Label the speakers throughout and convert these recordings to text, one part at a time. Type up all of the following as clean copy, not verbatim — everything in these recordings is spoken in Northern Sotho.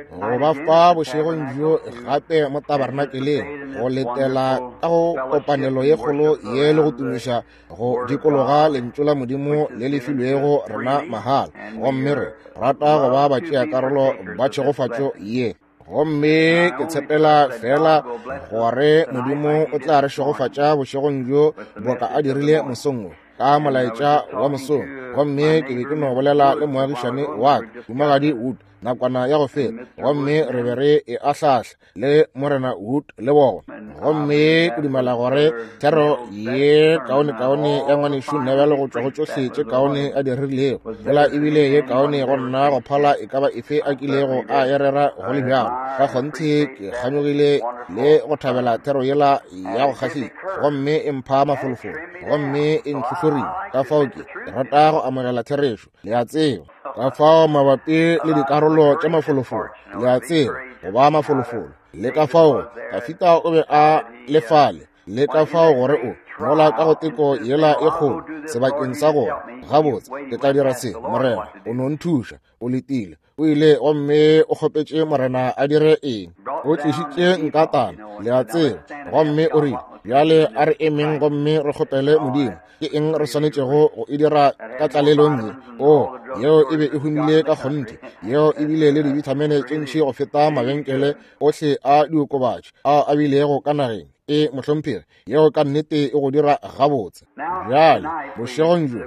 Speaker 1: Go ba fa bošegong bjo gape mo tabernakeleng, go letela ka go kopanelo ye kgolo ye le go tumiša go dikologa Lentšu la Modimo le le filwego rena mahala. Gomme re rata go ba batšeakarolo ba tšhegofatšo ye. Gomme ke tshepela fela gore Modimo o tla re šegofatša bošegong bjo boka a dirile mosong wo ka molaetša wa mosong. Gomme ke be ke no bolela le moagišane wa ka, Mohumagadi Wood, nakwana ya go feta, gomme re be re e ahlahla le Morena Wood le bona. Gomme ke dumela gore thero ye kaonekaone ya ngwanešu Neville go tšwa go tšohle tše kaone a di rerilego, fela ebile ye kaone go nna go phala e ka ba efe a kilego a e rera go le bjalo. Ka kgonthe ke kganyogile le go thabela thero yela ya go kgahlisa, gomme e mpha mafolofolo, gomme e ntlhohlorile. Ka fao ke rata go amogela therešo, le a tseba. Ka fao mabapi le dikarolo tša mafolofolo, le a tseba, go ba mafolofolo, le ka fao Dafida o be a le fale, le ka fao gore o mola ka go teko yela e kgolo sebakeng sa gore gabotse ke tla dira se, Morena o no nthuša. O letile, o ile gomme o kgopetše Morena a dire eng. O tlišitše nkatana, le a tseba, gomme o rile, bjale a re emeng gomme re kgopele Modimo ke eng re swanetšego go e dira ka tlalelong ye. O, yeo e be e humile ka kgonthe, yeo e bile le dibithamene tše ntši go feta mabenkele ohle a diokobatši ao a bilego ka nageng. E, mohlomphegi, yeo ka nnete e go dira gabotse. Bjale, bošegong bjo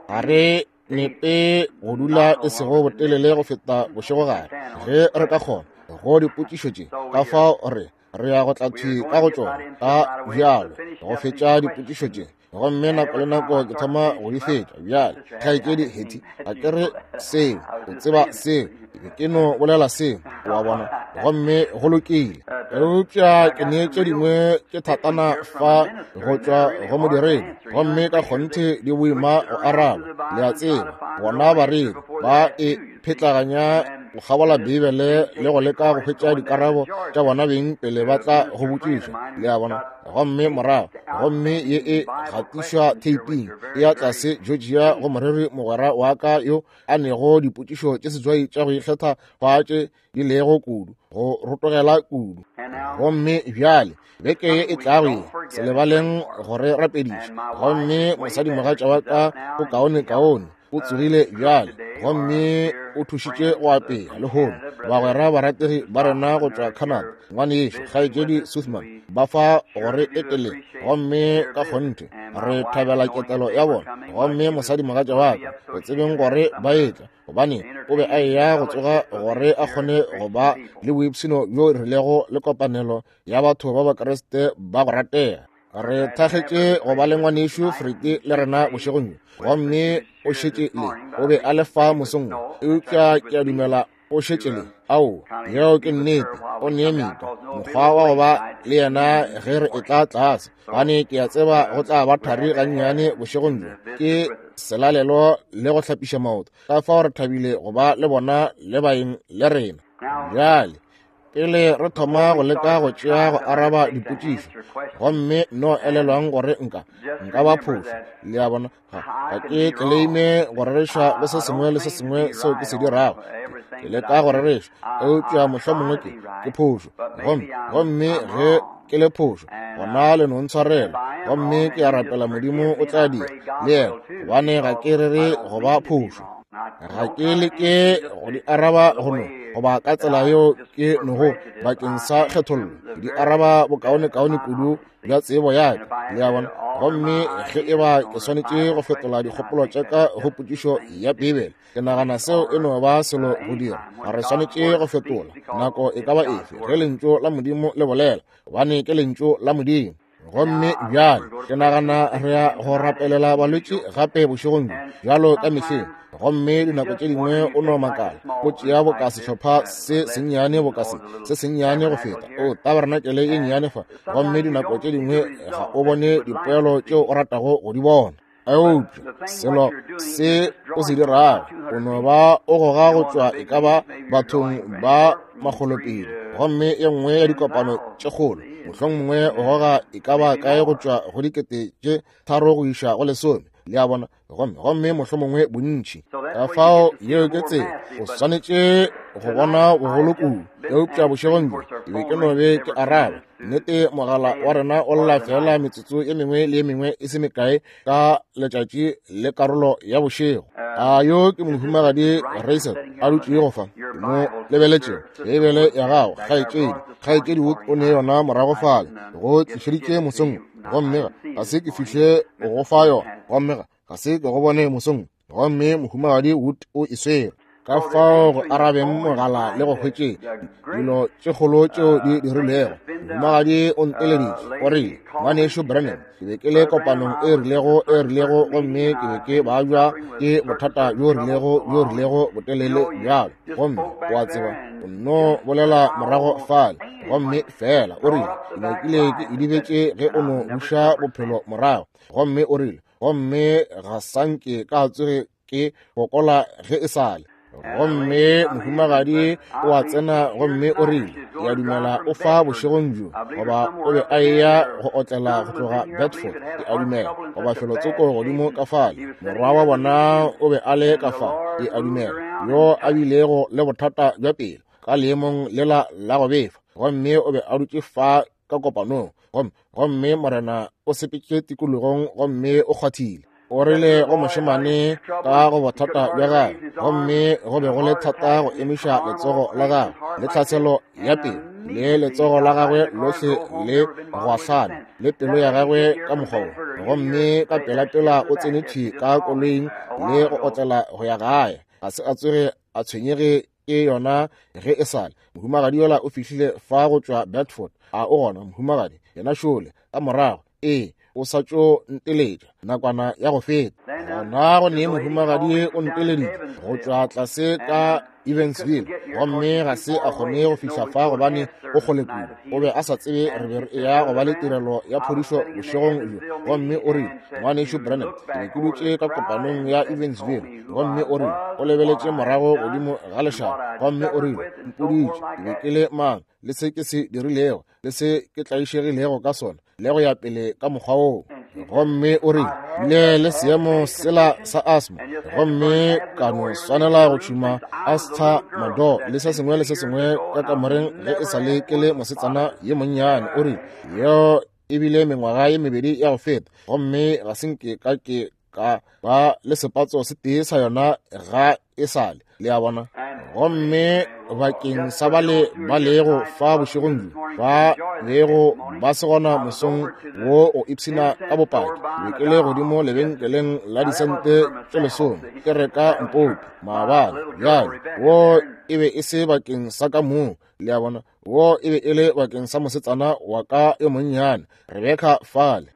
Speaker 1: ga re nepe go dula e sego botelele go feta bošegogare, ge re ka kgona go dipotšišo tše. Ka fao re re ya go tla thwi ka go tšona ka bjalo go fetša dipotšišo tše, gomme nako le nako ke thoma go di fetša. Bjale, kgaetšedi Hattie, ga ke re seo, o tseba seo, ke ke no bolela seo, wa bona, gomme go lokile. Eupša ke ne tše dingwe tše thatana fa go tšwa go modiredi, gomme ka kgonthe di boima go araba, le a tseba. Bona bareri ba e phetlaganya go kgabola Beibele le go leka go hwetša dikarabo tša bona beng pele ba tla go botšiša, le a bona. Gomme morago, gomme ye e gatišwa theiping, e ya tlase Georgia go moreri mogwera wa ka yo a nego dipotšišo tše setswai tša go ikgetha fa tše di lego kudu, go rotogela kudu. Gomme bjale beke ye e tlago ye, se lebaleng go re rapediša. Gomme mosadimogatša wa ka o kaone kaone, o tsogile bjale gomme o thušitše go apea lehono. Bagwera barategi ba rena go tšwa Canada, ngwanešo kgaetšedi Suthman, ba fa gore eteleng, gomme ka kgonthe re thabela ketelo ya bona. Gomme mosadimogatša wa ka, o tsebeng gore ba etla, gobane o be a eya go tsoga gore a kgone go ba le boipshino bjo rilego le kopanelo ya batho ba Bakriste ba go ratega. Re thakgetše go ba le ngwanešu Frete le rena bošegong bjo, gomme o šetše le, o be a le fa mosong wo, eupša ke a dumela o šetše le. Ao, yeo ke nnete, o nee mika mokgwa wa go ba le yena ge re etla tlase, gobane ke a tseba go tla ba thari gannyane bošegong bjo, ke selalelo le go hlapiša maoto. Ka fao re thabile go ba le bona le baeng le rena. Bjale pele re thoma go leka go tšea go araba dipotšišo, gomme no elelwang gore nka nka ba phošo, le a bona, ga ke tleleime go rereša go se sengwe le se sengwe seo ke se dirago, ke leka go rereša, eupša mohlomongwe ke ke phošo, gomme gomme ge ke le phošo, gona le no ntshwarela, gomme ke a rapela Modimo o tla dira le yena, gobane ga ke rere go ba phošo. Ga ke leke go di araba go no goba ka tsela yeo ke nogo bakeng sa kgethollo, ke di araba bokaonekaone kudu bja tsebo ya ka, le a bona. Gomme ge e ba ke swanetše go fetola dikgopolo tša ka go potšišo ya Beibele, ke nagana seo e no ba selo go dira. Re swanetše go fetola nako e ka ba efe ge Lentšu la Modimo le bolela, gobane ke Lentšu la Modimo. Gomme bjale ke nagana re ya go rapelela balwetši gape bošegong bjo, bjalo ka mehleng. Gomme dinako tše dingwe o no makala, o tšea boka sehlopha se sennyane boka se, se sennyane go feta, o tabarenakele ye nnyane fa, gomme dinako tše dingwe ga o bone dipoelo tšeo o ratago go di bona. Eupša selo se o se dirago, o no ba o goga go tšwa e ka ba bathong ba makgolopedi, gomme e nngwe ya dikopano tše kgolo, mohlomongwe o goga e ka ba kae go tšwa go 3 000 go iša go 10, le a bona, gomme gomme mohlomongwe bontši. Ka fao yeo ke tsela o swanetše go bona bogolo kudu. Eupša bošegong bjo ke be ke no be ke araba. Nnete mogala wa rena o lla fela metsotso e mengwe le e mengwe e se mekae ka letšatši le karolo ya bošego. A yo ke mohumagadi Reisel a dutšego fa, ke mo lebeletšego. Beibele ya gago, kgaetšedi, kgaetšedi Wood o ne yona morago fale, go tlišeditše mosong, gomme ga se ke fihle go fa yona, gomme ga se ke go bone mosong, gomme mohumagadi Wood o e swere. Ka fao go arabeng mogala le go hwetšeng dilo tše kgolo tšeo di dirilwego. Mohumagadi o nteleditše, o rile, Ngwanešu Branham, ke be ke le kopanong e rilego e rilego, gomme ke be ke babja ke bothata bjo rilego bjo rilego botelele bjalo, gomme o a tseba, o nno bolela morago fale, gomme fela o rile, ke nyakile ke idibetše ge o no buša bophelo morago, gomme o rile, gomme ga sanke ka tsoge ke fokola ge e sale. Gomme mohumagadi o a tsena gomme o rile, ke a dumela o fa bošegong bjo, goba o be a eya go otlela go tloga Bedford, ke a dumela, goba felotsoko godimo ka fale. Morwa wa bona o be a le ka fa, ke a dumela, yo a bilego le bothata bja pelo ka leemong lela la go befa, gomme o be a dutše fa ka kopanong, gomme Morena o sepetše tikologong gomme o kgwathile. O rile go mošemane ka go bothata bja gagwe, gomme go be go le thata go emiša letsogo la gagwe le tlhaselo ya pelo le letsogo la gagwe lohle le go ahlana le pelo ya gagwe ka mokgwa wo, gomme ka pelapela o tsene thwi ka koloing le go otlela go ya gae. Ga se a tsoge a tshwenyege ke yona ge e sale. Mohumagadi yola o fihlile fa go tšwa Bedford. A o gona mohumagadi? Yena šole ka morago. Ee, o sa tšo nteletša nakwana ya go feta. Gona go ne mohumagadi o nteleditše go tšwa tlase ka Evansville, gomme ga se a kgone go fihla fa gobane o kgole kudu. O be a sa tsebe re be re eya go ba le tirelo ya phodišo bošegong bjo. Gomme o rile, Ngwanešu Branham, ke be ke dutše ka kopanong ya Evansville, gomme o rile, o lebeletše morago godimo ga lešaba, gomme o rile, mpoditše ke be ke le mang, le se ke se dirilego, le se ke tlaišegilego ka sona, le go ya pele ka mokgwa woo. Gomme o rile, bile le seemo sela sa asthma, gomme ka no swanela go tšhuma asthamadol le se sengwe le se sengwe ka kamoreng ge e sa le ke le mosetsana ye monnyane. O rile, yeo e bile mengwaga ye mebedi ya go feta, gomme ga se nke ka ke ka ba le sepatso se tee sa yona ga e sale, le a bona. Gomme bakeng sa bale ba lego fa bošegong bjo, ba bego ba se gona mosong wo o ipshina ka bopaki, be ke le godimo lebenkeleng la disente tše 10 ke reka mpopi maabane. Bjale wo e be e se bakeng sa ka mong, le a bona, wo e be e le bakeng sa mosetsana wa ka yo monnyane Rebeka fale.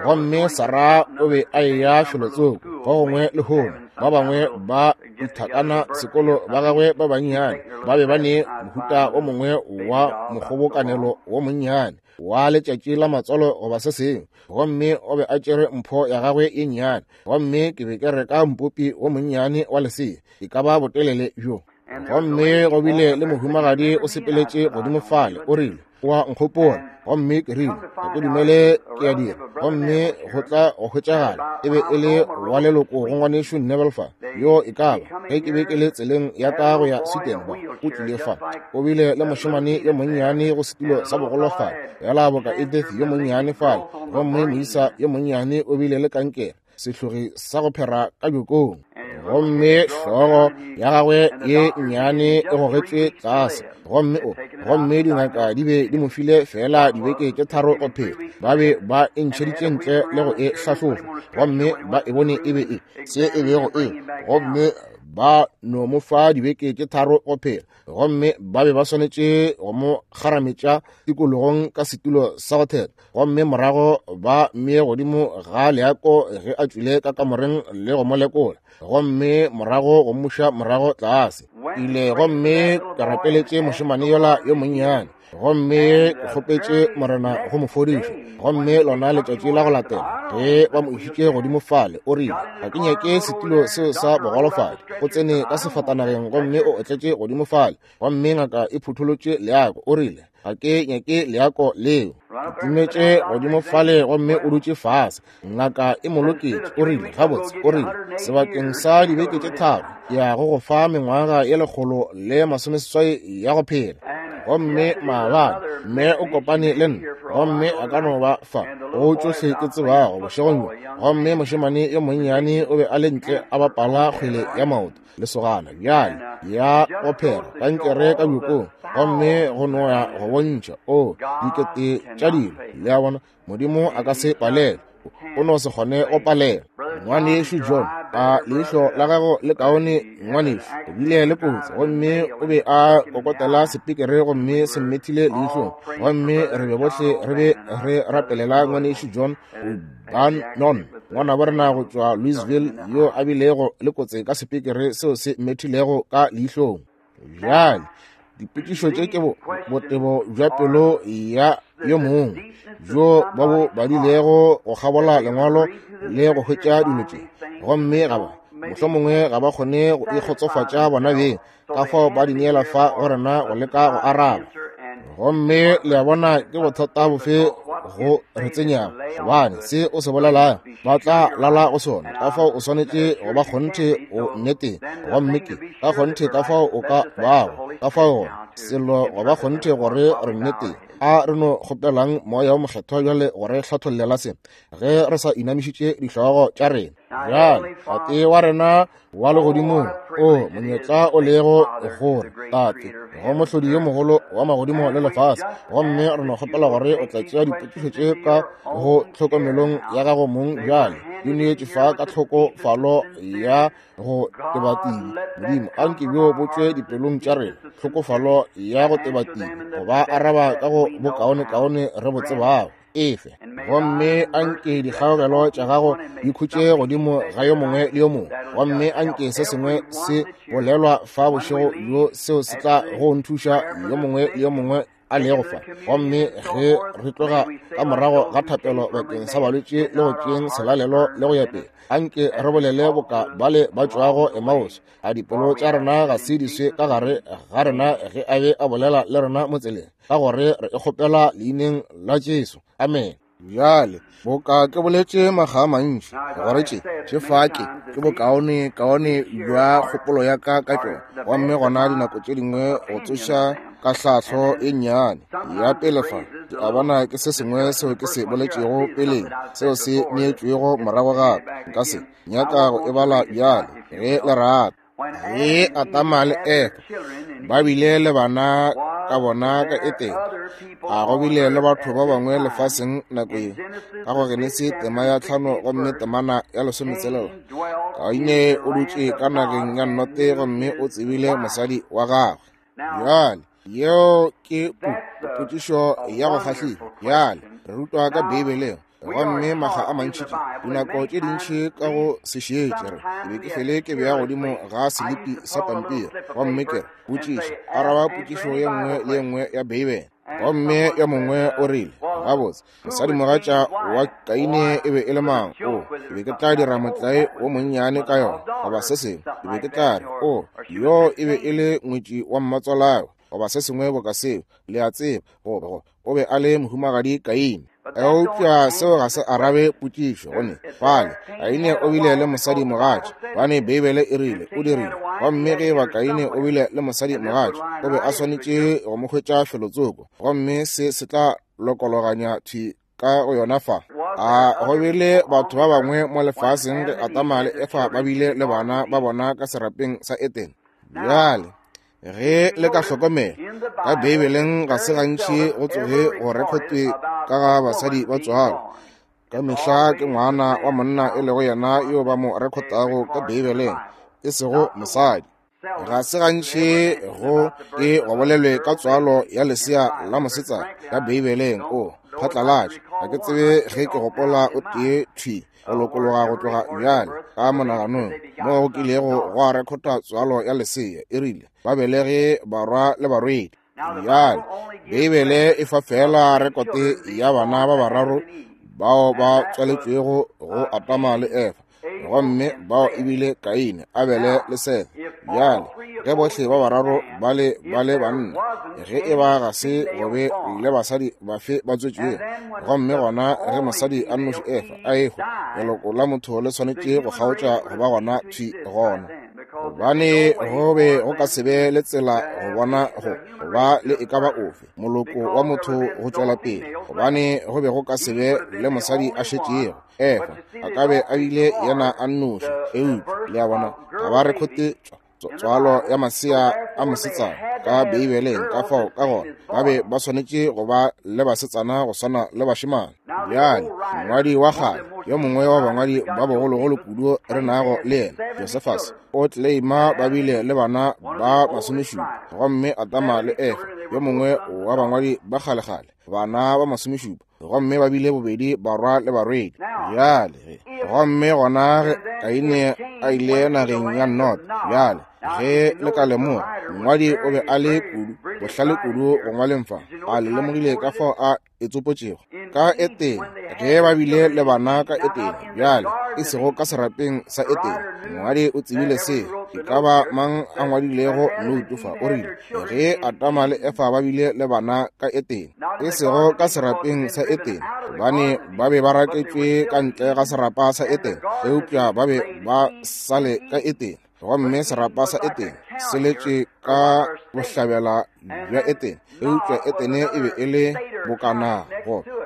Speaker 1: Gomme Sarah o be a eya felotsoko go gongwe lehono. Ba bangwe ba ithakana sekolo ba gagwe ba bannyane ba be ba ne mohuta o mongwe wa mokgobokanelo wo monnyane wa letšatši la matswalo goba se sengwe, gomme o be a tšere mpho ya gagwe ye nnyane, gomme ke be ke reka mpopi wo monnyane wa lesea, e ka ba botelele bjo. Gomme go bile le mohumagadi o sepeletše godimo fale, o rile, o a nkgopola. Gomme ke rile, ga ke dumele ke a dira. Gomme go tla go hwetšagala e be e le wa leloko go ngwanešu Neville fa, yo e ka ba ge ke be ke le tseleng ya ka go ya Sweden ba, o tlile fa. O bile le mošemane yo monnyane go setulo sa bogolofadi, yala boka Edith yo monnyane fale, gomme moisa yo monnyane o bile le kankere, sehlogi sa go phera ka bjokong, gomme hlogo ya gagwe ye nnyane e gogetšwe tlase, gomme dingaka di be di mo file fela dibeke tše 3 go phela. Ba be ba e ntšheditše ntle le go e hlahlofa, gomme ba e bone e be e se e bego e, gomme ba no mo fa dibeke tše 3 go phela, gomme ba be ba swanetše go mo kgarametša tikologong ka setulo sa go theta, gomme morago ba mmee godimo ga leako ge a tšwile ka kamoreng le go mo lekola, gomme morago go mmuša morago tlase. Ile gomme ke rapeletše mošemane yola yo monnyane. Gomme ke kgopetše Morena go mo fodiša. Gomme lona letšatši la go latela, ge ba mo išitše godimo fale, o rile, Ga ke nyake setulo seo sa bogolofadi. O tsene ka sefatanageng gomme o otletše godimo fale. Gomme ngaka e phutholotše leako. O rile, Ga ke nyake leako leo. Ke timetše godimo fale gomme o dutše fase. Ngaka e mo loketše. O rile, Gabotse, o rile, sebakeng sa dibeke tše tharo, ke ya go go fa mengwaga ye 180 ya go phela. Gomme maabane, mme o kopane le nna, gomme a ka no ba fa go tšohle ke tsebago bošegong bjo. Gomme mošemane yo monnyane o be a le ntle a bapala kgwele ya maoto, lesogana bjale ya go phera kankere ka bjokong, gomme go no ya go bontšha o dikete tša dilo. Le a bona, Modimo a ka se palelwe, o no se kgone go palelwa. Ngwanešu John, a leihlo la gago le kaone, ngwanešu? O bile le kotsi gomme o be a kokotela sepikere gomme se mmethile leihlong. Gomme re be bohle re be re rapelela ngwanešu John Bannon, ngwanabo rena go tšwa Louisville, yo a bilego le kotsi ka sepikere seo se mmethilego ka leihlong. Bjale, dipotšišo tše ke botebo bja pelo ya yo mongwe bjo ba bo badilego go kgabola lengwalo le go hwetša dilo tše, gomme ga ba mohlomongwe ga ba kgone go ikgotsofatša bona beng, ka fao ba di neela fa go rena go leka go araba. Gomme le a bona ke bothata bofe go re tsenyago, gobane se o se bolelago ba tla lala go sona. Ka fao o swanetše go ba kgonthe o nneteng, gomme ke ka kgonthe ka fao o ka bago ka fao gona selo go ba kgonthe gore re nneteng. A re no kgopelang Moya wo Mokgethwa bjale go re hlathollela se ge re sa inamišitše dihlogo tša rena. Bjale, Tate wa rena wa legodimong, o monyetla o lego gore Tate go mohlodi yo mogolo wa magodimo le lefase, gomme re no kgopela gore o tla tšea dipotšišo tše ka go tlhokomelong ya gago mong bjale, di neetše fa ka tlhokofalo ya go tebatibi. Modimo, anke bjo bo tšwe dipelong tša rena, tlhokofalo ya go tebatibi, go ba araba ka go bokaonekaone re bo tsebago. Efe, gomme anke dikgaogelo tša gago di khutše godimo ga yo mongwe le yo mongwe, gomme anke se sengwe se bolelwa fa bošego bjo seo se tla go nthuša yo mongwe le yo mongwe a lego fa. Gomme ge re tloga ka morago ga thapelo bakeng sa balwetši le go tšeeng selalelo le go ya pele, anke re bolele boka bale ba tšwago Emmaus, a dipelo tša rena ga se di swe ka gare ga rena ge a be a bolela le rena mo tseleng, ka gore re e kgopela leineng la Jesu. Amen. Bjale, boka ke boletše makga a mantši, gore tše, tše fa ke, ke bokaone, kaone bja kgopolo ya ka ka tšona. Gomme gona dinako tše dingwe go tsoša kahlahlo e nnyane ya pele fa, ke a bona ke se sengwe seo ke se boletšego peleng, seo se neetšwego morago gape. Nka se nyaka go e bala bjale, ge le rata. Ge Adama le Efa ba bile le bana ka bona ka Etene, a go bile le batho ba bangwe lefaseng nako ye. Ka go Genesi tema ya 5 gomme temana ya 16, Kaine o dutše ka nageng ya Note gomme o tsebile mosadi wa gagwe. Bjale, yeo ke potšišo ya go kgahliša. Bjale, re rutwa ka Beibeleng, gomme makga a mantši tše, dinako tše dintši ka go se šetše, re ke be ke fele ke bea godimo ga selipi sa pampiri gomme ke re, Potšišo, araba potšišo ye nngwe le ye nngwe ya Beibele. Gomme yo mongwe o rile, Gabotse, mosadimogatša wa Kaine e be e le mang? O, ke be ke tla dira motlae wo monnyane ka yona, goba se sengwe. Ke be ke tla re, O, yo e be e le ngwetši wa mmatswalagwe, goba se sengwe boka seo, le a tseba, goba, goba o be a le mohumagadi Kaine. Eupša seo ga se arabe potšišo, gone fale Kaine o bile le mosadimogatša, gobane Beibele e rile o dirile. Gomme ge eba Kaine o bile le mosadimogatša, o be a swanetše go mo hwetša felotsoko, gomme se se tla lokologanya thwi ka go yona fa. A go bile batho ba bangwe mo lefaseng ge Adama le Efa ba bile le bana ba bona ka serapeng sa Edene? Bjale, ge le ka hlokomela ka Beibeleng, ga se gantši go tsoge go rekhotwe ka ga basadi ba tswalo. Ka mehla ke ngwana wa monna e lego yena yo ba mo rekhotago ka Beibeleng, e sego mosadi. Ga se gantši go ke go bolelwe ka tswalo ya lesea la mosetsana ka Beibeleng. O phatlalatša, ga ke tsebe ge ke gopola o tee thwi go lokologa go tloga bjale ka monaganong mo go kilego gwa rekhota tswalo ya lesea, e rile ba belege barwa le barwedi. Bjale, Beibele e fa feela rekote ya bana ba bararo bao ba tswaletšwego go Adama le Efa, gomme bao e bile Kaine, Abele le Sethe. Bjale, ge bohle ba bararo ba le ba le banna, ge e ba ga se go be le basadi bafe ba tswetšwego, gomme gona ge mosadi a nnoši Efa a ehwa, leloko la motho le swanetše go kgaotša go ba gona thwi gona, gobane go be go ka se be le tsela go bona go ba le e ka ba ofe moloko wa motho go tšwela pele, gobane go be go ka se be le mosadi a šetšego. Efa a ka be a bile yena a nnoši, eupša le a bona ga ba rekhote tswalo ya masea a mosetsana ka Beibeleng, ka fao ka gona ba be ba swanetše go ba le basetsana go swana le bašemane. Bjale mongwadi wa kgale, yo mongwe wa bangwadi ba bogologolo kudu re nago le yena, Josephus, o tleleima ba bile le bana ba 70, gomme Adama le Efa, yo mongwe wa bangwadi ba kgalekgale, bana ba 70, gomme ba bile bobedi barwa le barwedi. Bjale gomme gona ge Kaine a ile nageng ya Nod, bjale ge le ka lemoga, mongwadi o be a le kudu bohlale kudu go ngwaleng fa, a le lemogile ka fao a e tsopotšego ka Etene, ge ba bile le bana ka Etene, bjale e sego ka serapeng sa Etene. Mongwadi o tsebile se, e ka ba mang a ngwadilego noutu fa, o rile ge Adama le Efa ba bile le bana ka Etene, e sego ka serapeng sa Etene, gobane ba be ba raketšwe ka ntle ga serapa sa Etene, eupša ba be ba sa le ka Etene, gomme serapa sa Etene se letše ka bohlabela bja Etene, eupša Etene e be e le bokana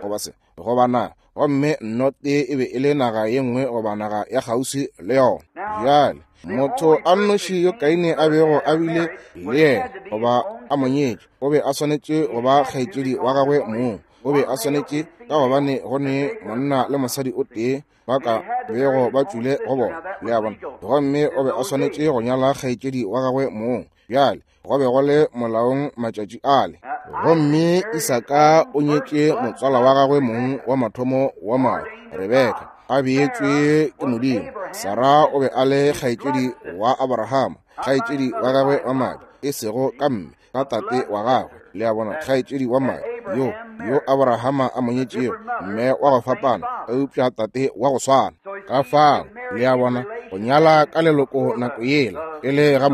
Speaker 1: goba se goba naga, gomme Note e be e le naga ye nngwe goba naga ya kgauswi le yona. Bjale motho a nnoši yo Kaine a bego a bile le yena goba a mo nyetše, o be a swanetše go ba kgaetšedi wa gagwe mong. O be a swanetše, ka gobane go ne monna le mosadi o tee ba ka bego ba tšwile go bona, le a bona, gomme o be a swanetše go nyala kgaetšedi wa gagwe mong. Bjale go be go le molaong matšatši ale. Gomme Isaka o nyetše motswala wa gagwe mong wa mathomo wa madi, Rebeka, a beetšwe ke Modimo. Sara o be a le kgaetšedi wa Abrahama, kgaetšedi wa gagwe wa madi, e sego ka mme, ka tate wa gagwe, le a bona, kgaetšedi wa madi yo yo Abrahama a mo nyetšego, mme wa go fapana, eupša tate wa go swana. Ka fao, le a bona, go nyala ka leloko nako yela e le ga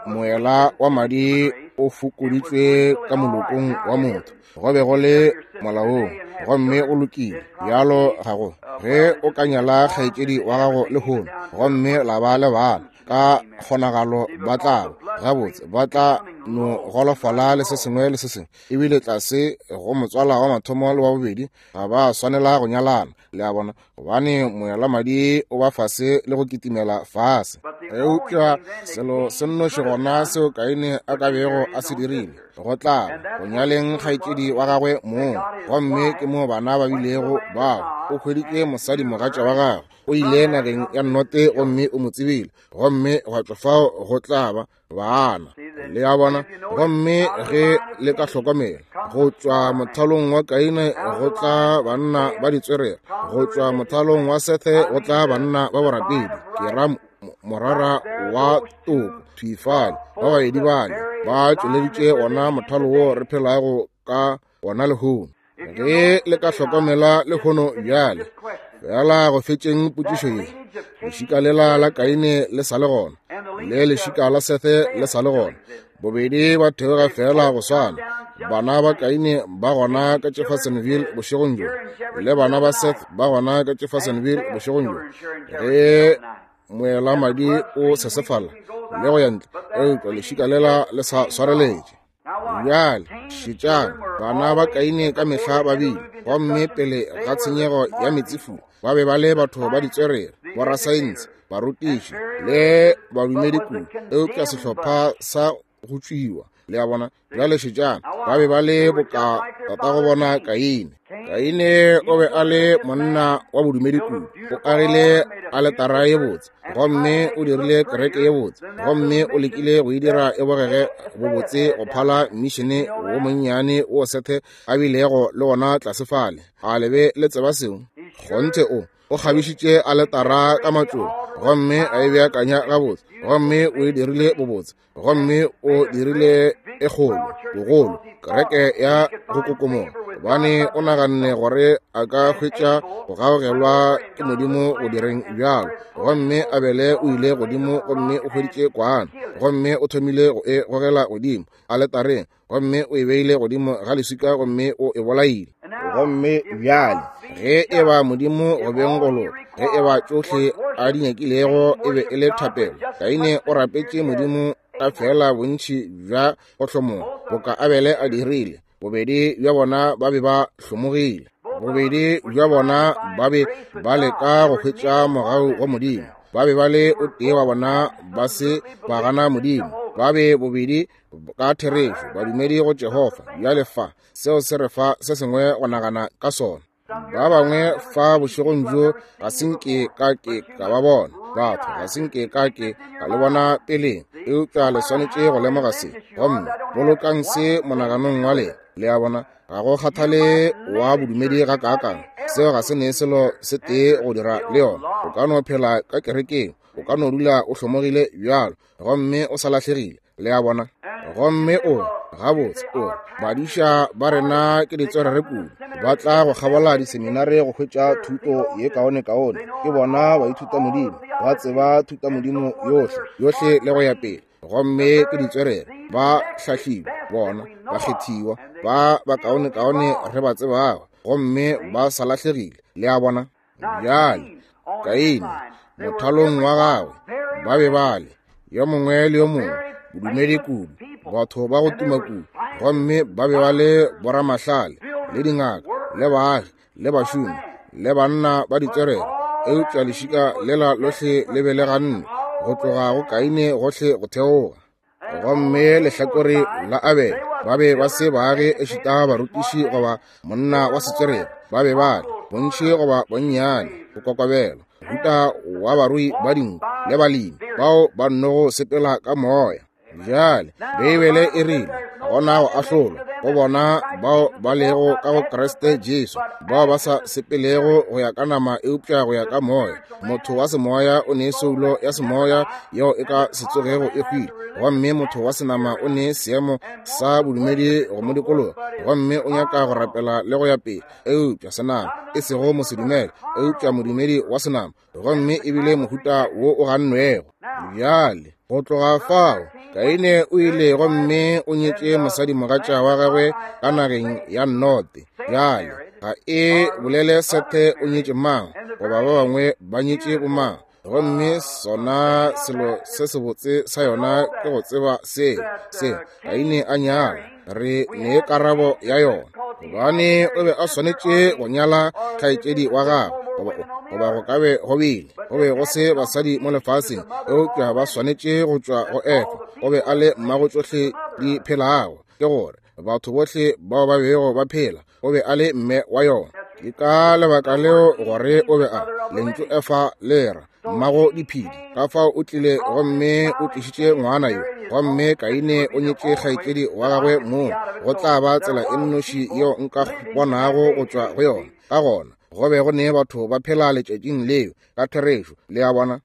Speaker 1: moela wa madi o fokoditšwe ka molokong wa motho, go be go le molaong gomme o lokile. Bjalo ga go ge o ka nyala kgaetšedi wa gago lehono gomme la ba le bana, ka kgonagalo ba tla gabotse ba tla no golofala le se sengwe le se sengwe, ebile tlase go motswala wa mathomo le wa bobedi ga ba swanela go nyalana, le a bona, gobane moela madi o ba fase le go kitimela fase. Eupša selo se nnoši gona seo Kaine a ka bego a se dirile, go tla go nyaleng kgaetšedi wa gagwe mong, gomme ke moo bana ba bilego bao. O hweditše mosadi mogatša wa gagwe, o ile nageng ya Note gomme o mo tsebile, gomme gwa tšwa fao go tla ba bana, le a bona. Gomme ge le ka hlokomela, go tšwa mothalong wa Kaine go tla banna ba ditswerere, go tšwa mothalong wa Sethe go tla banna ba borapedi, ke ra morara wa toko thwifale, ba babedi bale ba tšweleditše wona mothalo wo re phelago ka wona lehono. Ge le ka hlokomela lehono bjale, fela go fetšeng potšišo ye, lešika lela la Kaine le sa le gona, le lešika la Sethe le sa le gona, bobedi ba theoga fela go swana. Bana ba Kaine ba gona ka Jeffersonville bošegong bjo, le bana ba Seth ba gona ka Jeffersonville bošegong bjo. Ge moela madi o sesefala le go ya ntle, eupša lešika lela le sa swareletše. Bjale šetšang, bana ba Kaine ka mehla ba bile, gomme pele ga tshenyego ya meetsefula, ba be ba le batho ba ditswerere, borasaense, barutiši le badumedi kudu, eupša sehlopha sa go tšwiwa, le a bona. Bjale šetšang, ba be ba le boka tatago bona Kaine. Kaine o be a le monna wa bodumedi kudu, o agile aletara ye botse, gomme o dirile kereke ye botse, gomme o lekile go e dira e bogege bobotse go phala mišene wo monnyane wo Sethe a bilego le wona tlase fale. A le be le tseba seo? Kgonthe o kgabišitše aletara ka matšoba, gomme a e beakanya gabotse, gomme o e dirile bobotse, gomme o dirile e kgolo, bogolo, kereke ya go kokomoga, gobane o naganne gore a ka hwetša go gaogelwa ke Modimo go direng bjalo. Gomme Abele o ile godimo gomme o hweditše kwana, gomme o thomile go e gogela godimo aletareng, gomme o e beile godimo ga leswika gomme o e bolaile. Gomme bjale ge e ba Modimo go beng go loka, ge e ba tšohle a di nyakilego e be e le thapelo, Kaine o rapetše Modimo ka fela bontši bja go hlomoga boka Abele a dirile. Bobedi bja bona ba be ba hlomogile, bobedi bja bona ba be ba leka go hwetša mogau wa Modimo. Ba be ba le o tee wa bona ba se ba gana Modimo. Ba be bobedi ka therešo badumedi go Jehofa. Bjale fa seo se re fa se sengwe go nagana ka sona. Ba bangwe fa bošegong bjo ga se nke ka ke ka ba bona, batho ga se nke ka ke ka le bona peleng, eupša le swanetše go lemoga se gomme bolokang se monaganong wa lena. Le a bona, ga go kgathale wa bodumedi ga kaakang, seo ga se ne selo se tee go dira le yona. O ka no phela ka kerekeng, o ka no dula o hlomogile bjalo gomme o sa lahlegile. Le a bona? Gomme o gabotse o badiša ba rena ke ditswerere kudu, ba tla go kgabola diseminare go hwetša thuto ye kaonekaone. Ke bona baithutamodimo, ba tseba thutamodimo yohle yohle le go ya pele, gomme ke ditswerere, ba hlahliwa, bona bakgethiwa ba bakaonekaone re ba tsebago, gomme ba sa lahlegile. Le a bona? Bjale Kaine mothalong wa gagwe ba be ba le yo mongwe le yo mongwe bodumedi kudu, batho ba go tuma kudu, gomme ba be ba le boramahlale le dingaka le baagi le bašomi le banna ba ditswerere, eupša lešika lela lohle le be le ganne go tloga go Kaine gohle go theoga. Gomme lehlakore la Abele ba be ba se baagi ešita barutiši goba monna wa setswerere, ba be ba le bontši goba bonnyane go kokobela mohuta wa barui ba dinku le balemi bao ba nnogo sepela ka moya. Bjale Beibele e rile gona go ahlolwa go bona bao ba lego ka go Kriste Jesu, bao ba sa sepelego go ya ka nama eupša go ya ka moya. Motho wa semoya o ne soulo ya semoya yeo e ka se tsogego e hwile, gomme motho wa senama o ne seemo sa bodumedi go mo dikologa, gomme o nyaka go rapela le go ya pele, eupša senama, e sego mosedumele, eupša modumedi wa senama, gomme ebile mohuta wo o gannwego. Bjale go tloga fao Kaine o ile gomme o nyetše mosadimogatša wa gagwe ka nageng ya Note. Bjale ga e bolele Sethe o nyetše mang goba ba bangwe ba nyetše bomang, gomme sona selo se sebotse sa yona ke go tseba seo se Kaine a nyala. Re ne karabo ya yona, gobane o be a swanetše go nyala kgaetšedi wa gagwe, goba go ka be go bile go be go se basadi mo lefaseng, eupša ba swanetše go tšwa go Efa. O be a le mmago tšohle di phelago, ke gore batho bohle bao ba bego ba phela, o be a le mme wa yona. Ke ka lebaka leo gore o be a lentšu Efa le ra mmago diphedi. Ka fao o tlile gomme o tlišitše ngwana yo, gomme Kaine o nyetše kgaetšedi wa gagwe moo. Go tla ba tsela e nnoši yeo nka bonago go tšwa go yona. Ka gona go be go ne batho ba phela letšatšing leo ka therešo. Le a bona?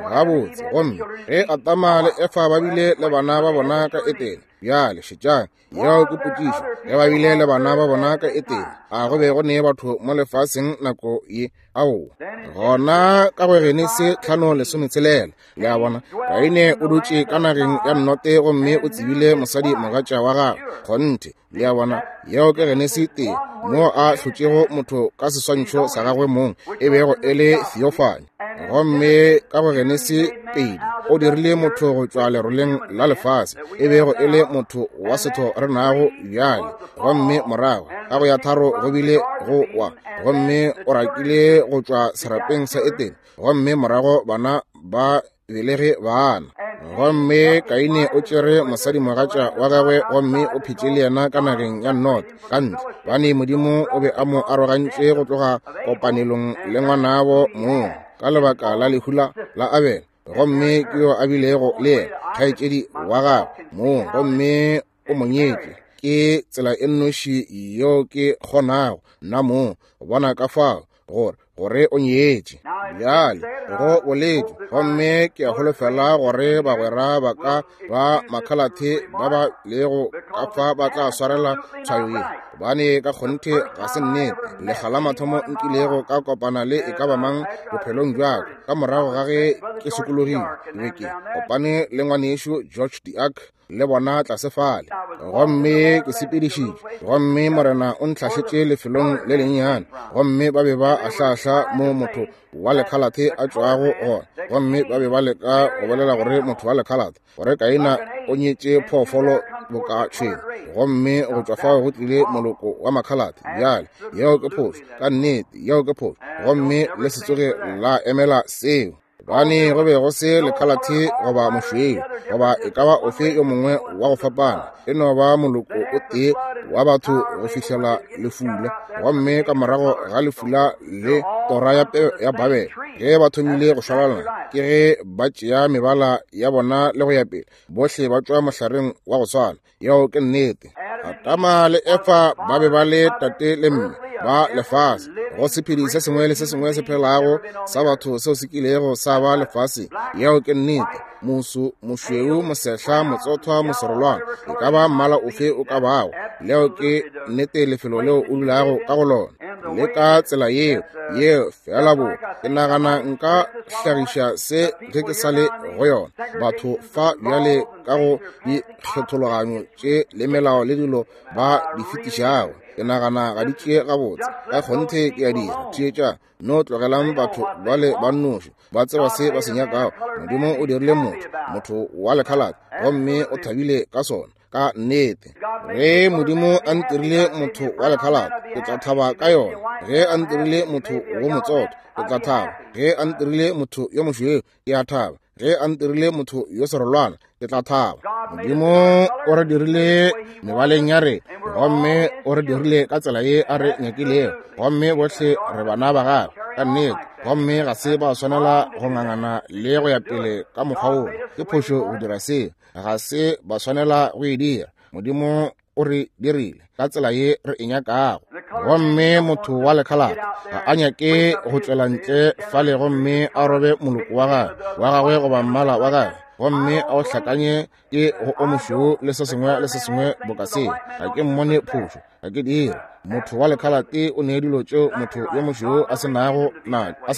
Speaker 1: Gabotse. Gomme ge Adama le Efa ba bile le bana ba bona ka Etene, bjale šetšang, yeo ke potšišo, ge ba bile le bana ba bona ka Etene, a go be go ne batho mo lefaseng nako ye? Aowa. Gona ka go Genesi 5:16, le a bona, Kaine o dutše ka nageng ya Note gomme o tsebile mosadi mogatša wa gagwe. Kgonthe. Le a bona, yeo ke Genesi 1, moo a hlotšego motho ka seswantšho sa gagwe mong, e bego e le theophany. Gomme ka go Genesi 2, o dirile motho go tšwa leroleng la lefase, e bego e le motho wa setho re nago bjale. Gomme morago ka go ya 3 go bile go wa, gomme o rakile go tšwa serapeng sa Etene, gomme morago bana ba belege bana. Gomme Kaine o tšere mosadimogatša wa gagwe gomme o phetše le yena ka nageng ya Nod ka ntle, bane Modimo o be a mo arogantše go tloga kopanelong le ngwanabo mong ka lebaka la lehu la Abele. Gomme ke yo a bilego le yena kgaetšedi wa gagwe mong, gomme o mo nyetše. Ke tsela e nnoši yeo ke kgonago nna mong go bona ka fao gore gore o nyetše. Bjale, go boletšwe, gomme ke a holofela gore bagwera ba ka ba makhalathe ba ba lego ka fa ba tla swarela tshwayo ye, gobane ka kgonthe ga se nnete. Lekga la mathomo nkilego ka kopana le e ka ba mang bophelong bja ka, ka morago ga ge ke sokologile, ke be ke kopane le ngwanešu George DeArk le bona tlase fale, gomme ke sepedišitšwe, gomme Morena o ntlhahletše lefelong le lennyane, gomme ba be ba ahlaahla mo motho wa lekhalathe a tšwago gona, gomme ba be ba leka go bolela gore motho wa lekhalathe, gore Kaina o nyetše phoofolo boka tšhwene, gomme go tšwa fao go tlile moloko wa makhalathe. Bjale, yeo ke phošo, ka nnete, yeo ke phošo, gomme le se tsoge la emela seo. Gobane go be go se lekhalathe goba mošweu goba e ka ba ofe yo mongwe wa go fapana, e no ba moloko o tee wa batho go fihlela lefula. Gomme ka morago ga lefula le tora ya ya Babele, ge ba thomile go šwalalana, ke ge ba tšea mebala ya bona le go ya pele, bohle ba tšwa mohlareng wa go swana. Yeo ke nnete. Adama le Efa ba be ba le tate le mme ba lefase, go sephedi se sengwe le se sengwe se phelago sa batho seo se kilego sa ba lefase. Yeo ke nnete. Moso, mošweu, mosehla, motsothwa, moserolwana, e ka ba mmala ofe o ka bago, leo ke nnete lefelo leo o dulago ka go lona. Le ka tsela yeo, yeo fela bo. Ke nagana nka hlagiša se ge ke sa le go yona. Batho fa bjale ka go dikgethologanyo tše le melao le dilo ba di fetišago, ke nagana ga di tšee gabotse. Ka kgonthe ke a dira. Theetša, no tlogelang batho bale ba nnoši ba tseba se ba se nyakago. Modimo o dirile motho, motho wa lekhalate, gomme o thabile ka sona. Ka nnete, ge Modimo a ntirile motho wa lekhalate, ke tla thaba ka yona. Ge a ntirile motho wo motsotho, ke tla thaba. Ge a ntirile motho yo mošweu, ke a thaba. Ge a ntirile motho yo serolwana, ke tla thaba. Modimo o re dirile mebaleng ya re, gomme o re dirile ka tsela ye a re nyakilego, gomme bohle re bana ba gagwe ka nnete, gomme ga se ba swanela go ngangana le go ya pele ka mokgwa wo. Ke phošo go dira seo, ga se ba swanela go e dira. Modimo o re dirile ka tsela ye re e nyakago, gomme motho wa lekhalate ga a nyake go tšwela ntle fale gomme a robe moloko wa gagwe wa gagwe goba mmala wa gagwe, gomme a o hlakanye ke go o mošweu le se sengwe le se sengwe boka seo. Ga ke mmone phošo, ga ke dire. Motho wa lekhalate o ne dilo tšeo motho yo mošweu a se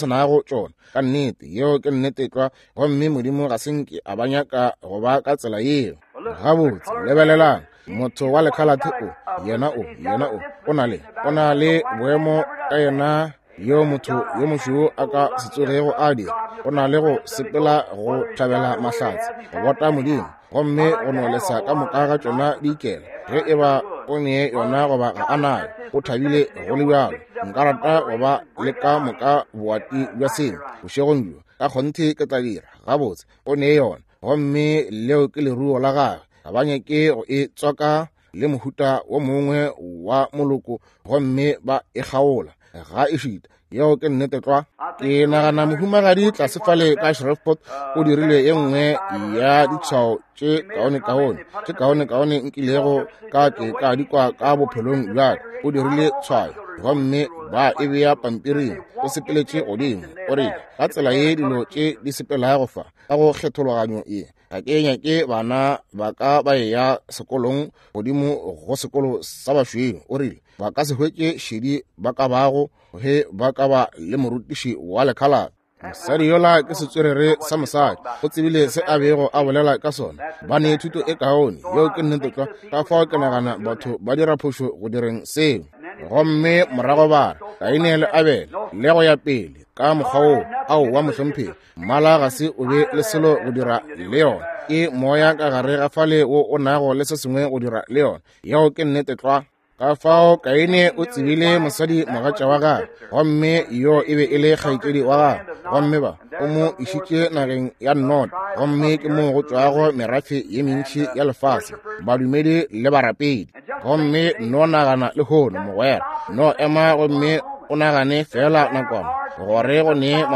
Speaker 1: nago tšona. Ka nnete, yeo ke nnete tlwa, gomme Modimo ga se nke a ba nyaka go ba ka tsela yeo. Gabotse, lebelelang, motho wa lekhalate o, yena o, yena o, o na le, o na le boemo ka yena yo motho yo mošweu a ka se tsogego a dira. O na le go sepela go thabela mahlatse, go bota Modimo, gomme go no lesa ka moka ga tšona di ikela. Ge e ba o ne yona goba ga a nayo, o thabile go le bjalo. Nka rata go ba le ka moka boati bja sengwe bošegong bjo, ka kgonthe ke tla dira. Gabotse, o ne yona, gomme leo ke leruo la gagwe. Ga ba nyake go e tswaka le mohuta wo mongwe wa moloko, gomme ba e kgaola ga e šita. Yeo ke nnete tlwa. Ke nagana mohumagadi tlase fale ka Shreveport o dirile ye nngwe ya ditshwao tše kaonekaone, tše kaonekaone nkilego ka ke ka di kwa ka bophelong bja ka. O dirile tshwayo gomme ba e bea pampiring. O sepeletše godimo, o rile, ka tsela ye dilo tše di sepelago fa ka go kgethologanyo ye, ga ke nyake bana ba ka ba eya sekolong godimo go sekolo sa bašweu. O rile ba ka se hwetše šedi ba ka bago ge ba ka ba le morutiši wa lekhalate. Mosadi yola ke setswerere sa mosadi, o tsebile se a bego a bolela ka sona. Ba ne thuto e kaone, yeo ke nnete tlwa. Ka fao ke nagana batho ba dira phošo go direng seo, gomme morago ba re Kaine le Abele le go ya pele ka mokgwa woo. Aowa mohlomphegi, mmala ga se o be le selo go dira le yona. Ke moya ka gare ga fale wo o nago le se sengwe go dira le yona. Yeo ke nnete tlwa. Ka fao Kaine o tsebile mosadi mogatša wa gagwe, gomme yo e be e le kgaetšedi wa gagwe, gomme ba o mo išitše nageng ya Nod, gomme ke moo go tšwago merafe ye mentši ya lefase, badumedi le barapedi. Gomme no nagana lehono, mogwera, no ema gomme o nagane feela nakwana gore go ne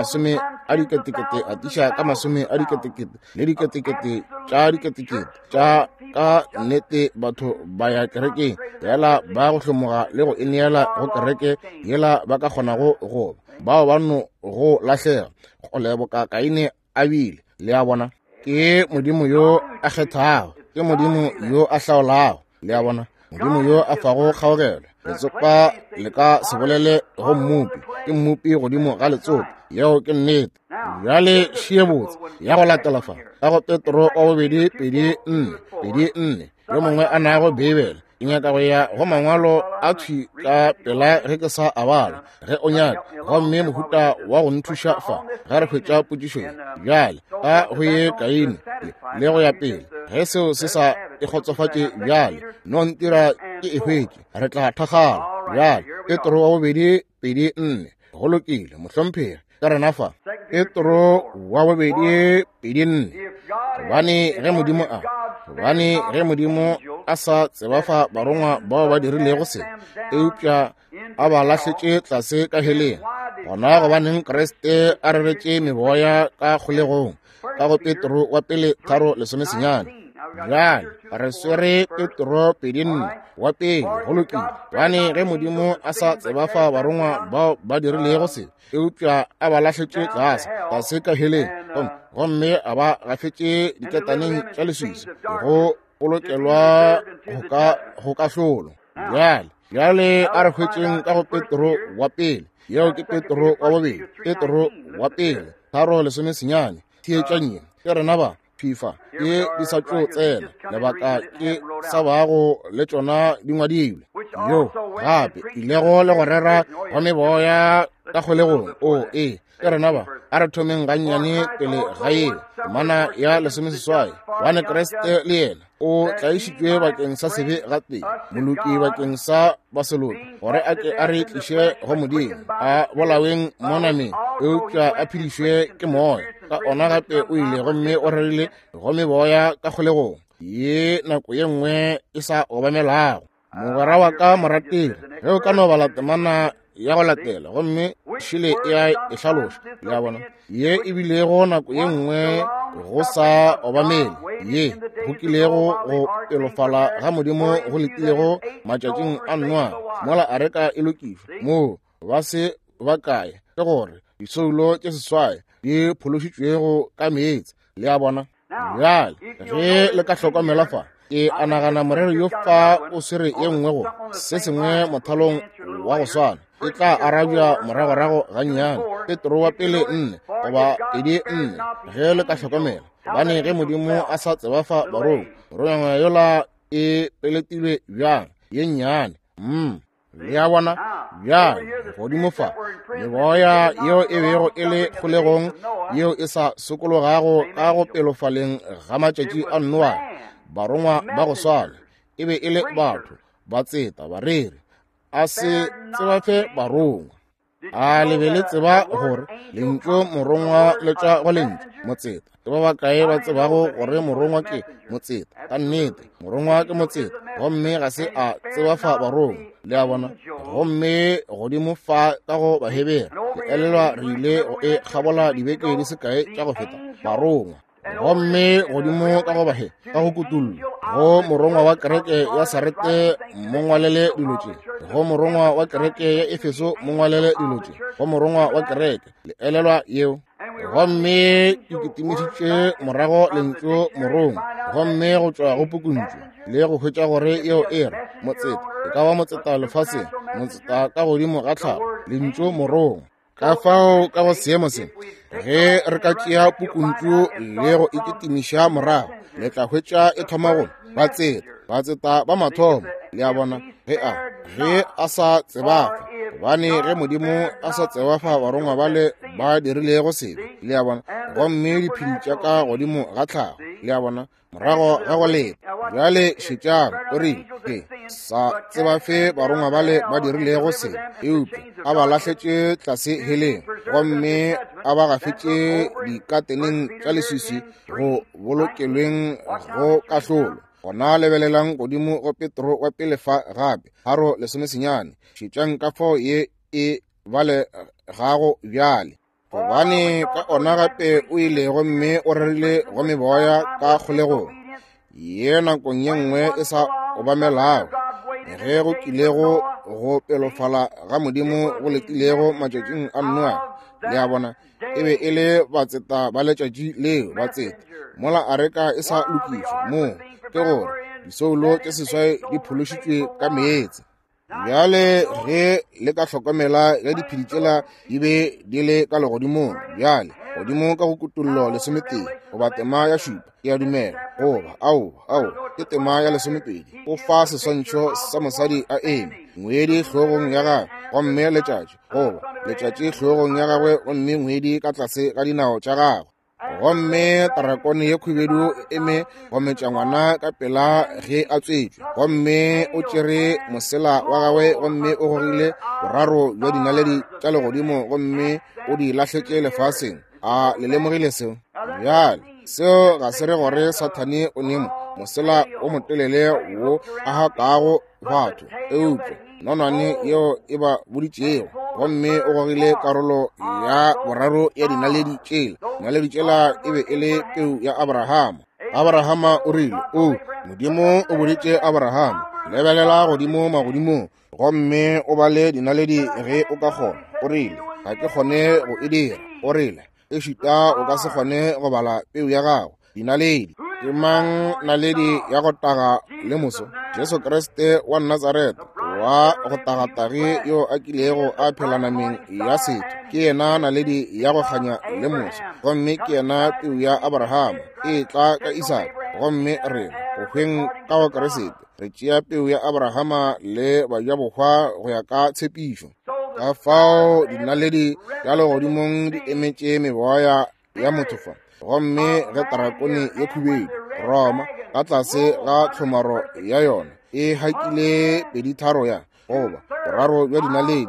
Speaker 1: a diketekete atiša ka masome a diketekete le diketekete tša diketekete tša ka nnete batho ba ya kerekeng fela ba go hlomoga le go ineela go kereke yela ba ka kgonago go ba bao ba no go lahlega go leboka Kaine a bile. Le a bona, ke Modimo yo a kgethago, ke Modimo yo a hlaolago. Le a bona, Modimo yo a fago kgaogelo. Letsopa le ka se bolele go mmopi, ke mmopi godimo ga letsopa. Yeo ke nnete. Bjale šie botse ya go latela fa ka go Petro wa bobedi 2:4, 2:4, yo mongwe a nago Beibele. Ke nyaka go ya go mangwalo a thwi ka pela ge ke sa a bala, ge o nyaka, gomme mohuta wa go nthuša fa ge re hwetša potšišo ye. Bjale ka go ye Kaine le go ya pele, ge seo se sa e kgotsofatše bjale, no ntira ke e hwetše, re tla thakgala. Bjale Petro wa bobedi 2:4. Go lokile, mohlomphegi, ka rena fa. Petro wa bobedi 2:4. Gobane ge Modimo a, gobane ge Modimo a sa tsebafa barongwa bao ba dirilego se, eupša a ba lahletše tlase ka heleng, gona gobaneng Kriste a reretše meboya ka kgolegong, ka go Petro wa pele 3:19. Bjale re swere Petro 2:4 wa pele. Go lokile. Gobane ge Modimo a sa tsebafa barongwa bao ba dirilego se, eupša a ba lahletše tlase tlase ka heleng, gomme a ba gafetše diketaneng tša leswiswi go bolokelwa go kahlolo. Bjale, bjale a re hwetšeng ka go Petro wa pele. Yeo ke Petro wa bobedi, Petro wa pele 3:19. Theetšang ye, ke rena ba fifa ke di sa tšo tsena, lebaka ke sa bago le tšona di ngwadilwe. Yo gape ilego le go rera wa meboya ka kgolegong. O ee, ke rena ba. A re thomeng gannyane pele ga yeo, temana ya 18. Gobane Kriste le yena o tlaišitšwe bakeng sa sebe gatee, moloki bakeng sa baseloki, gore a ke a re tliše go Modimo, a bolaweng mo nameng, eupša a phedišwe ke moya. Ka ona gape o ile gomme o rerile go meboya ka kgolegong, ye nako ye nngwe e sa obamelago. Mogwera wa ka morategi, ge o ka no bala temana ya go latela, gomme šele e a e hlaloša. Le a bona, ye e bilego nako ye nngwe go sa obamele, ye go kilego go pelofala ga Modimo go letilego matšatšing a Noa, mola areka e lokišwa, moo ba se ba kae, ke gore disoulo tše 8 di phološitšwego ka meetse. Le a bona? Bjale ge le ka hlokomela fa, ke a nagana morero yo fa o swere ye nngwe go se sengwe mothalong wa go swana, e tla arabja moragorago gannyane. Petro wa pele 4 goba 2:4, ge le ka hlokomela. Gobane ge Modimo a sa tsebafa barongwa, morongwa yola e peletilwe bjang ye nnyane. Le a bona? Bjale godimo fa, meboya yeo e bego e le kgolegong, yeo e sa sokologago ka go pelofaleng ga matšatši a Noa, barongwa ba go swana e be e le batho, batseta, bareri, a se tsebafe barongwa. A le be le tseba gore lentšu morongwa le tšwa go lentšu motseta? Ke ba bakae ba tsebago gore morongwa ke motseta? Ka nnete, morongwa ke motseta, gomme ga se a tsebafa barongwa. Le a bona? Gomme godimo fa ka go Bahebere, ke elelwa re ile go e kgabola dibeke di se kae tša go feta, barongwa. Gomme godimo ka go bahe ka go kutullo, go morongwa wa kereke ya Sarete mo ngwalele dilo tše, go morongwa wa kereke ya Efeso mo ngwalele dilo tše, go morongwa wa kereke, le elelwa yeo. Gomme ke kitimišitše morago lentšu morongwa, gomme go tšwa go pukuntšu, le go hwetša gore yeo e re motseta, e ka ba motseta lefaseng, motseta ka godimo ga tlhago, lentšu morongwa. Ka fao ka go seemo se, ge re ka tšea pukuntšu le go e kitimiša morago, le tla hwetša e thoma go batseta, batseta ba mathomo. Le a bona, ge a, ge a sa tsebafa, gobane ge Modimo a sa tsebafa barongwa bale ba dirilego sebe, le a bona, gomme diphedi tša ka godimo ga tlhago, le a bona, morago ga go leta. Bjale šetšang, o rile, ke sa tsebafe barongwa bale ba dirilego se, eupša a ba lahletše tlase heleng, gomme a ba gafetše dikateneng tša leswiswi go bolokelweng go kahlolo. Gona lebelelang godimo go Petro wa pele fa gape, 3:19. Šetšang ka fao ye e balegago bjale. Gobane ka ona gape o ile gomme o rerile go meboya ka kgolegong, ye nakong ye nngwe e sa obamelago, ge go kilego go pelofala ga Modimo go letilego matšatšing a Noa. Le a bona, e be e le batseta ba letšatši leo, batseta mola areka e sa lokišwa, moo ke gore disoulo tše seswai di phološitšwe ka meetse. Bjale ge le ka hlokomela ge diphedi tšela di be di le ka legodimong, bjale godimo ka go Kutollo 11 goba tema ya 7, ke a dumela, goba ao, ao, ke tema ya 12, o fa seswantšho sa mosadi a eme, ngwedi hlogong ya gagwe, gomme letšatši, goba letšatši hlogong ya gagwe, gomme ngwedi ka tlase ga dinao tša gagwe. Gomme tarakone ye khubedu e eme go metša ngwana ka pela ge a tswetšwe, gomme o tšere mosela wa gagwe gomme o gogile boraro bja dinaledi tša legodimo gomme o di lahletše lefaseng. A le lemogile seo? Bjale seo ga se re gore Sathane o ne mosela o motelele wo a hakago batho, eupša nonwane yeo e ba boditšego, gomme o gogile karolo ya boraro ya dinaledi tšela. Dinaledi tšela e be e le peu ya Abrahama. Abrahama o rile, o Modimo o boditše Abrahama, lebelela godimo magodimong gomme o bale dinaledi ge o ka kgona. O rile, ga ke kgone go e dira. O rile, ešita o ka se kgone go bala peu ya gago, dinaledi. Ke mang naledi ya go taga le moso? Jesu Kriste wa Nazareta, wa go tagatagi yo a kilego a phela nameng ya setho, ke yena naledi ya go kganya le moso, gomme ke yena peu ya Abrahama e tla ka Isaka. Gomme rena go hweng ka go Kriste re tšea peu ya Abrahama le bajabohwa go ya ka tshepišo. Ka fao dinaledi tša legodimong di emetše meboya ya motho fa, gomme ge tarakone ye khubedu Roma ka tlase ga tlhomaro ya yona e hakile peditharo ya goba boraro bja dinaledi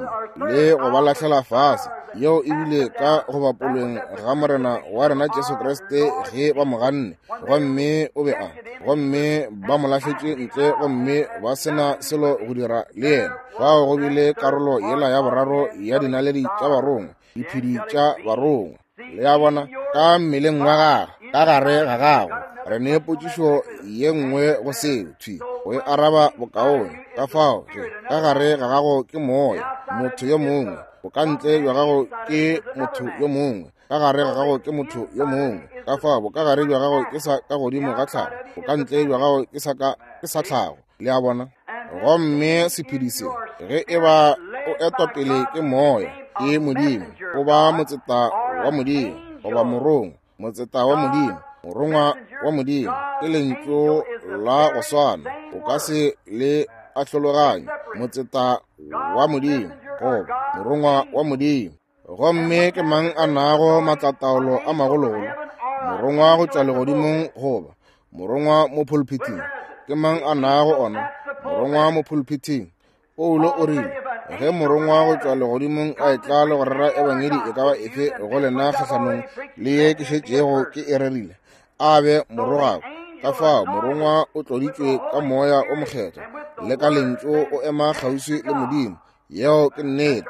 Speaker 1: le go ba lahlela fase, yeo e bile ka go bapolweng ga Morena wa rena Jesu Kriste ge ba mo ganne, gomme o be a, gomme ba mo lahletše ntle gomme ba se na selo go dira le yena. Fao go bile karolo yela ya boraro ya dinaledi tša barongwa, diphedi tša barongwa. Le a bona, ka mmeleng wa gagwe, ka gare ga gagwe. Re ne potšišo ye nngwe go seo, thwi go e araba bokaone. Ka fao ge ka gare ga gago ke moya, motho yo mongwe, bokantle bja gago ke motho yo mongwe, ka gare ga gago ke motho yo mongwe. Ka fao bokagare bja gago ke sa ka godimo ga tlhago, bokantle bja gago ke sa ka, ke sa tlhago. Le a bona? Gomme sephedi se, ge e ba o etwa pele ke moya, ke Modimo, o ba motseta wa Modimo, goba morongwa, motseta wa Modimo, morongwa wa Modimo, ke lentšu la go swana, o ka se le ahlologanye, motseta wa Modimo, goba morongwa wa Modimo. Gomme ke mang a nago maatlataolo a magologolo, morongwa go tšwa legodimong goba morongwa mo pulpiting? Ke mang a nago ona, morongwa mo pulpiting? Paulo o rile, ge morongwa go tšwa legodimong a etla le go rera ebangedi e ka ba efe go lena kgahlanong le ye ke šetšego ke e rerile, a be morogako. Ka fao morongwa o tloditšwe ka moya o mokgethwa le ka lentšu, o ema kgauswi le Modimo. Yeo ke nnete.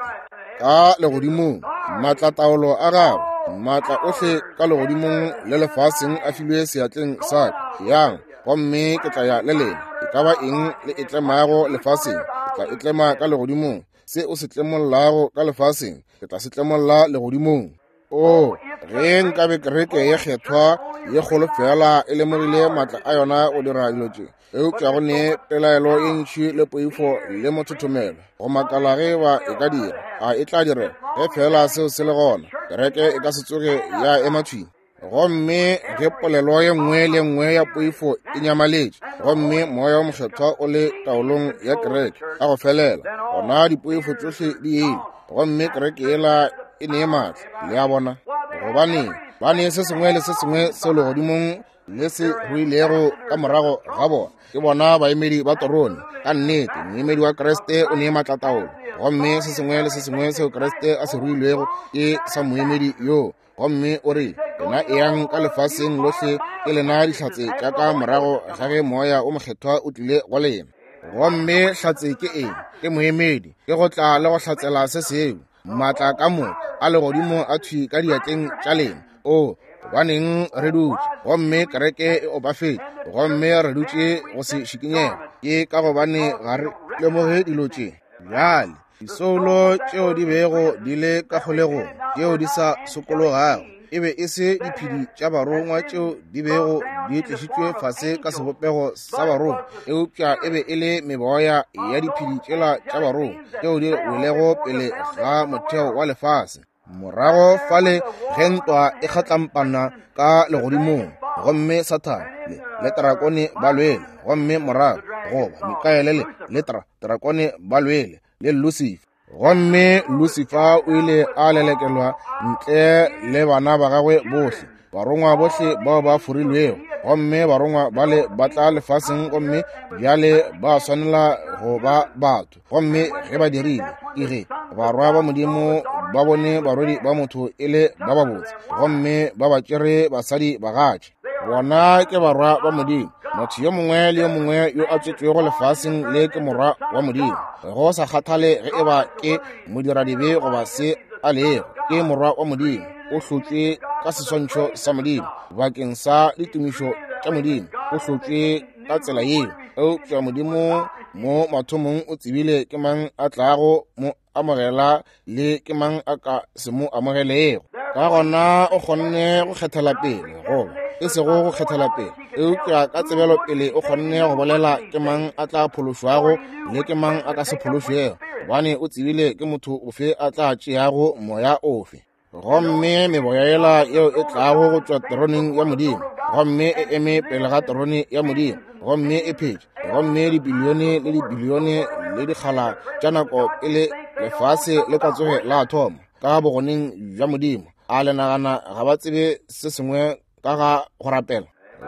Speaker 1: Ka legodimong, maatlataolo a gagwe, maatla ohle ka legodimong le lefaseng a filwe seatleng sa ka. Yang, gomme ke tla ya le lena. E ka ba eng le e tlemago lefaseng, ke tla e tlema ka legodimong. Se o se tlemollago ka lefaseng, ke tla se tlemolla legodimong. O, ge nkabe kereke ye kgethwa ye kgolo fela e lemogile maatla a yona go dira dilo tše, eupša go ne pelaelo ye ntši le poifo le mothothomelo go makala ge ba e ka dira. A e tla dira ge fela seo se le gona? Kereke e ka se tsoge ya ema thwi. Gomme ge polelo ye nngwe le nngwe ya poifo e nyamaletše, gomme moya wa mokgethwa o le taolong ya kereke ka go felela, gona dipoifo tšohle di ile, gomme kereke yela e ne maatla. Le a bona? Gobane ba ne se sengwe le se sengwe se legodimong le se ruilego ka morago ga bona. Ke bona baemedi ba terone. Ka nnete, moemedi wa Kriste o ne maatlataolo, gomme se sengwe le se sengwe seo Kriste a se ruilego ke sa moemedi yoo. Gomme o re, lena eyang ka lefaseng lohle, ke lena dihlatse tša ka morago ga ge moya o mokgethwa o tlile go lena. Gomme hlatse ke eng? Ke moemedi, ke go tla le go hlatsela se sengwe. Maatla ka moka a legodimo a thwi ka diatleng tša lena. O gobaneng re dutše gomme kereke e opafetše gomme re dutše go se šikinyega? Ke ka gobane ga re lemoge dilo tše. Bjale disoulo tšeo di bego di le ka kgolegong tšeo di sa sokologago e be e se diphedi tša barongwa tšeo di bego di tlišitšwe fase ka sebopego sa barongwa, eupša e be e le meboya ya diphedi tšela tša barongwa tšeo di welego pele ga motheo wa lefase. Morago fale ge ntwa e kgatlampana ka legodimong, gomme Sathane le, le trakone ba lwele, gomme morago goba Mikaele le, le tra, trakone ba lwele le Lucifer. Gomme Lucifer o ile a lelekelwa ntle le bana ba gagwe bohle, barongwa bohle bao ba forilwego. Gomme barongwa bale ba tla lefaseng, gomme bjale ba swanela go ba batho. Gomme ge ba dirile, ke ge barwa ba Modimo ba bone barwedi ba motho e le ba babotse, gomme ba ba tšere basadi bagatše. Bona ke barwa ba Modimo. Motho yo mongwe le yo mongwe yo a tswetšwego lefaseng le ke morwa wa Modimo, go sa kgathale ge e ba ke modiradibe goba se a lego, ke morwa wa Modimo. O hlotšwe ka seswantšho sa Modimo bakeng sa ditumišo tša Modimo. O hlotšwe ka tsela yeo. Eupša Modimo mo mathomong o tsebile ke mang a tlago mo amogela le ke mang a ka se mo amogelego. Ka gona o kgonne go kgethela pele, goba e sego go kgethela pele, eupša ka tsebelo pele o kgonne go bolela ke mang a tla phološwago le ke mang a ka se phološwego, gobane o tsebile ke motho ofe a tla tšeago moya ofe. Gomme meboya yela yeo e tlago go tšwa teroneng ya Modimo, gomme e eme pele ga terone ya Modimo, gomme e phetše, gomme dibilione le dibilione le dikgala tša nako pele lefase le ka tsoge la thoma ka bogoneng bja Modimo. A le nagana ga ba tsebe se sengwe ka ga go rapela?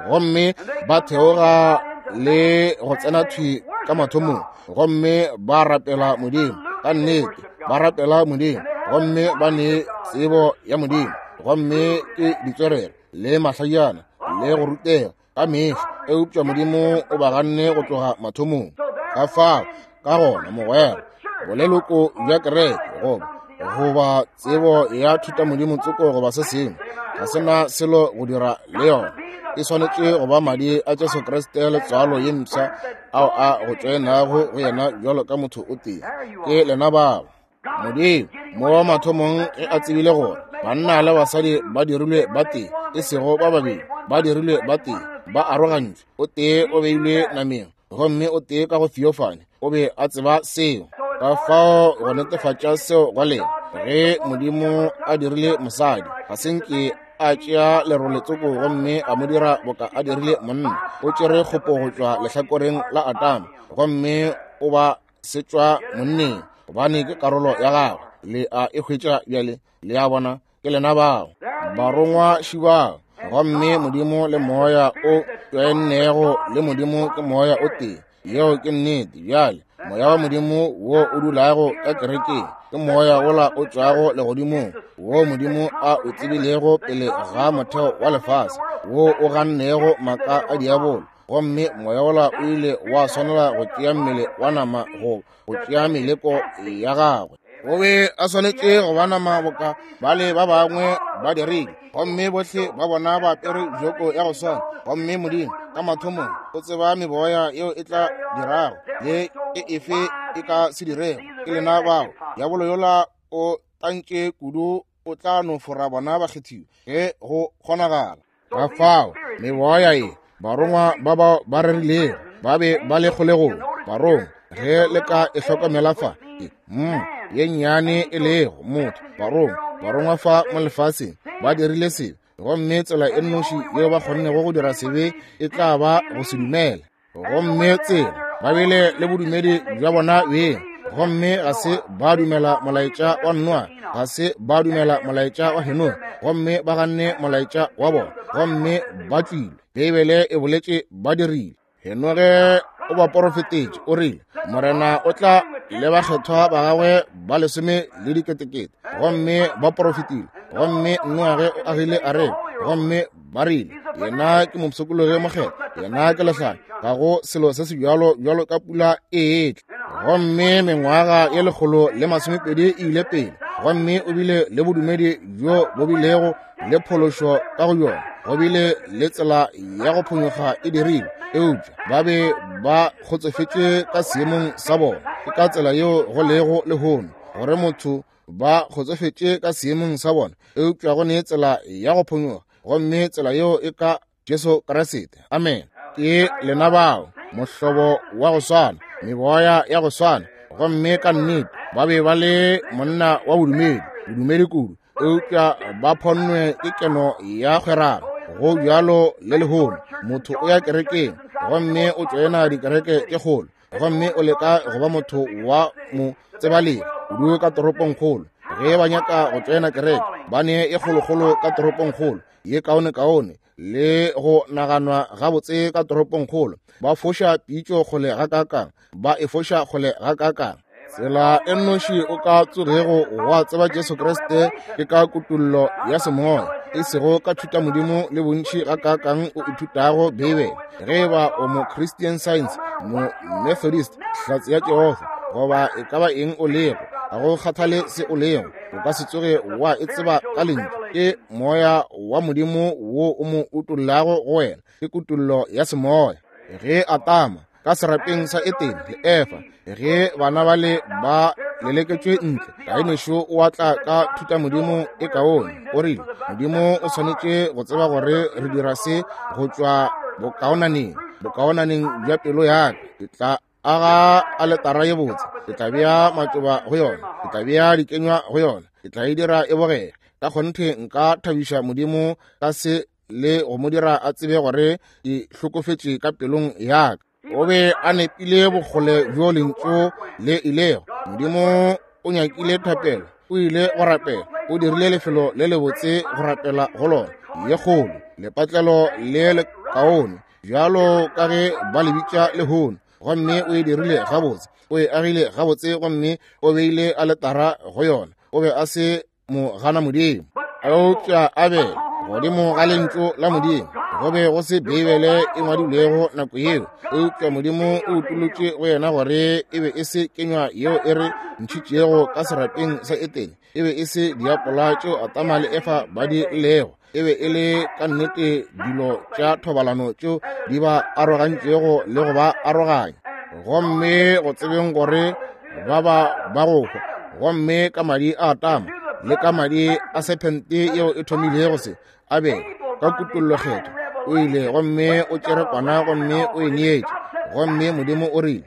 Speaker 1: Gomme ba theoga le go tsena thwi ka mathomong, gomme ba rapela Modimo. Ka nnete ba rapela Modimo, gomme ba ne tsebo ya Modimo, gomme ke ditswerere le mahlajana le go rutega ka mehla, eupša Modimo o ba ganne go tloga mathomong. Ka fao ka gona mogwera, boleloko bja kereke goba goba tsebo ya thutamodimo tsoko goba se sengwe ga se na selo go dira le yona. E swanetše go ba madi a Jesu Kriste le tswalo ye mpsha ao a go tšoenago go yena bjalo ka motho o tee. Ke lena bao. Modimo mo mathomong ge a tsebile gore banna le basadi ba dirilwe ba tee, e sego ba babedi, ba dirilwe ba tee, ba arogantšwe, o tee o beilwe nameng gomme o tee ka go theophany, o be a tseba seo. Ka fao go netefatša seo go lena, ge Modimo a dirile mosadi, ga se nke a tšea lerole tsoko gomme a mo dira boka a dirile monna. O tšere kgopo go tšwa lehlakoreng la Adama gomme o ba setšwa monneng, gobane ke karolo ya gagwe. Le a e hwetša bjale? Le a bona, ke lena bao barongwa šibao. Gomme Modimo le moya o tšoennego le Modimo ke moya o tee. Yeo ke nnete. Bjale moya wa Modimo wo o dulago ka kerekeng ke moya wola o tšwago legodimong, wo Modimo a o tsebilego pele ga motheo wa lefase, wo o gannego maaka a diabolo. Gomme moya wola o ile wa swanela go tšea mmele wa nama go tšea meleko ya gagwe. O be a swanetše go ba nama boka bale ba bangwe ba dirile, gomme bohle ba bona ba apere joko ya go swana. Gomme Modimo ka mathomong o tseba meboya yeo e tla dirago le e efe e ka se dirego. Ke lena bao. Diabolo yola o tantše kudu, o tla no fora bona bakgethiwa ge go kgonagala. Ka fao meboya ye barongwa ba bao ba rerilego ba be ba le kgolegong. Barongwa, ge le ka e hlokomela fa, ke ye nnyane e lego motho. Barongwa, barongwa fa mo lefaseng ba dirile sebe, gomme tsela e nnoši yeo ba kgonnego go dira sebe e tla ba go se dumele. Gomme tsela ba bile le bodumedi bja bona beng, gomme ga se ba dumela molaetša wa Noa, ga se ba dumela molaetša wa Henoge, gomme ba ganne molaetša wa bona, gomme ba tšwile. Beibele e boletše ba dirile. Henoge o ba porofetetše, o rile Morena o tla le bakgethwa ba gagwe ba lesome le diketekete, gomme ba porofetile. Gomme Noage o agile areka, gomme ba rile yena ke mopshokologi mokgethwa, yena ke lehlanya, ga go selo se se bjalo bjalo ka pula e etla. Gomme mengwaga ye 120 e ile pele, Gomme o bile le bodumedi bjo bo bilego le phološo ka go yona, go bile le tsela ya go phonyokga e dirilwe, eupša ba be ba kgotsofetše ka seemong sa bona. Ke ka tsela yeo go lego lehono, gore motho ba kgotsofetše ka seemong sa bona, eupša go ne tsela ya go phonyokga, gomme tsela yeo e ka Jesu Kriste. Amen. Ke lena bao, mohlobo wa go swana, meboya ya go swana. Gomme ka nnete ba be ba le monna wa bodumedi, bodumedi kudu, eupša ba phonnwe ke keno ya kgwerano. Go bjalo le lehono, motho o ya kerekeng gomme o tšoena dikereke tše kgolo, gomme o leka go ba motho wa mo tsebalegi kudu ka toropongkgolo. Ge ba nyaka go tšoena kereke, ba ne e kgolokgolo ka toropongkgolo, ye kaonekaone le go naganwa gabotse ka toropongkgolo. Ba foša pitšo kgole gakaakang, ba e foša kgole gakaakang. Tsela e nnoši o ka tsogego wa tseba Jesu Kriste ke ka kutollo ya semoya, e sego ka thutamodimo le bontši gakaakang o ithutago Beibele. Ge e ba o mo Christian Science, mo Methodist, Hlatse ya Jehofa, goba e ka ba eng o lego, ga go kgathale se o lego, o ka se tsoge wa e tseba ka lentšu. Ke moya wa Modimo wo o mo utollago go wena, ke kutollo ya semoya. Ge Atama ka serapeng sa Etene le Efa, ge bana bale ba leleketšwe ntle, Kainešo o atla ka thutamodimo e kaone. O rile, Modimo o swanetše go tseba gore re dira se go tšwa bokaonaneng, bokaonaneng bja pelo ya ka. Ke tla aga aletara ye botse, ke tla bea matšoba go yona, ke tla bea dikenywa go yona, ke tla e dira e bogege. Ka kgonthe nka thabiša Modimo ka se le go mo dira a tsebe gore ke hlokofetše ka pelong ya ka. O be a nepile bokgole bjo lentšu le ilego. Modimo o nyakile thapelo, o ile go rapela, o dirile lefelo le lebotse go rapela go lona, ye kgolo, lepatlelo le lekaone, bjalo ka ge ba le bitša lehono. Gomme o e dirile gabotse, o e agile gabotse, gomme o beile aletara go yona. O be a se mo gana Modimo, eupša a be godimo ga lentšu la Modimo. Go be go se Beibele e ngwadilwego nako yeo, eupša Modimo o utolotše go yena gore e be e se kenywa yeo e re ntšhitšego ka serapeng sa Etene, e be e se diapola tšeo Adama le Efa ba di llego, e be e le ka nnete dilo tša thobalano tšeo di ba arogantšego le go ba aroganya. Gomme go tsebeng gore ba ba ba go hwa, gomme ka madi a Adama le ka madi a sephente yeo e thomilego se, Abele ka kutollokgetho o ile gomme o tšere kwana gomme o e neetše, gomme Modimo o rile,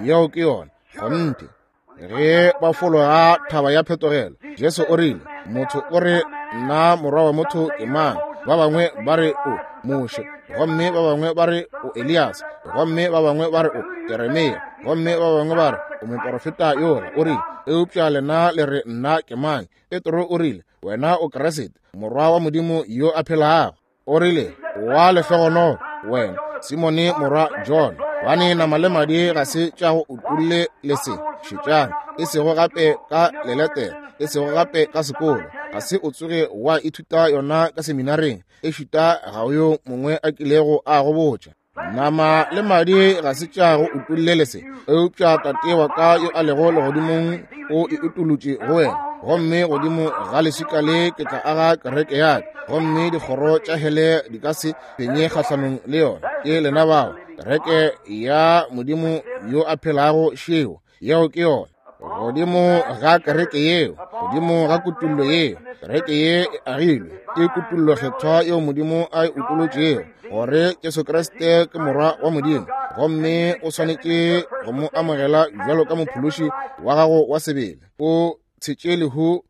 Speaker 1: yeo ke yona kgonthe. Ge ba fologa thaba ya phetogelo, Jesu o rile, motho o re nna morwa wa motho ke mang? Ba bangwe ba re o Moshe, gomme ba bangwe ba re o Elias, gomme ba bangwe ba re o Jeremia, gomme ba bangwe ba re o moporofeta yola. O rile, eupša lena le re nna ke mang? Petro o rile, wena o Kriste, morwa wa Modimo yo a phelago. O rile, wa lehlogonolo wena, Simone morwa John, gobane nama le madi ga se tša go utolle le se. Šetšang, e sego gape ka leletere, e sego gape ka sekolo, ga se o tsoge wa ithuta yona ka seminareng, ešita ga o yo mongwe a kilego a go botša. Nama le madi ga se tša go utolle le se, eupša Tate wa ka yo a lego legodimong o e utolotše go wena. Gomme godimo ga leswika le ke tla aga kereke ya ka, gomme dikgoro tša hele di ka se fenye kgahlanong le yona. Ke lena bao, kereke ya Modimo yo a phelago šeo. Yeo ke yona. Godimo ga kereke yeo, godimo ga kutollo yeo, kereke ye e agilwe ke kutollo kgethwa yeo Modimo a e utolotšego, gore Jesu Kriste ke Morwa wa Modimo, gomme o swanetše go mo amogela bjalo ka mophološi wa gago wa sebele. O tshetše lehu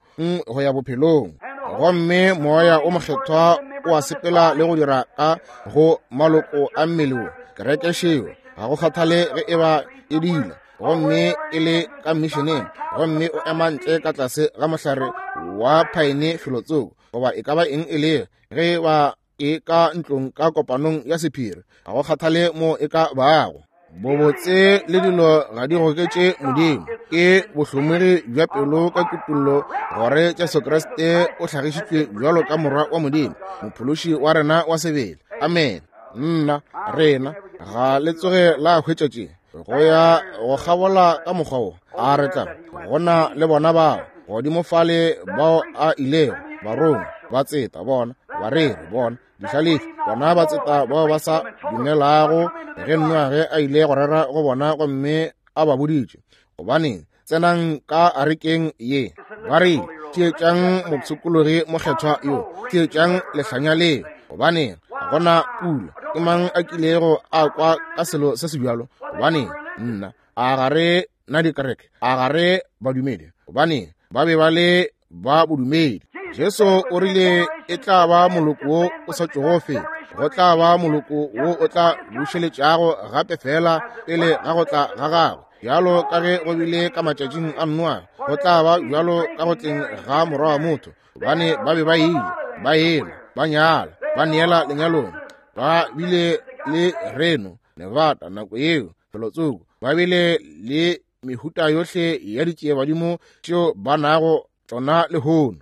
Speaker 1: go ya bophelong, gomme Moya o Mokgethwa o a sepela le go dira ka go maloko a mmele wo. Kereke šeo, ga go kgathale ge e ba e dila gomme e le ka mmisheneng, gomme o ema ntle ka tlase ga mohlare wa phaene felotsoko, goba e ka ba eng e le, ge e ba e ka ntlong ka kopanong ya sephiri, ga go kgathale mo e ka bago. Bobotse le dilo ga di goketše Modimo, ke bohlomogi bja pelo ka kutollo gore Jesu Kriste o hlagišitšwe bjalo ka Morwa wa Modimo, Mophološi wa rena wa sebele. Amen. Nna, rena, ga le tsoge la hwetša tše go ya go kgabola ka mokgwa wo. A re tla gona le bona bao. Godimo fale bao a ilego, barongwa, batseta, bona, bareri, bona, dihlalefi, bona batseta bao ba sa dumelago ge Noage a ile go rera go bona gomme a ba boditše, gobaneng, tsenang ka arekeng ye. Ba rile, theetšang mopshikologi mokgethwa yo, theetšang lehlanya leo, gobaneng, ga gona pula. Ke mang a kilego a kwa ka selo se se bjalo? Gobaneng, nna, a ga re na dikereke, a ga re badumedi? Gobaneng, ba be ba le ba bodumedi. Jesu o rile e tla ba moloko wo o sa tšogo feta, go tla ba moloko wo o tla bušeletšago gape fela pele ga go tla ga gagwe. Bjalo ka ge go bile ka matšatšing a Noa, go tla ba bjalo ka go tleng ga morwa wa motho. Gobane ba be ba ile, ba ela, ba nyala, ba neela lenyalong, ba bile le Reno, Nevada nako yeo, felotsoko, ba bile le mehuta yohle ya ditšiebadimo tšeo ba nago tšona lehono.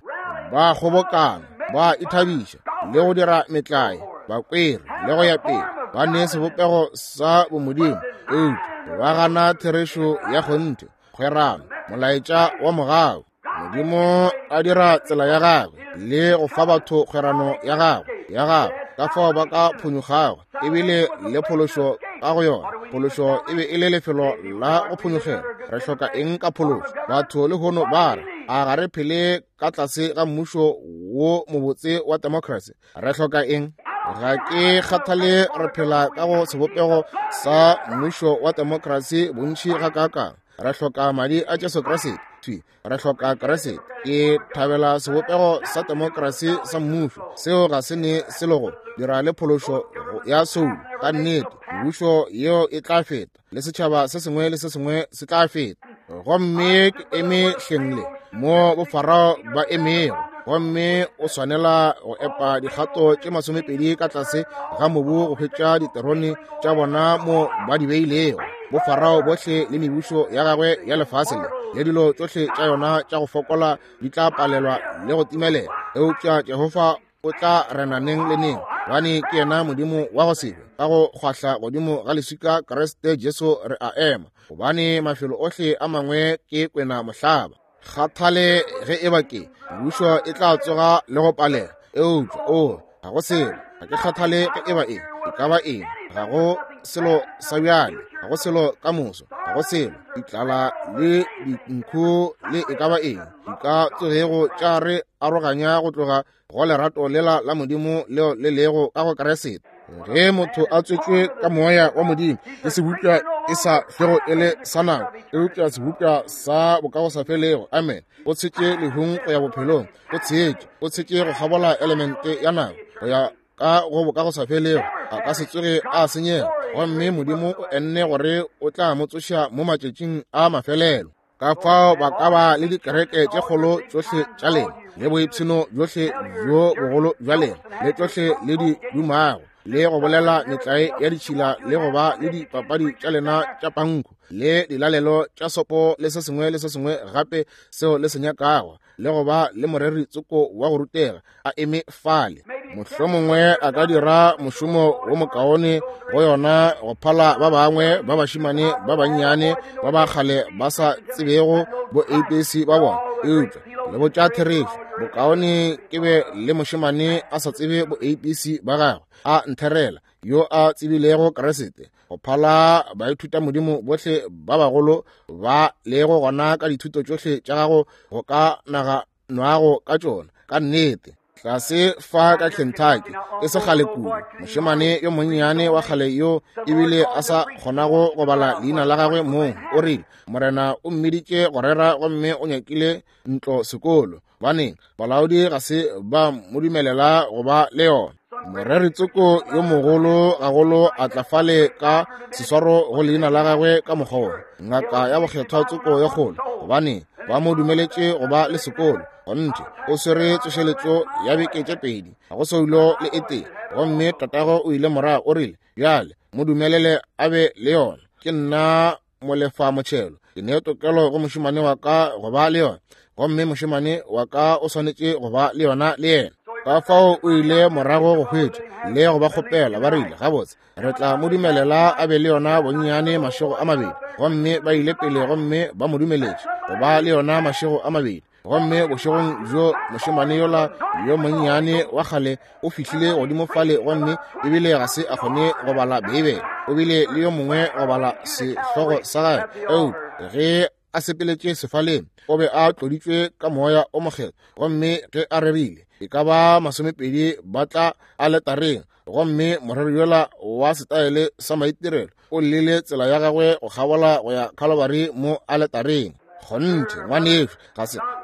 Speaker 1: Ba kgobokana, ba ithabiša le go dira metlae, ba kwere le go ya pele, ba ne sebopego sa bomodimo, eupša ba gana therešo ya kgonthe, kgwerano, molaetša wa mogau. Modimo a dira tsela ya gagwe le go fa batho kgwerano ya gagwe ya gagwe, ka fao ba ka phonyokgago, ebile le phološo ka go yona. Phološo e be e le lefelo la go phonyokgela. Re hloka eng ka phološo? Batho lehono ba re, a ga re phele ka tlase ga mmušo wo mobotse wa democracy? Re hloka eng? Ga ke kgathale re phela ka go sebopego sa mmušo wa democracy bontši gakaakang. Re hloka madi a Jesu Kriste. Thwi, re hloka Kriste. Ke thabela sebopego sa demokrasi sa mmušo. Seo ga se ne selo go dira le phološo ya soulo. Ka nnete, mebušo yeo e tla feta, le setšhaba se sengwe le se sengwe se tla feta. Gomme ke eme hleng le mo bofarao ba emego, gomme o swanela go epa dikgato tše 20 ka tlase ga mobu go hwetša diterone tša bona mo ba di beilego. Bofarao bohle le mebušo ya gagwe ya lefase le le dilo tšohle tša yona tša go fokola di tla palelwa le go timelela, eupša Jehofa o tla rena neng le neng, gobane ke yena Modimo wa go se hwe. Ka go kgwahla godimo ga leswika Kriste Jesu re a ema, gobane mafelo ohle a mangwe ke kwena mohlaba. Kgathale ge e ba ke mebušo e tla tsoga le go palela, eupša o ga go selo. Ga ke kgathale ge e ba eng, e ka ba eng, ga go selo sa bjale, ga go selo ka moso, ga go selo. Ditlala le dinkhu le e ka ba eng di ka tsogego tša re aroganya go tloga go lerato lela la Modimo leo le lego ka go Kriste. Ge motho a tswetšwe ka moya wa Modimo, ke sebopša e sa hlwego e le sa nako, eupša sebopša sa bokagosafelego. Amen. O tshetše lehung go ya bophelong. O tshetše, o tshetše go kgabola elemente ya nako go ya ka go bokagosafelego. A ka se tsoge a senyega, gomme Modimo o enne gore o tla mo tsoša mo matšatšing a mafelelo. Ka fao ba ka ba le dikereke tše kgolo tšohle tša lena, le boipshino bjohle bjo bogolo bja lena, le tšohle le di dumago, le go bolela metlae ya ditšhila, le go ba le dipapadi tša lena tša panku, le dilalelo tša sopo, le se sengwe le se sengwe gape seo le se nyakago, le go ba le moreri tsoko wa go rutega a eme fale. Mohlomongwe a ka dira mošomo wo mokaone go yona go phala ba bangwe ba bašemane ba bannyane ba ba kgale ba sa tsebego bo ABC ba bona. Eupša le botša therešo, bokaone ke be le mošemane a sa tsebe bo ABC ba gagwe a ntherela, yo a tsebilego Kriste, go phala baithutamodimo bohle ba bagolo ba lego gona ka dithuto tšohle tša gago go ka naganwago ka tšona. Ka nnete, tlase fa ka Kentucky e se kgale kudu, mošemane yo monnyane wa kgale yo ebile a sa kgonago go bala leina la gagwe mong, o rile Morena o mmiditše go rera gomme o nyakile ntlo sekolo. Baneng, balaodi ga se ba mo dumelela go ba le yona. Moreri tsoko yo mogolo gagolo a tla fale ka seswaro go leina la gagwe ka mokgwa wo, ngaka ya bokgethwa tsoko ye kgolo, gobane ba mo dumeletše go ba le sekolo. Kgonthe, o swere tsošeletšo ya beke tše pedi, ga go soulo le e tee. Gomme tatago o ile morago, o rile, Bjale mo dumelele a be le yona. Ke nna molefa motšhelo, ke ne tokelo go mošemane wa ka go ba le yona, gomme mošemane wa ka o swanetše go ba le yona le yena. Ka fao o ile morago go hwetša le go ba kgopela, ba rile, gabotse, re tla mo dumelela a be le yona bonnyane mašego a mabedi. Gomme ba ile pele gomme ba mo dumeletše go ba le yona mašego a mabedi. Gomme bošegong bjo mošemane yola yo monnyane wa kgale o fihlile godimo fale, gomme ebile ga se a kgone go bala Beibele. O bile le yo mongwe go bala sehlogo sa gagwe, eupša ge a sepeletše sefaleng o be a tloditšwe ka moya o mokgethwa. Gomme ge a rerile, e ka ba 20 ba tla aletareng, gomme moreri yola wa setaele sa maitirelo o llile tsela ya gagwe go kgabola go ya Calvary mo aletareng. Kgonthe, ngwanešu,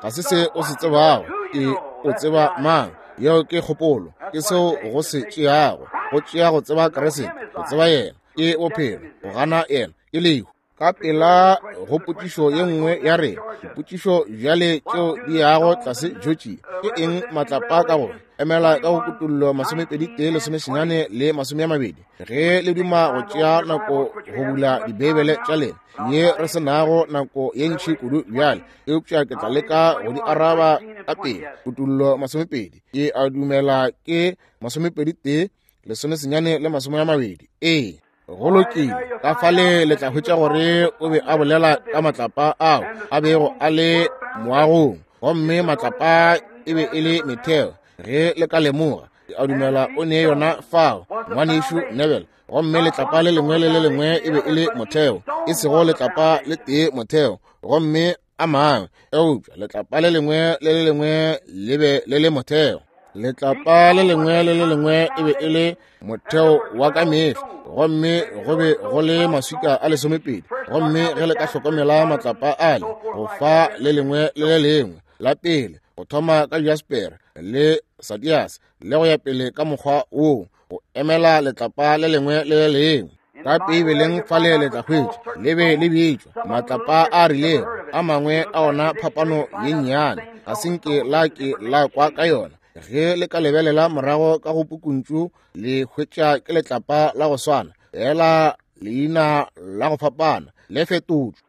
Speaker 1: ga se se o se tsebago, ke o tseba mang. Yeo ke kgopolo, ke seo go se tšeago, go tšea go tseba Kriste, go tseba yena ke bophelo, go gana yena ke lehu. Ka pela go potšišo ye nngwe ya rena, dipotšišo bjale tšeo di yago tlase Georgia, ke eng matlapa ka go emela ka go Kutullo 21 19 le 20? Ge le duma go tšea nako go bula dibeibele tša lena, ye re se nago nako ye ntši kudu bjale, eupša ke tla leka go di araba ka pele. Kutullo 20, ke a dumela ke 21 19 le 20. Ee, go lokile. Ka fale le tla hwetša gore o be a bolela ka matlapa ao a bego a le moagong, gomme matlapa e be e le metheo. Ge le ka lemoga, a dumela o ne yona fao, ngwanešu Neville. Gomme letlapa le lengwe le le lengwe e be e le motheo, e sego letlapa le tee motheo, gomme a mangwe, eupša letlapa le lengwe le le lengwe le be le le motheo. Letlapa le lengwe le le lengwe e be e le motheo wa ka mehla, gomme go be go le maswika a 12. Gomme ge le ka hlokomela matlapa ale, go fa le lengwe le le lengwe la pele, go thoma ka jasper le sadias le go ya pele ka mokgwa woo, go emela letlapa le lengwe le le lengwe. Ka Beibeleng fale le tla hwetša le be le bitšwa matlapa a rilego, a mangwe a ona phapano ye nnyane, ga se nke la ke la kwa ka yona. Ge le ka lebelela morago ka go pukuntšu, le hwetša ke letlapa la go swana, fela leina la go fapana le fetotšwe.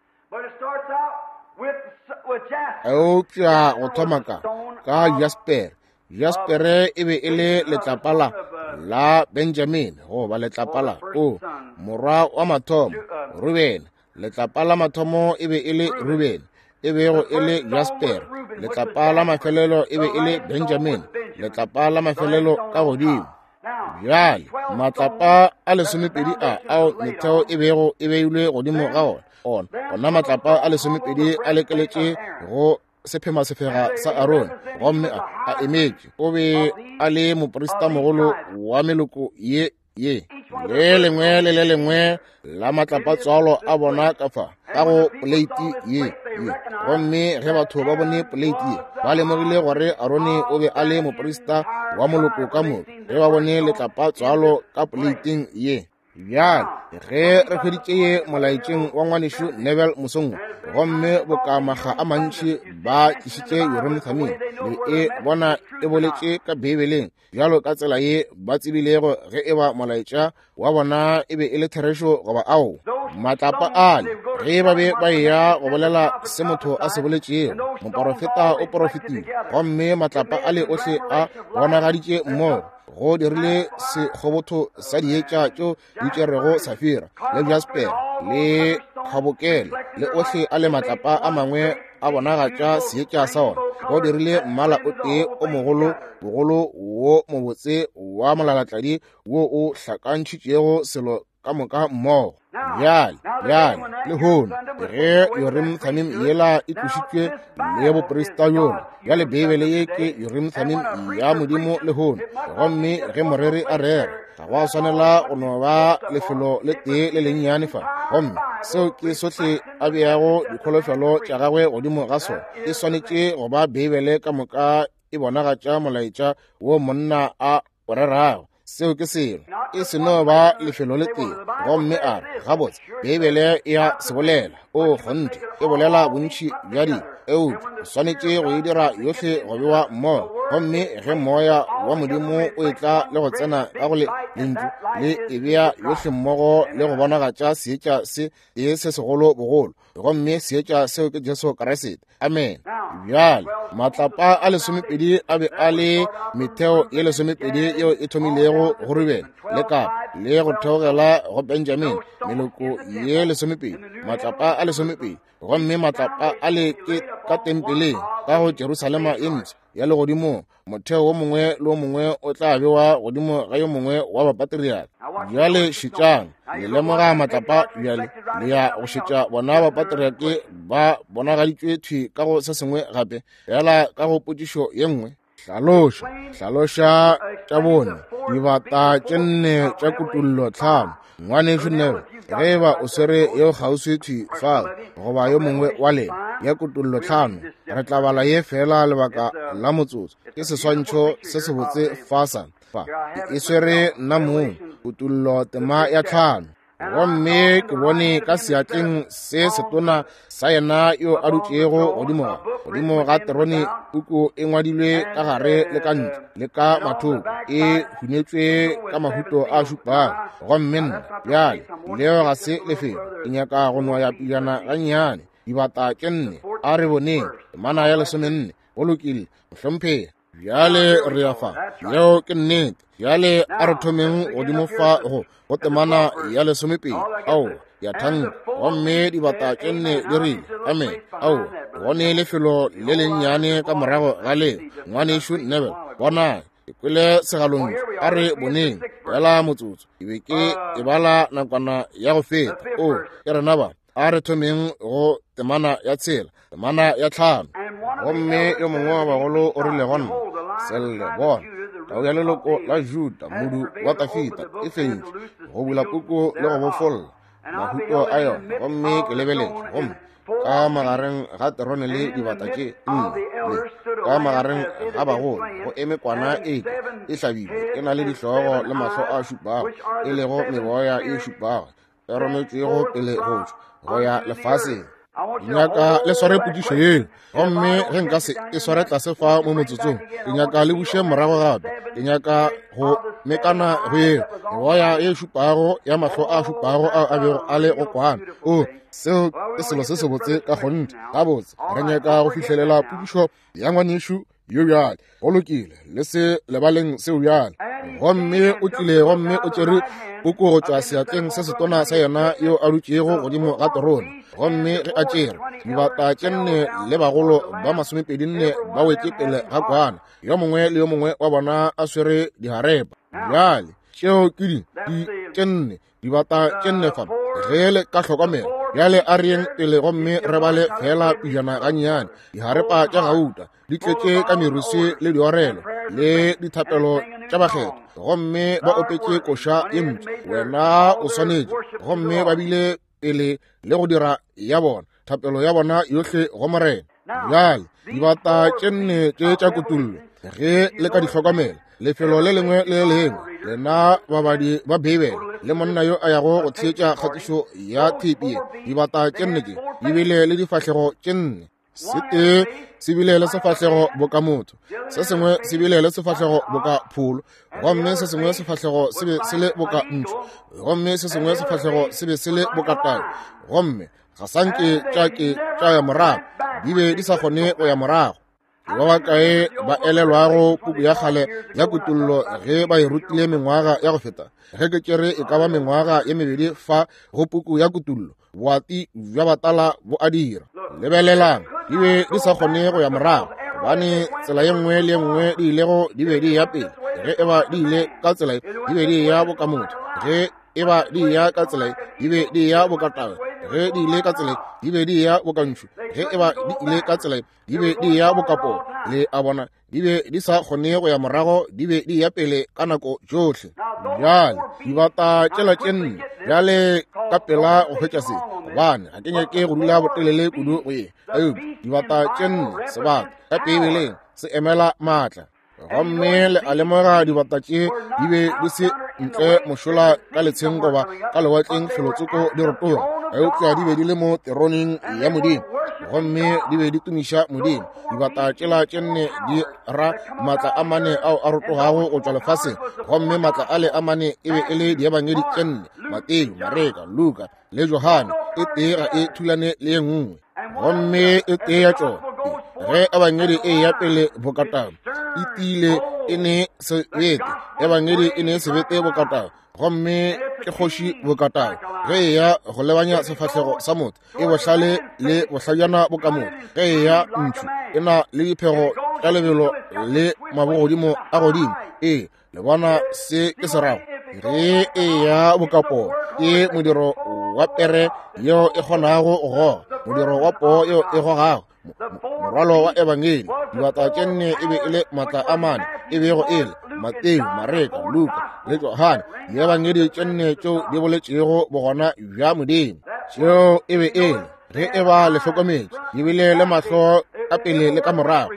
Speaker 1: Eupša go thoma ka jasper. Jaspere e be e le letlapa la Benjamin, goba letlapa la o morwa wa mathomo Ruben. Letlapa la mathomo e be e le Ruben, e bego e le Jasper. Letlapa la mafelelo e be e le Benjamin, letlapa la mafelelo ka godimo. Bjale matlapa a 12 a ao metheo e bego e beilwe godimo ga ona, ona matlapa a 12 a lekeletše go sephema sefega sa Arone, gomme a emetše. O be a le moprista mogolo wa meloko ye ye. Le lengwe le le lengwe la matlapa tswalo a bona ka fa ka go poleiti ye. Gomme ge batho ba bone poleiti ye, ba lemogile gore Arone o be a le moprista wa moloko ka moka, ge ba bone letlapa tswalo ka poleiting ye. Bjale ge re hweditše ye molaetšeng wa ngwanešu Neville mosong, gomme boka makga a mantši ba tlišitše Urim Thummim, le e bona e boletše ka Beibeleng bjalo ka tsela ye ba tsebilego ge eba molaetša wa bona e be e le therešo goba ao. Matlapa ale, ge ba be ba eya go bolela se motho a se boletšego, moporofeta o porofetile, gomme matlapa ale ohle a bonagaditše mmogo, go dirile sekgobotho sa dietša tšeo di tšerego safira le jasper le kgabokele le ohle a le matlapa a mangwe a bonagatša seetša sa ona. Go dirile mmala o tee o mogolo bogolo wo mobotse wa molalatladi wo o hlakantšhitšego selo ka moka mmogo. Bjale lehono ge Urim Thummim yela e tlošitšwe le boprista bjola, bjale Beibele ye ke Urim Thummim ya Modimo lehono. Gomme ge moreri a rera, ga go a swanela go no ba lefelo le tee le lennyane fa, gomme seo ke sohle a beago dikholofelo tša gagwe godimo ga sona. E swanetše go ba Beibele ka moka e bonagatša molaetša wo monna a o rerago. Seo ke selo, e se no ba lefelo le tee. Gomme a re, gabotse, Beibele e a se bolela. O kgonthe, e bolela bontši bja dilo, eupša o swanetše go e dira yohle go bewa mmogo. Gomme ge moya wa Modimo o etla le go tsena ka go lentšu, le e bea yohle mmogo le go bonagatša seetša se tee se segolo bogolo, gomme seetša seo ke Jesu Kriste. Amen. Bjale matlapa a 12 a be a le metheo ye 12 yeo e thomilego go Ruben le Kapa le go theogela go Benjamin, meloko ye 12, matlapa a 12. Gomme matlapa a le ke ka tempeleng. Ka go Jerusalema e mpsha ya legodimong, motheo wo mongwe le wo mongwe o tla bewa godimo ga yo mongwe wa bapatriaka. Bjale šetšang, le lemoga matlapa bjale, le ya go šetša bona bapatriake ba bonagaditšwe thwi ka go se sengwe gape, fela ka go potšišo ye nngwe. Hlaloša, hlaloša tša bone, dibata tše nne tša kutullo tlhano. Ngwanešu Neville, ge e ba o swere yeo kgauswi thwi fao, goba yo mongwe wa lena, ya kutullo tlhano, re tla bala ye feela lebaka la motsotso. Ke seswantšho se sebotse fa sa, fa. Ke e swere nna mong, kutullo tema ya tlhano. Gomme ke bone ka seatleng se setona sa yena yo a dutšego godimo godimo ga terone puku e ngwadilwe ka gare le ka ntle le ka mathoko, e hunetšwe ka mahuto a šupago. Gomme nna bjale, leo ga se lefelo, ke nyaka go noya pijana gannyane. Dibata tše nne, a re boneng temana ya 14. Go lokile, mohlomphegi. Bjale re ya fa, yeo ke nnete. Bjale a re thomeng godimo fa go go temana ya 12. Ao, ya thanka. Gomme dibata tše nne di rile, amen. Ao, gone lefelo le lennyane ka morago ga leo, ngwanešu Neville. Bona, ke kwele segalontšu. A re boneng fela motsotso. Ke be ke e bala nakwana ya go feta. O, ke rena ba. A re thomeng go temana ya 6, temana ya 5. Gomme yo mongwe wa bagolo o rile go nna, Selle, bona, tau ya leloko la Juda, modu wa Dafida, e fentše go bula puku le go bofolla mahuto a yona. Gomme ke lebeletše, gomme ka magareng ga terone le dibata tše nne le ka magareng ga bagolo go eme kwana e e hlabilwe, e na le dihlogo le mahlo a šupago, e lego meboya e šupago e rometšwego pele go tšwa go ya lefaseng. Nyaka le sware potšišo yeo, gomme ge nka se e sware tlase fa mo motsotsong, ke nyaka le buše morago gape. Ke nyaka go mekana go yeo meboya e šupago ya mahlo a šupago ao a bego a le go kwana. O, seo ke selo se sebotse ka kgonthe. Gabotse, re nyaka go fihlelela potšišo ya ngwanešu yo bjale. Go lokile, le se lebaleng seo bjale. Gomme o tlile gomme o tšere puku go tšwa seatleng se setona sa yena yo a dutšego godimo ga terone. Gomme ge a tšere, dibata tše nne le bagolo ba 24 ba wetše pele ga kwana, yo mongwe le yo mongwe wa bona a swere diharepa. Bjale tšeo ke di tše nne, dibata tše nne fa, ge le ka hlokomela. Bjale a re yeng pele gomme re bale fela pijana gannyane. Diharepa tša gauta di tletše ka meruswi le diorelo le dithapelo tša bakgethwa, gomme ba opetše koša ye ntši, wena o swanetše. Gomme ba bile pele le go dira ya bona thapelo ya bona yohle go Morena. Bjale dibata tše nne tše tša kutullo, ge le ka di hlokomela, lefelo le lengwe le le lengwe, lena babadi ba Beibele le monna yo a yago go theetša kgatišo ya theipi ye, dibata tše nne tše di bile le difahlego tše nne. Se tee se bile le sefahlego boka motho, se sengwe se bile le sefahlego boka pholo, gomme se sengwe sefahlego se be se le boka ntšhu, gomme se sengwe sefahlego se be se le boka tau. Gomme ga sa nke tša ke tša ya morago, di be di sa kgone go ya morago. Ke ba bakae ba elelwago puku ya kgale ya kutullo ge ba e rutile mengwaga ya go feta? Ge ke tšere e ka ba mengwaga ye mebedi fa go puku ya kutullo, boati bja batala bo a dira. Lebelelang, di be di sa kgone go ya morago, gobane tsela ye nngwe le ye nngwe di ilego di be di ya pele. Ge e ba di ile ka tsela ye, di be di ya boka motho. Ge e ba di ya ka tsela ye, di be di ya boka tau. Ge di ile ka tsela ye, di be di ya boka ntšhu. Ge e ba di ile ka tsela ye, di be di ya boka poo. Le a bona, di be di sa kgone go ya morago, di be di ya pele ka nako tšohle. Bjale dibata tšela tše nne, bjale ka pela go hwetša se, gobane ga ke nyake go dula botelele kudu go ye. Eupša dibata tše nne, sebata ka Beibeleng se emela maatla. Gomme le a lemoga dibata tše di be di se ntle mošola ka letsheng goba ka lewatleng felotsoko di rotoga, eupša di be di le mo teroneng ya Modimo, gomme di be di tumiša Modimo. Dibata tšela tše nne di ra maatla a mane ao a rotogago go tšwa lefaseng, gomme maatla ale a mane e be e le diebangedi tše nne, Mateo, Mareka, Luka le Johane, e tee ga e thulane le ye nngwe. Gomme e tee ya tšona, ge ebangedi e ya pele bokatau, e tiile e ne sebete, ebangedi e ne sebete bokatau, gomme ke kgoši bokatao ge e ya go lebanya sefahlego sa motho, e bohlale le bohlajana bo ka motho. Ge e ya ntšhu, e na le diphego tša lebelo le mabogodimo a godimo. Ee, le bona se ke se rago? Ge e ya bokapoo, ke modiro wa pere yeo e kgonago go goga, modiro wa poo yeo e gogago morwalo wa ebangedi. Dibata tše nne e be e le maatla a mane, e bego e le Mateo, Mareka, Luka le Johane, diebangedi tše nne tšeo di boletšego bogona bja Modimo. Tšeo e be e le, ge e ba le hlokometše, di bile le mahlo ka pele le ka morago,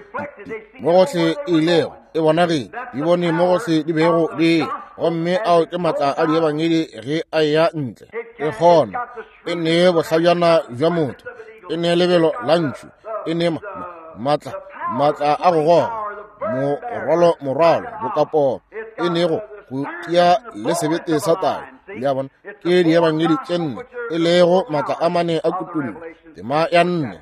Speaker 1: mo gohle e ilego e bonagile, di bone mo gohle di bego di e. Gomme ao ke maatla a diebangedi ge a eya ntle. E kgona, e nee bohlajana bja motho, e nee lebelo la ntšhu, e nee maatla, maatla a go goga morwalo, morwalo bokapoo, e nee go go tia le sebete sa tau. Le a bona, ke diebangedi tše nne, e lego maatla a mane a kutullo, tema ya nne.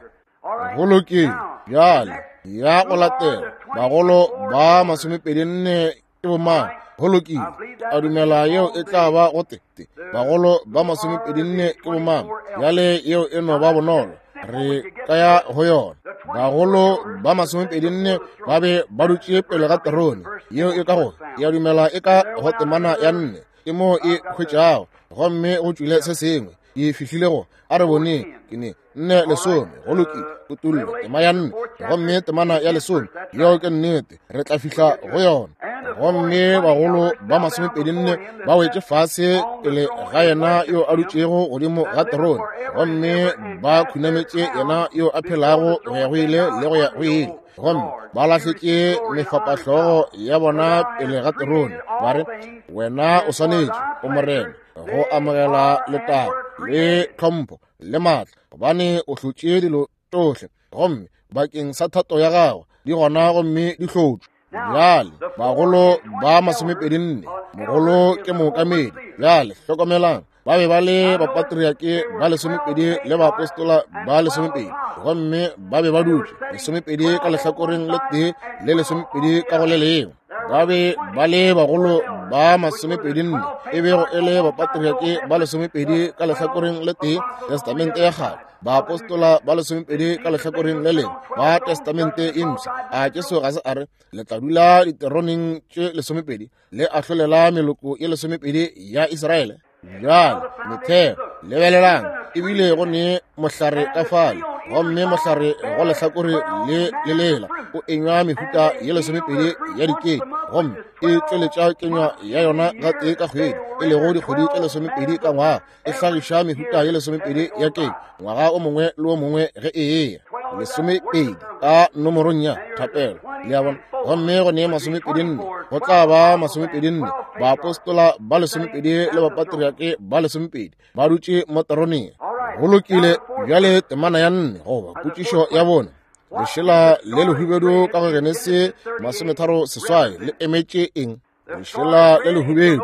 Speaker 1: Go lokile. Bjale ya go latela, bagolo ba 24 ke bomang? Go lokile, a dumela yeo e tla ba go te te. Bagolo ba 24 ke bomang? Bjale yeo e no ba bonolo, re ka ya go yona. Bagolo ba 24 ba be ba dutše pele ga terone yeo e ka go, ya dumela e ka go temana ya nne, ke moo e hwetšago, gomme go tšwile se sengwe. Ke fihlile go, a re boneng, ke ne nne lesome. Go lokile, kutullo tema ya nne gomme temana ya lesome. Yeo ke nnete, re tla fihla go yona. Gomme bagolo ba 24 ba wetše fase pele ga yena yo a dutšego godimo ga terone, gomme ba khunametše yena yo a phelago go ya go ile le go ya go ile, gomme ba lahletše mefapahlogo ya bona pele ga terone, ba re, Wena o swanetše, o Morena, go amogela letago le tlhompho le maatla, gobane o hlotše dilo tšohle, gomme bakeng sa thato ya gago di gona gomme di hlotšwe. Bjale bagolo ba 24, mogolo ke mookamedi. Bjale hlokomelang, ba be ba le bapatriake ba 12 le baapostola ba 12, gomme ba be ba dutše 12 ka lehlakoreng le tee le 12 ka go le lengwe. Ba be ba le bagolo ba 24, e bego e le bapatriake ba 12 ka lehlakoreng le tee, Testamente ya Kgale, baapostola ba 12 ka lehlakoreng le lengwe, ba Testamente e Mpsha. A Jesu ga se a re le tla dula diteroneng tše 12 le ahlolela meloko ye 12 ya Israele? Bjale metheo, lebelelang, ebile go ne mohlare ka fale, gomme mohlare go lehlakore le le lela o enywa mehuta ye 12 ya dikenya, gomme e tšweletša kenywa ya yona gatee ka kgwedi, e lego dikgwedi tše 12 ka ngwaga, e hlagiša mehuta ye 12 ya kenywa ngwaga o mongwe le o mongwe ge e eya. 12 ka nomorong ya thapelo, le a bona. Gomme go ne 24, go tla ba 24, baapostola ba 12 le bapatriake ba 12 ba dutše mo teroneng. Go lokile. Bjale temana ya nne, goba potšišo ya bone, lešela le lehubedu ka go Genesi 38 le emetše eng? Lešela le lehubedu,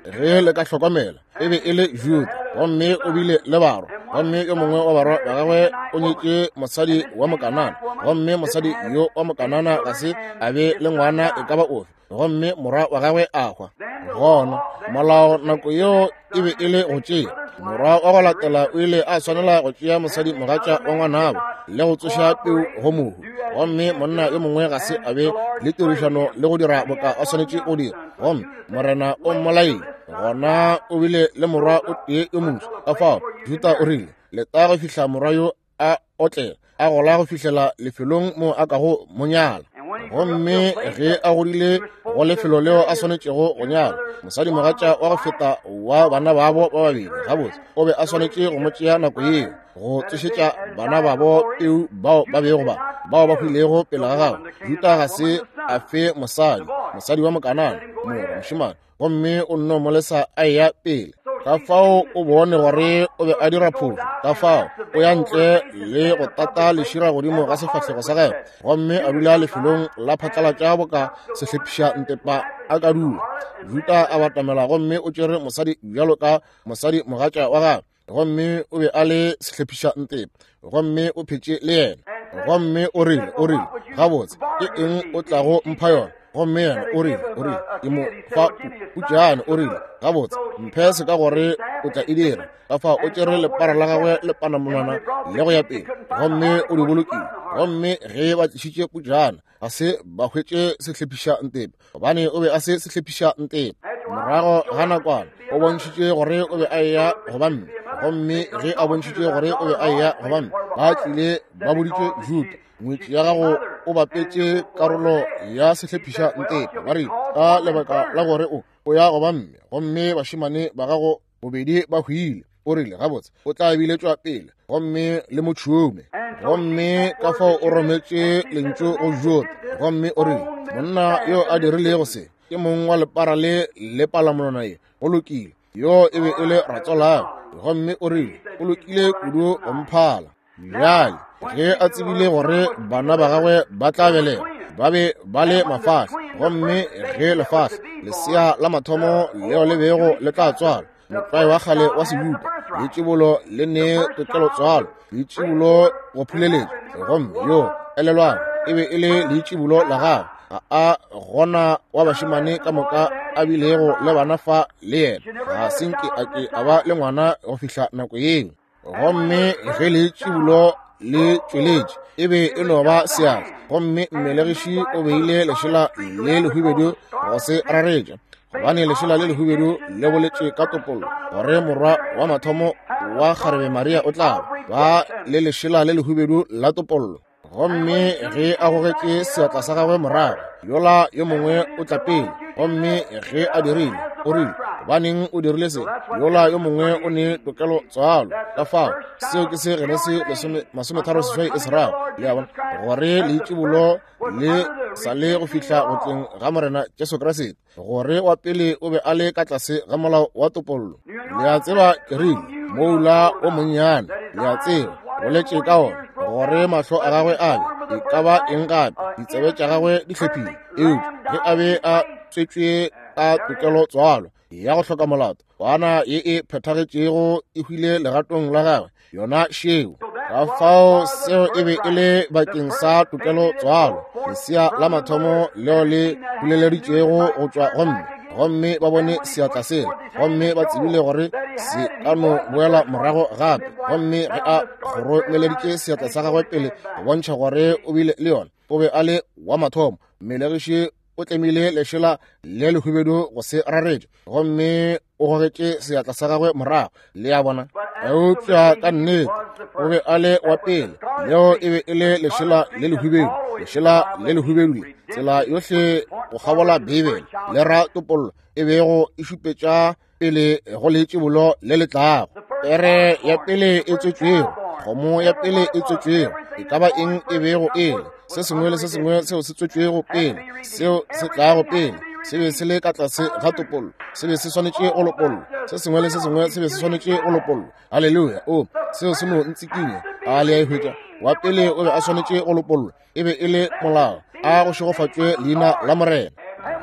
Speaker 1: ge le ka hlokomela, e be e le Juda, gomme o bile le barwa, gomme yo mongwe wa barwa ba gagwe o nyetše mosadi wa Mokanana, gomme mosadi yo wa Mokanana ga se a be le ngwana e ka ba ofe, gomme morwa wa gagwe a hwa. Gona molao nako yeo e be e le go tšea morwa wa go latela, o ile a swanela go tšea mosadi mogatša wa ngwanabo le go tsoša peu go mohu, gomme monna yo mongwe ga se a be le tirišano le go dira boka a swanetše go dira, gomme Morena o mmolaile. Gona o bile le morwa o tee yo moswa. Ka fao Juda o rile, leta go fihla morwa yo a otlela, a gola go fihlela lefelong mo a kago mo nyala. Gomme ge a godile go lefelo leo a swanetšego go nyala mosadi mogatša wa go feta wa bana babo ba babedi, gabotse o be a swanetše go mo tšea nako yeo go tsošetša bana babo peu bao ba bego ba bao ba hwilego pele ga gagwe. Juda ga se a fe mosadi, mosadi wa Mokanana, morwa mošemane, gomme o nno mo lesa a eya pele. Ka fao o bone gore o be a dira phošo, ka fao o ya ntle le go tata lešira godimo ga sefahlego sa gagwe, gomme a dula lefelong la phatlalatša boka sehlephiša ntepa a ka dula. Juda a batamela gomme o tšere mosadi bjalo ka mosadi mogatša wa gagwe, gomme o be a le sehlephiša ntepa, gomme o phetše le yena. Gomme o rile, o rile, gabotse, ke eng o tlago mpha yona? Gomme yena o rile, o rile, ke mo fa putšane. O rile, gabotse, mphe se ka gore o tla e dira. Ka fao o tšere lepara la gagwe le panamonwana le go ya pele, gomme o di bolokile. Gomme ge ba tlišitše putšana, ga se ba hwetše sehlephiša ntepe, gobane o be a se sehlephiša ntepe. Morago ga nakwana o bontšhitše gore o be a eya go ba mme, gomme ge a bontšhitše gore o be a eya go ba mme, ba tlile ba boditše Juda, ngwetši ya gago o bapetše karolo ya sehlephiša ntepe. Ba re, ka lebaka la gore o ya go ba mme, gomme bašemane ba gago bobedi ba hwile. O rile, gabotse, o tla biletšwa pele gomme le mo tšhume. Gomme ka fao o rometše lentšu go Juda, gomme o rile, monna yo a dirilego se ke mong wa lepara le le palamonwana ye. Go lokile, yo e be e le ratswalagwe. Gomme o rile, o lokile kudu go mphala. Bjale ge a tsebile gore bana ba gagwe ba tla belega, ba be ba le mafahla, gomme ge lefahla lesea la mathomo leo le bego le tla tswalwa, motlwae wa kgale wa Sejuda, leitšibolo le ne tokelo tswalo, leitšibolo go phuleletša, gomme yo elelwang e be e le leitšibolo la gagwe. Ga a gona wa bašemane ka moka a bilego le bana fa le yena, ga se nke a ke a ba le ngwana go fihla nako yeo. Gomme ge leitšibulo le tšweletše, e be e no ba seatla, gomme mmelegiši o beile lešela le lehubedu go se raretša, gobane lešela le lehubedu le boletše ka topollo gore morwa wa mathomo wa kgarebe Maria o tla ba le lešela le lehubedu la topollo. Gomme ge a gogetše seatla sa gagwe morago, yola yo mongwe o tla pele. Gomme ge a dirile, o rile, gobaneng o dirile se? Yola yo mongwe o ne tokelo tswalo. Ka fao seo ke se Genesi 38 e se rago, le a bona, gore leitšibolo le sa le go fihla go tleng ga Morena Jesu Kriste, gore wa pele o be a le ka tlase ga molao wa topollo. Le a tseba, ke rile, moula o monnyane, le a tseba, boletše ka ona, gore mahlo a gagwe a be e ka ba eng gape, ditsebe tša gagwe di hlephile, eupša ge a be a tswetšwe ka tokelo tswalo ya go hloka molato, kwana ye e phethagetšego e hwile legatong la gagwe, yona šeo. Ka fao seo e be e le bakeng sa tokelo tswalo, lesea la mathomo leo le buleleditšwego go tšwa go mme, gomme ba bone seatla sela, gomme ba tsebile gore se ka no boela morago gape. Gomme ge a kgoromeleditše seatla sa gagwe pele go bontšha gore o bile le yona, o be a le wa mathomo. Mmelegiši o tlemile lešela le lehubedu go se raretše, gomme o gogetše seatla sa gagwe morago, le a bona. Eupša ka nnete o be a le wa pele, leo e be e le lešela le lehubedu, lešela le lehubedu le tsela yohle go kgabola Beibele le ra topollo e bego e šupetša pele go leitšibolo le le tlago. Pere ya pele e tswetšwego, kgomo ya pele e tswetšwego, e ka ba eng e bego e le, se sengwe le se sengwe seo se tswetšwego pele, seo se tlago pele, se be se le ka tlase ga topollo, se be se swanetše go lopollwa. Se sengwe le se sengwe se be se swanetše go lopollwa. Haleluya! O, seo se no ntsikinya. A le a e hwetša? Wa pele o be a swanetše go lopollwa, e be e le molao. A go šegofatšwe leina la Morena.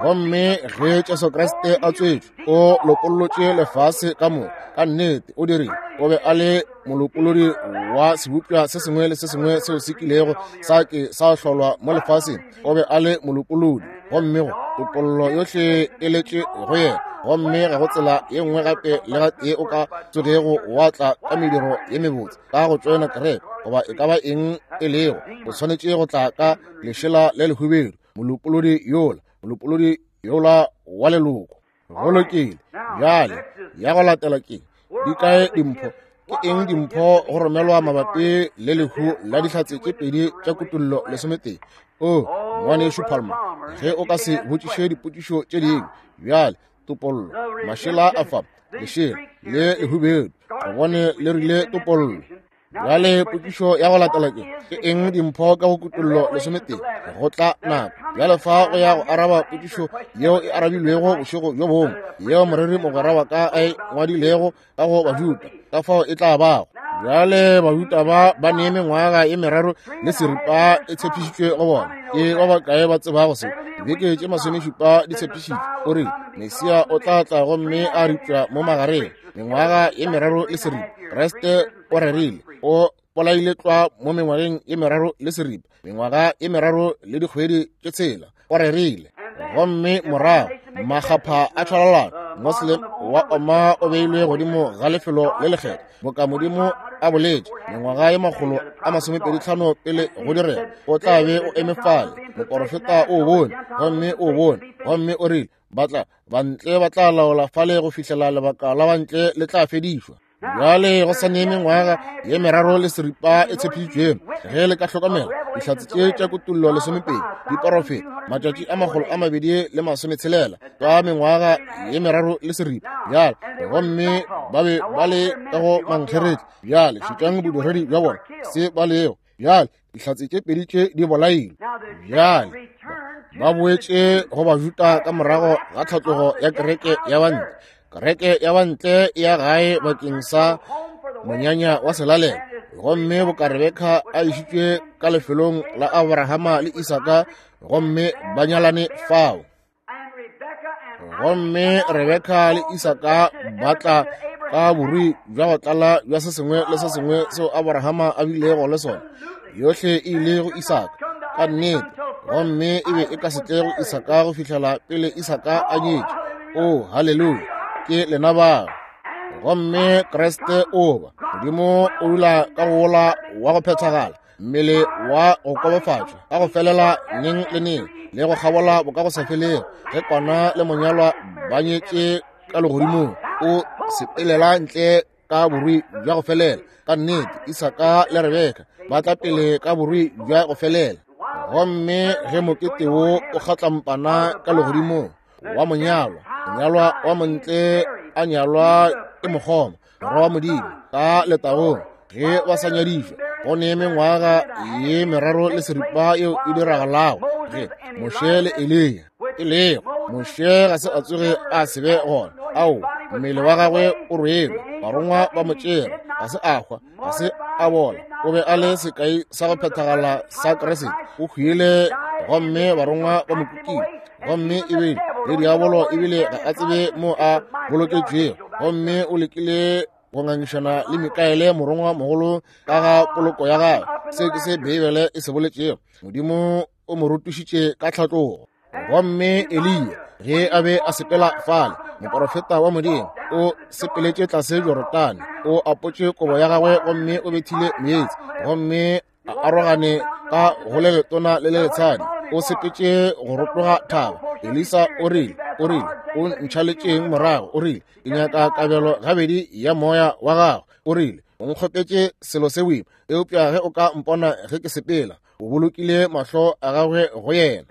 Speaker 1: Gomme ge Jesu Kriste a tswetšwe, o lopollotše lefase ka moka. Ka nnete o dirile. O be a le molopolodi wa sebopša se sengwe le se sengwe seo se kilego sa ke sa hlolwa mo lefaseng. O be a le molopolodi, gomme go topollo yohle e letše go yena. Gomme ga go tsela ye nngwe gape le gatee o ka tsogego wa tla ka mediro ye mebotse, ka go tšoena kereke goba e ka ba eng e lego. O swanetše go tla ka lešela le lehubedu, molopolodi yola, molopolodi yola wa leloko. Go lokile. Bjale ya go latela ke di kae dimpho? Ke eng dimpho go romelwa mabapi le lehu la dihlatse tše pedi tša Kutollo 11? O, ngwanešu Palmer, ge o ka se botšiše dipotšišo tše dingwe bjale. Topollo, mašela a fa, lešela le lehubedu, re bone le rile topollo. Bjale potšišo ya go latela ke, ke eng dimpho ka go Kutollo 11? Go tla nako bjale fa go ya go araba potšišo yeo e arabilwego bošego bjo bongwe, yeo moreri mogwera wa ka a e ngwadilego ka go Bajuda, ka fao e tla bago. Bjale Bajuda ba ba ne mengwaga ye meraro le seripa e tshepišitšwe go bona. Ke ba bakae ba tsebago se? Dibeke tše 17 di tshepišitšwe. O rile Mesia o tla tla gomme a ripša mo magareng. Mengwaga ye meraro le seripa. Kriste o rerile, o bolaile tlwa mo mengwageng ye meraro le seripa, mengwaga ye meraro le dikgwedi tše tshela. O rerile. Gomme morago makgapha a tšhwalalana, Moslem wa oma o beilwe godimo ga lefelo le lekgethwa, boka Modimo a boletše mengwaga ye 125 pele go direga. O tla be o eme fale. Moporofeta o bone, gomme o bone, gomme o rile, ba tla bantle ba tla laola fale go fihlela lebaka la bantle le tla fedišwa. Bjale go sa ne mengwaga ye 3 le seripa e tshepišitšwego. Ge le ka hlokomela dihlatse tše tša Kutullo 12 di porofeta matšatši a 260 ka mengwaga ye 3 le seripa. Bjale gomme ba be ba le ka go mankgeretla. Bjale šetšang bodiredi bja bona se ba lego. Bjale dihlatse tše pedi tše di bolailwe. Bjale ba boetše go Bajuda ka morago ga tlhatlogo ya kereke ya bantle. Kereke ya bantle ya gae bakeng sa monyanya wa selalelo. Gomme boka Rebeka a išitšwe ka lefelong la Abrahama le Isaka, gomme ba nyalane fao. Gomme Rebeka le Isaka ba tla ka borui bja go tlala bja se sengwe le se sengwe seo Abrahama a bilego le sona. Yohle e ile go Isaka ka nnete, gomme e be e ka se tle go Isaka go fihlela pele Isaka a nyetše. Oh, haleluya, ke lena bao. Gomme Kriste o ba Modimo o dula ka go wola wa go phethagala, mmele wa go kobofatšwa ka go felela neng le neng le go kgabola boka go sa felego. Ge kwana le monyalwa ba nyetše ka legodimong, o sepelela ntle ka borui bja go felela. Ka nnete Isaka le Rebeka ba tla pele ka borui bja go felela. Gomme ge mokete wo o kgatlampana ka legodimong wa monyalwa, monyalwa wa montle a nyalwa ke mokgoma, morwa wa Modimo, ka letagong, ge ba sa nyadišwa, go ne mengwaga ye 3 le seripa yeo e diragalago ge Moshe le Eliya e lego. Moshe ga se a tsoge a se be gona. Ao, mmele wa gagwe o rwelwe, barongwa ba mo tšere, ga se a hwa, ga se a bola. O be a le sekai sa go phethagala sa Kriste. O hwile gomme barongwa ba mo kukile. Gomme ebile le diabolo ebile ga a tsebe mo a boloketšwego. Gomme o lekile go ngangišana le Mikaele morongwa mogolo ka ga poloko ya gagwe. Se ke se Beibele e se boletšego. Modimo o mo rotošitše ka tlhatlogo. Gomme Eliya ge a be a sepela fale, moporofeta wa Modimo, o sepeletše tlase Jorodane, o apotše kobo ya gagwe gomme o bethile meetse, gomme a arogane ka go le letona le le letshadi. O sepetše go rotoga thaba. Elisa o rile, o ntšhaletšeng morago? O rile, ke nyaka kabelo gabedi ya moya wa gago. O rile, o nkgopetše selo se boima, eupša ge o ka mpona ge ke sepela. O bolokile mahlo a gagwe go yena.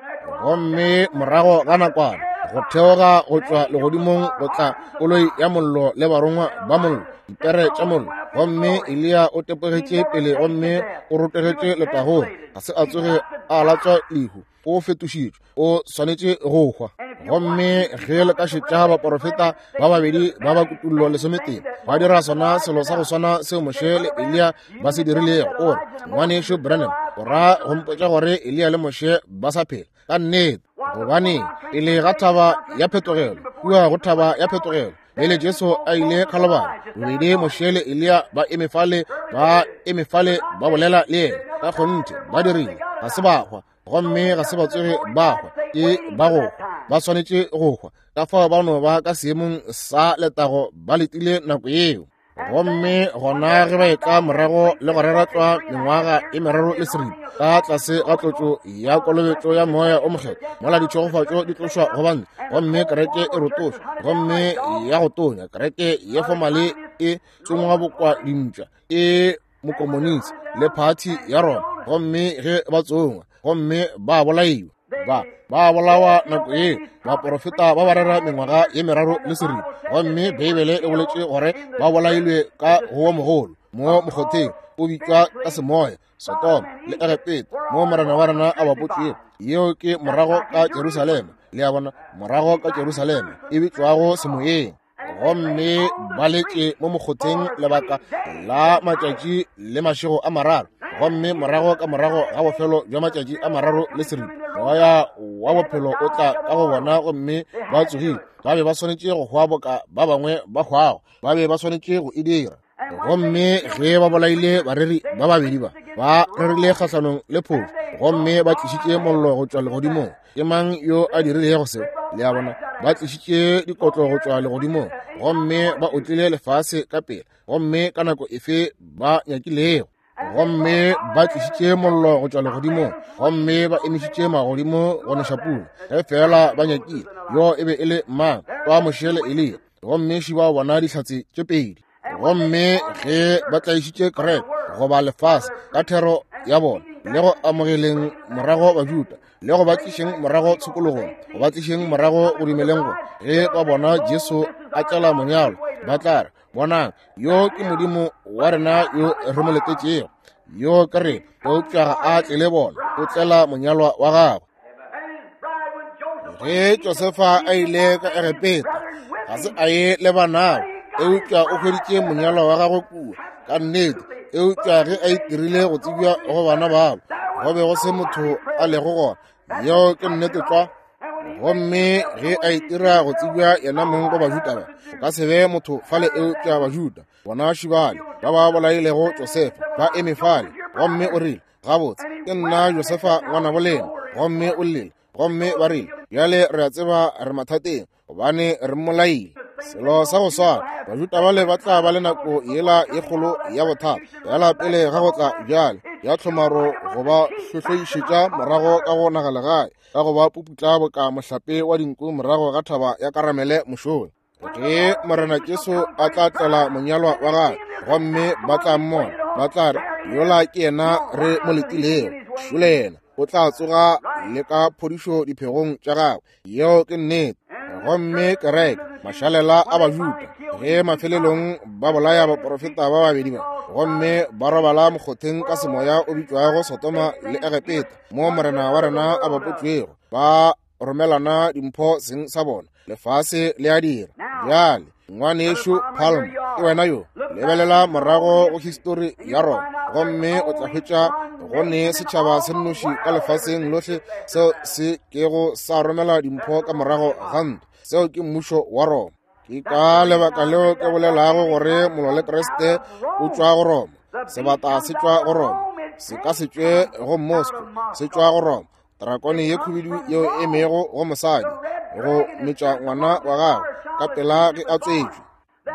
Speaker 1: Gomme morago ga nakwana, go theoga go tšwa legodimong go tla koloi ya mollo le barongwa ba mollo, dipere tša mollo. Gomme Eliya o tepogetše pele gomme o rotogetše letagong. Ga se a tsoge a latswa lehu. O fetošitšwe, o swanetše go hwa. Gomme ge le ka šetša baporofeta ba babedi ba ba Kutullo 11 ba dira sona selo sa go swana seo Moshe le Eliya ba se dirilego. O re, Ngwanešu Branham, o ra go mpotša gore Eliya le Moshe ba sa phela? Ka nnete. Gobane pele ga thaba ya phetogelo, kua go thaba ya phetogelo, pele Jesu a ile Khalibari, bobedi Moshe le Eliya ba eme fale, ba bolela le yena. Ka kgonthe ba dirile. Ga se ba hwa, gomme ga se ba tsoge ba hwa. Ke ba go hwa, ba swanetše go hwa. Ka fao ba no ba ka seemong sa letago, ba letile nako yeo. Gomme gona ge ba etla morago le go rera tlwa mengwaga e 3 le seripa ka tlase ga tlotšo ya kolobetšo ya moya o mokgethwa, mola ditšhegofatšo di tlošwa go bantle, gomme kereke e rotošwa, gomme ya go tonya kereke ye fomale e tsongwa bokwa dimpša e mokomonisi le phathi ya Roma, gomme ge ba tsongwa gomme ba bolaiwa, ba bolawa nako ye baporofeta ba ba rera mengwaga ye 3 le seripa. Gomme Beibele e boletše gore ba bolailwe ka go wa mogolo mo mokgotheng o bitšwa ka semoya Sodoma le Egepeta, mo morena wa rena a bapotšwego. Yeo ke morago ka Jerusalema, le a bona, morago ka Jerusalema e bitšwago semoyeng. Gomme ba letše mo mokgotheng lebaka la matšatši le mašego a 3. Gomme morago ka morago ga bofelo bja matšatši a 3 le seripa, moya wa bophelo o tla ka go bona, gomme ba tsogile. Ba be ba swanetše go hwa boka ba bangwe ba hwago. Ba be ba swanetše go e dira. Gomme ge ba bolaile bareri ba babedi ba, ba rerile kgahlanong le phofu, gomme ba tlišitše mollo go tšwa legodimong. Ke mang yo a dirilego seo? Le a bona, ba tlišitše dikotlo go tšwa legodimong, gomme ba otlile lefase ka pela, gomme ka nako efe ba nyakilego. Gomme ba tlišitše mollo go tšwa legodimong, gomme ba emišitše magodimo go neša pula, ge feela ba nyakile. Yo e be e le mang? Wa Moshe le Eliya. Gomme šiba bona dihlatse tše pedi. Gomme ge ba tlaišitše kereke goba lefase ka thero ya bona, le go amogeleng morago Bajuda, le go ba tlišeng morago tshokologong, go ba tlišeng morago go dumeleng go ge ba bona Jesu a tlela monyalo, ba tla re, Bonang, yo ke Modimo wa rena yo re mo letetšego, yo ke rena. Eupša ga a tlele bona, o tlela monyalwa wa gagwe. Ge Josefa a ile ka Egepeta, ga se a ye le banabo, eupša o hweditše monyalwa wa gagwe kua, ka nnete. Eupša ge a itirile go tsebja go bana babo, go be go se motho a lego gona. Yeo ke nnete tlwa. Gomme ge a itira go tsebja yena mong go Bajuda ba, go ka se be motho fale eupša Bajuda. Bona šibale ba ba bolailego Josefa ba eme fale, gomme o rile, Gabotse, ke nna Josefa ngwanabo lena. Gomme o llile. Gomme ba rile, Bjale re a tseba re mathateng, gobane re mmolaile. Selo sa go swana, Bajuda bale ba tla ba le nako yela ye kgolo ya bothata yala pele ga go tla bjale ya tlhomaro go ba hlohloišetša morago ka go nagalegae, ka go ba puputla boka mohlape wa dinku morago ga thaba ya Karamele mošola. Ge Morena Jesu a tla tlela monyalwa wa gagwe, gomme ba tla mmona, ba tla re, Yola ke yena re mo letilego, šole yena. O tla tsoga le ka phodišo diphegong tša gagwe. Yeo ke nnete. Gomme kereke, mašalela a Bajuda, ge mafelelong ba bolaya baprofeta ba babedi ba, gomme ba robala mokgotheng ka semoya o bitšwago Sodoma le Egepeta, mo Morena wa rena a bapotšwego, ba romelana dimpho seng sa bona. Lefase le a dira. Bjale, ngwanešu Palm, ke wena yo. Lebelela morago go histori ya Roma, gomme o tla hwetša go ne setšhaba se nnoši ka lefaseng lohle seo se kego sa romela dimpho ka morago ga ntwa. Seo ke mmušo wa Roma. Ke ka lebaka leo ke bolelago gore molwa le Kriste o tšwa go Roma. Sebata se tšwa go Roma. Se ka se tšwe go Moscow, se tšwa go Roma. Drakone ye khubedu yeo e emego go mosadi go metša ngwana wa gagwe ka pela ge a tswetšwe.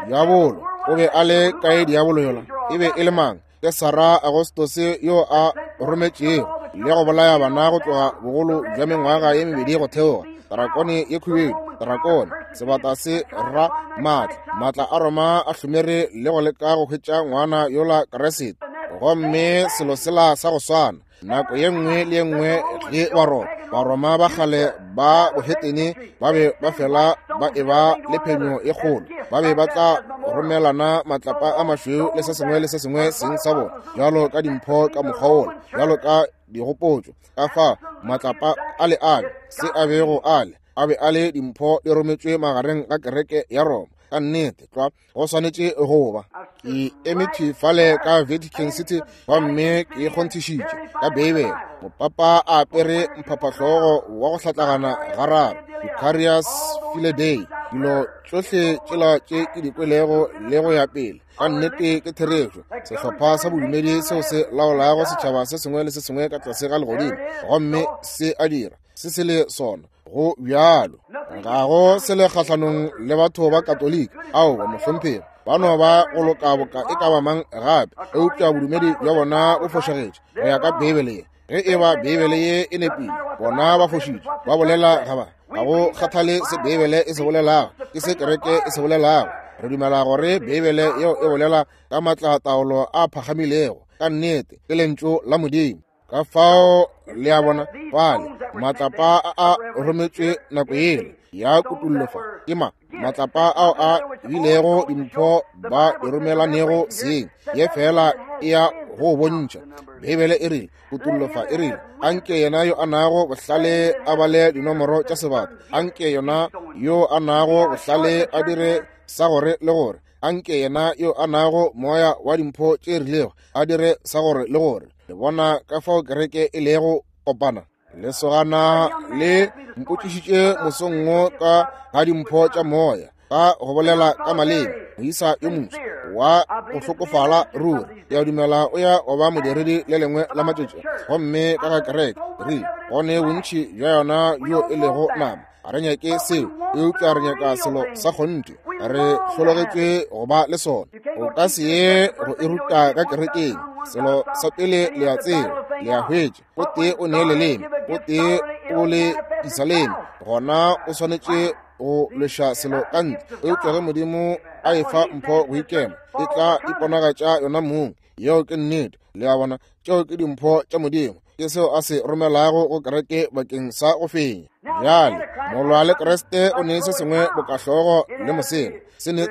Speaker 1: Diabolo o be a le kae? Diabolo yola e be e le mang? Ke Sara Agostose yo a rometšego le go bolaya bana go tloga bogolo bja mengwaga ye mebedi go theoga. Drakone ye khubedu, drakone, sebata se ra maatla, maatla a Roma a hlomere le go leka go hwetša ngwana yola Keresete. Gomme selo sela sa go swana nako ye nngwe le ye nngwe ge Baroma, Baroma ba kgale ba bohetene ba be ba fela ba eba le phenyo ye kgolo, ba be ba tla romelana matlapa a mašweu le se sengwe le se sengwe seng sa bona bjalo ka dimpho ka mokgwa wola, bjalo ka digopotšo. Ka fa matlapa a le ale se a bego ale a be a le dimpho di rometšwe magareng ga kereke ya Roma. Ka nnete tlwa go swanetše go ba. Ke eme thwi fale ka Vatican City gomme ke kgonthišitše ka Beibele, mopapa a apere mphaphahlogo wa go hlatlagana gararo, Vicarius Filii Dei, dilo tšohle tšela tše ke di kwelego le go ya pele, ka nnete ke therešo. Sehlopha sa bodumedi seo se laolago setšhaba se sengwe le se sengwe ka tlase ga legodimo, gomme se a dira se se le sona. Go bjalo, ga go se le kgahlanong le batho ba Katolika, aowa mohlomphegi, ba no ba go loka boka e ka ba mang gape, eupša bodumedi bja bona bo fošagetše go ya ka Beibele ye. Ge e ba Beibele ye e nepile, bona ba fošitše, ba bolela ga ba, ga go kgathale se Beibele e se bolelago, ke se kereke e se bolelago. Re dumela gore Beibele yeo e bolela ka maatlataolo a phagamilego, ka nnete ke Lentšu la Modimo. Ka fao le a bona fale matlapa a a rometšwe nako yela ya kutullo fa ke ma matlapa ao a bilego dimpho ba di romelanego seng ye fela e ya go bontšha. Beibele e rile kutullo fa e rile anke yena yo a nago bohlale a bale dinomoro tša sebata, anke yona yo a nago bohlale a dire sa gore le gore, anke yena yo a nago moya wa dimpho tše rilego a dire sa gore le gore. Le bona ka fao kereke e lego kopana? Lesogana le mpotšišitše mosong wo ka ga dimpho tša moya, ka go bolela ka maleme, moisa yo moswa wa go hlokofala ruri. Ke a dumela o ya go ba modiredi le lengwe la matšatši. Gomme ka ga kereke, re go ne bontši bja yona bjo e lego nama. Ga re nyake seo, eupša re nyaka selo sa kgonthe. Re hlologetšwe go ba le sona. O ka se ye go e ruta ka kerekeng. Selo sa pele le a tseba, le a hwetša, o tee o ne leleme, o tee o le disaleme, gona o swanetše go lweša selo ka ntle. Eupša ge Modimo a efa mpho go ikema, e tla iponagatša yona mong. Yeo ke nnete. Le a bona, tšeo ke dimpho tša Modimo. Ke seo a se romelago go kereke bakeng sa go fenya. Bjale, molwa le Kriste o ne se sengwe bokahlogo le mosela. Se ne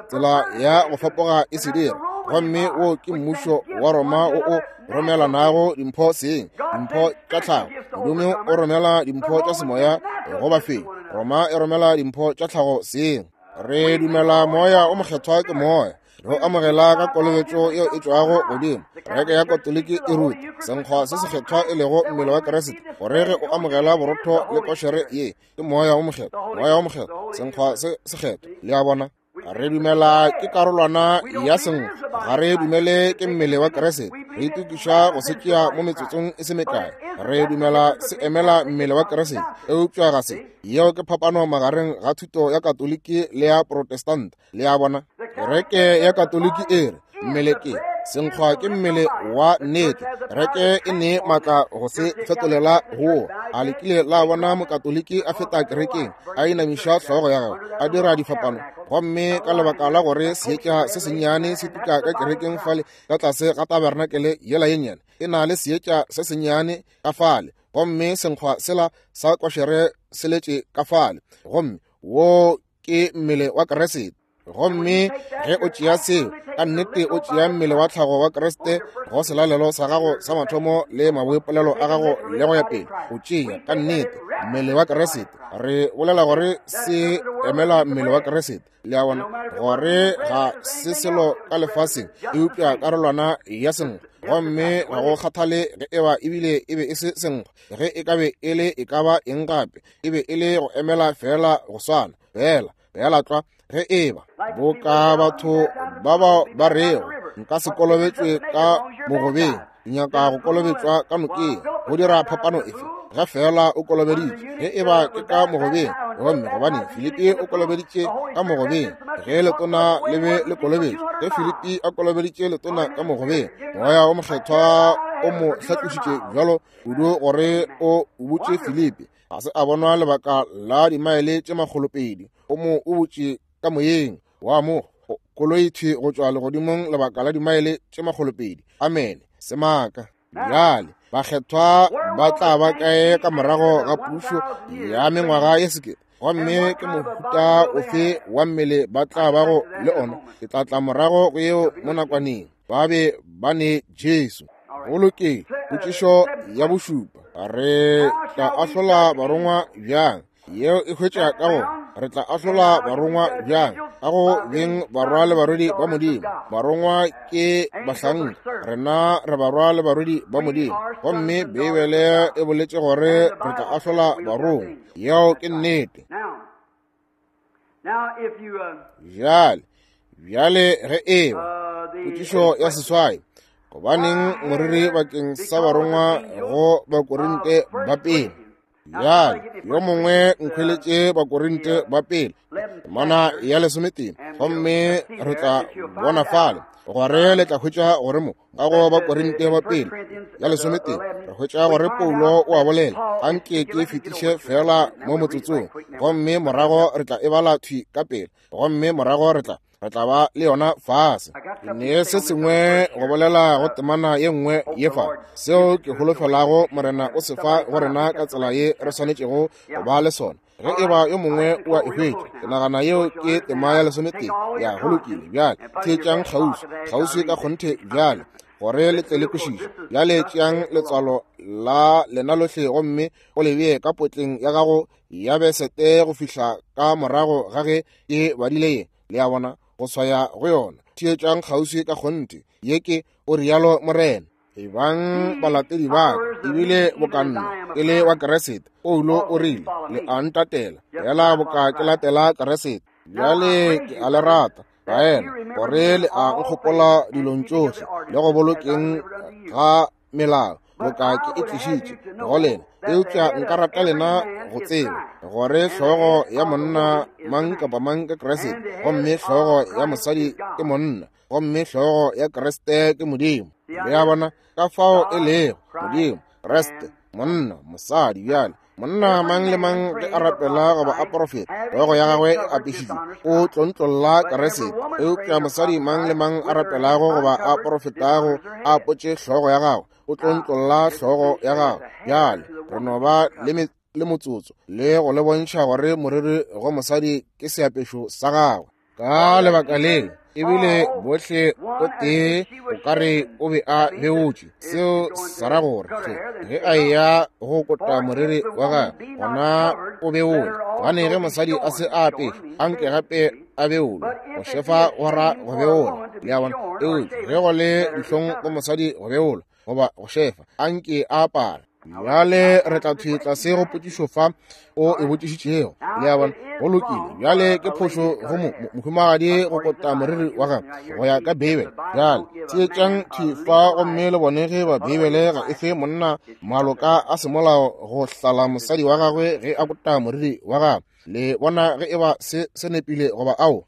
Speaker 1: tsela ya go fapoga e se dira. Gomme wo ke mmušo wa Roma o o romelanago dimpho seng, dimpho tša tlhago. Modimo o romela dimpho tša semoya go bafenyi. Roma e romela dimpho tša tlhago seng. Re dumela Moya o Mokgethwa ke Moya. Re o amogela ka kolobetšo yeo e tšwago godimo. Kereke ya Katoliki e ruta senkgwa se sekgethwa e lego mmele wa Kriste, gore ge o amogela borotho le košere ye, ke Moya o Mokgethwa, Moya o Mokgethwa, senkgwa se sekgethwa. Le a bona? Re dumela ke karolwana ya senkgwa, ga re dumele ke mmele wa Kriste. Re itokiša go se tšea mo metsotsong e se mekae. Re dumela se emela mmele wa Kriste, eupša ga se. Yeo ke phapano magareng ga thuto ya Katoliki le ya Protestant. Le a bona? Kereke ya Katoliki e re mmele ke senkgwa ke mmele wa nnete. Kereke e ne maatla go se fetolela go. A le kile la bona Mokatoliki a feta kerekeng a inamiša hlogo ya gagwe a dira difapano, gomme ka lebaka la gore seetša se sennyane se tuka ka kerekeng fale ka tlase ga tabernakele yela ye nnyane e na le seetša se sennyane ka fale, gomme senkgwa sela sa košere se letše ka fale, gomme wo ke mmele wa Kriste. Gomme ge o tšea seo, ka nnete o tšea mmele wa tlhago wa Kriste go selalelo sa gago sa mathomo le maboipolelo a gago le go ya pele, o tšea ka nnete mmele wa Kriste. Re bolela gore se emela mmele wa Kriste, le a bona, gore ga se selo ka lefaseng eupša karolwana ya senkgwa. Gomme ga go kgathale ge eba ebile e be e se senkgwa, ge e ka be e le e ka ba eng gape, e be e le go emela feela go swana, feela, feela tlwa, ge eba boka batho ba bao ba rego nka se kolobetšwe ka mogobeng, ke nyaka go kolobetšwa ka nokeng. Go dira phapano efe ge feela o kolobeditšwe? Ge eba ke ka mogobeng, gomme gobane Filipi o kolobeditše ka mogobeng, ge letona le be le kolobetšwe, ge Filipi a kolobeditše letona ka mogobeng, Moya o Mokgethwa o mo hlatlošitše bjalo kudu gore o botše Filipi, ga se a bonwa lebaka la dimaele tše 200, o mo o botše ka moyeng wa mo koloi thwi go tšwa legodimong lebaka la dimaele tše 200. Amene. Semaka. Bjale bakgethwa ba tla ba kae ka morago ga pušo ya mengwaga ye sekete? Gomme ke mohuta ofe wa mmele ba tla bago le ona? Ke tla tla morago go yeo mo nakwaneng. Ba be ba ne Jesu. Go lokile. Potšišo ya bošupa, re tla ahlola barongwa bjang? Yeo e hwetša ka go re tla ahlola barongwa bjang? Ka go beng barwa le barwedi ba Modimo. Barongwa ke bahlanka, rena re barwa le barwedi ba Modimo. Gomme Beibele e boletše gore re tla ahlola barongwa. Yeo ke nnete. Bjale, bjale ge eba potšišo ya seswai, gobaneng moriri bakeng sa barongwa go Bakorinte ba pele? Bjale yo mongwe nkhweletše Bakorinte ba pele temana ya 13, gomme re tla bona fale gore le tla hwetša gore mo ka go Bakorinte ba pele ya 13 re hwetša gore Paulo o a bolela. Anke ke fetiše fela mo motsotsong, gomme morago re tla e bala thwi ka pele, gomme morago re tla ba le yona fase. Ke ne se sengwe go bolela go temana ye nngwe ye fa, seo ke holofelago Morena o se fa go rena ka tsela ye re swanetšego go ba le sona. Ge eba yo mongwe o a e hwetša, ke nagana yeo ke tema ya 13. Ya, go lokile. Bjale theetšang kgauswi, kgauswi ka kgonthe bjale, gore le tle le kwešiše. Bjale tšeang letswalo la lena lohle gomme o le bee ka potleng ya gago ya besete go fihla ka morago ga ge ke badile ye. Le a bona, go swaya go yona. Theetšang kgauswi ka kgonthe. Ye ke, o rialo Morena. Ebang balatedi ba ka, ebile boka nna ke le wa Kriste. Paulo o rile, le a ntatela, fela boka ke latela Kriste. Bjale ke a le rata. Baena, gore le a nkgopola dilong tšohle le go bolokeng ga melao boka ke e tlišitše go lena. Eupša nka rata lena go tseba gore hlogo ya monna mang kapa mang ke Kriste, gomme hlogo ya mosadi ke monna, gomme hlogo ya Kriste ke Modimo. Le a bona ka fao e lego Modimo, Kriste, monna, mosadi. Bjale monna mang le mang ge a rapela goba a porofeta, hlogo ya gagwe e apešitšwe, o tlontlolla Kriste. Eupša mosadi mang le mang a rapelago goba a porofetago a apotše hlogo ya gagwe, o tlontlolla hlogo ya gagwe. Bjale re no ba le motsotso le go le bontšha gore moriri go mosadi ke seapešo sa gagwe. Ka lebaka leo ebile bohle o tee o ka re o be a beotše. Seo sa ra gore ge a eya go kota moriri wa gagwe, gona o beole. Gobane ge mosadi a se a apešwa, anke gape a beolwe. Go šefa go ra go beola, le a bona. Eupša ge go le dihlong go mosadi go beola goba go šefa, anke a apare. Bjale re tla thwi tlase go potšišo fa o e botšišitšego, le a bona. Go lokile. Bjale ke phošo go mohumagadi go kota moriri wa gagwe go ya ka Beibele. Bjale theetšang thwi fa gomme le bone ge ba Beibele ga e fe monna maloka a semolao go hlala mosadi wa gagwe ge a kota moriri wa gagwe. Le bona ge e ba se se nepile goba ao.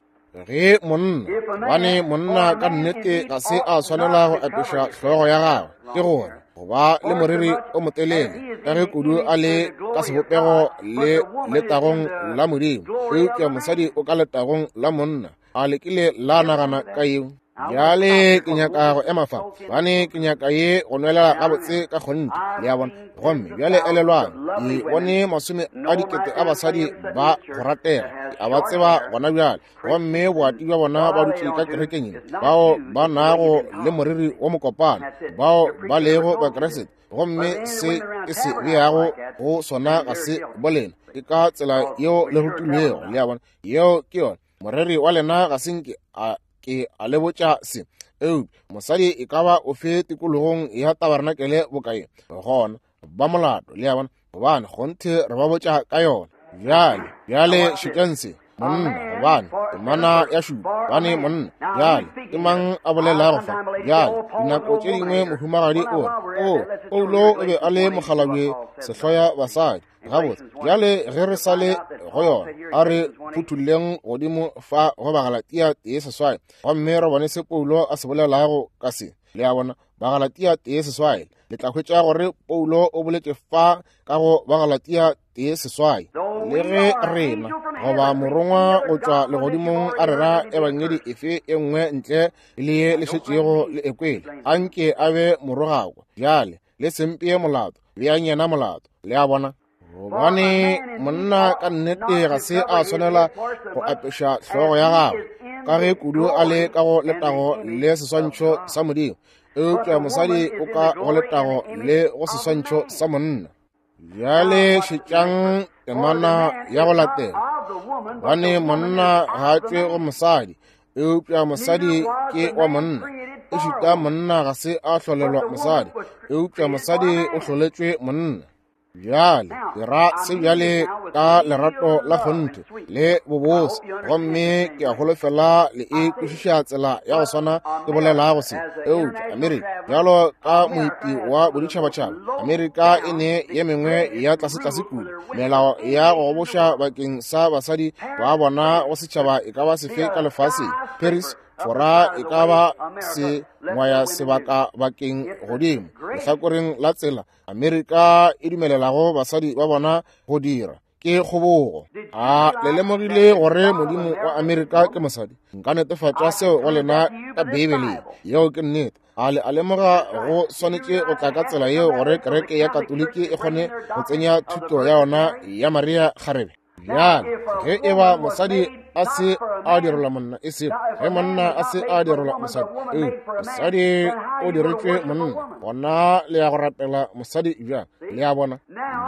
Speaker 1: Ge monna, gobane monna ka nnete ga se a swanela go apeša hlogo ya gagwe, ke gore go ba le moriri o motelele, ka ge kudu a le ka sebopego le letagong la Modimo, eupša mosadi o ka letagong la monna. A le kile la nagana ka yeo? Bjale ke nyaka go ema fa, gobane ke nyaka ye go nwelela gabotse ka kgonthe, le a bona. Gomme bjale elelwang, ke bone 100 000 a basadi ba go ratega, ke a ba tseba gona bjale, gomme boati bja bona ba dutše ka kerekeng ye, bao ba nago le moriri wo mokopana, bao ba lego Bakriste, gomme se ke se beago go sona ga se bolena. Ke ka tsela yeo le rutilwego, le a bona. Yeo ke yona. Moreri wa lena ga se nke a ke a le botša se. Eupša mosadi e ka ba ofe tikologong ya tabarenakele bokae, gona ba molato, le a bona, gobane kgonthe re ba botša ka yona. Bjale, bjale šetšang se. Monna, gobane temana ya šupa, gobane monna. Bjale ke mang a bolelago fa? Bjale dinako tše dingwe mohumagadi o re, o Paulo o be a le mokgalabje sehloya basadi. Gabotse, bjale ge re sa le go yona, a re phuthulleng godimo fa go Bagalatia 1:8, gomme re bone se Paulo a se bolelago ka se. Le a bona, Bagalatia 1:8, le tla hwetša gore Paulo o boletše fa ka go Bagalatia 1:8. Le ge rena goba morongwa go tšwa legodimong a rera ebangedi efe e nngwe ntle le ye le šetšego le ekwele, anke a be morogakwa. Bjale le sempee molato, beang yena molato. Le a bona? Gobane monna ka nnete ga se a swanela go apeša hlogo ya gagwe, ka ge kudu a le ka go letago le seswantšho sa Modimo, eupša mosadi o ka go letago le go seswantšho sa monna. Bjale šetšang temana ya go latela. Gobane monna ga a tšwe go mosadi, eupša mosadi ke wa monna. Ešita monna ga se a hlolelwa mosadi, eupša mosadi o hloletšwe monna. Bjale ke ra se bjale ka lerato la kgonthe le bobose, gomme ke a holofela le e kwešiša tsela ya go swana ke bolelago se. Eupša Amerika, bjalo ka moeti wa boditšhabatšhaba, Amerika e ne ye mengwe ya tlasetlase kudu melao ya go goboša bakeng sa basadi ba bona go setšhaba e ka ba sefe ka lefaseng. Paris, Fora e ka ba se ngwaya sebaka bakeng godimo lehlakoreng la tsela Amerika e dumelelago basadi ba bona go dira ke kgobogo. A le lemogile gore Modimo wa Amerika ke mosadi? Nka netefatša seo go lena ka Beibeleng. Yeo ke nnete. A le a lemoga go swanetše go tla ka tsela yeo gore kereke ya Katoliki e kgone go tsenya thuto ya yona ya Maria kgarebe? Bjale ge e ba mosadi a se a direlwa monna, e sego ge monna a se a direlwa mosadi, mosadi o diretšwe monna, gona le ya go rapela mosadi bjang? Le a bona?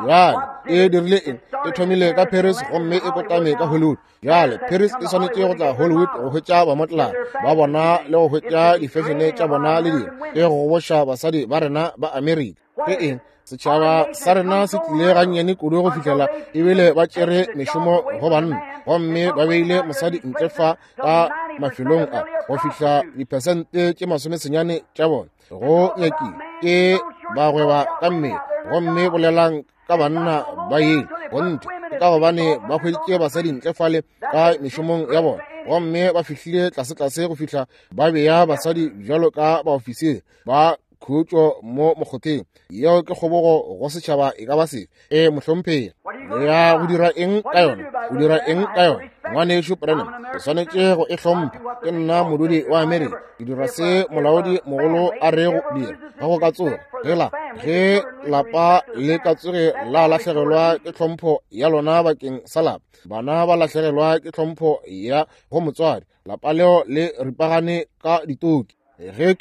Speaker 1: Bjale e dirile eng? E thomile ka Paris gomme e kotame ka Hollywood. Bjale Paris e swanetše go tla Hollywood go hwetša bamotlana ba bona le go hwetša difešene tša bona le dilo, e go goboša basadi ba rena ba Amerika. Ke eng? Setšhaba sa rena se tlile gannyane kudu go fihlela ebile ba tšere mešomo go banna, gomme ba beile mosadi ntle fa ka mafelong a go fihla diphesente tše 90 tša bona go nyakile ke bagweba ka mmele. Gomme bolelang ka banna ba ye gonthe, ke ka gobane ba hweditše basadi ntle fale ka mešomong ya bona, gomme ba fihlile tlasetlase go fihla ba bea basadi bjalo ka baofisiri ba khutšo mo mokgotheng. Yeo ke kgobogo go setšhaba e ka ba sefe. E mohlomphegi, le ya go dira eng ka yona? O dira eng ka yona, ngwanešu Branham? O swanetše go e hlompha. Ke nna modudi wa Amerika, ke dira se molaodi mogolo a rego dira. Ga go ka tsoga gela ge lapa le ka tsoge la lahlegelwa ke tlhompho ya lona bakeng sa lapa, bana ba lahlegelwa ke tlhompho ya go motswadi, lapa leo le ripagane ka ditoki. Ge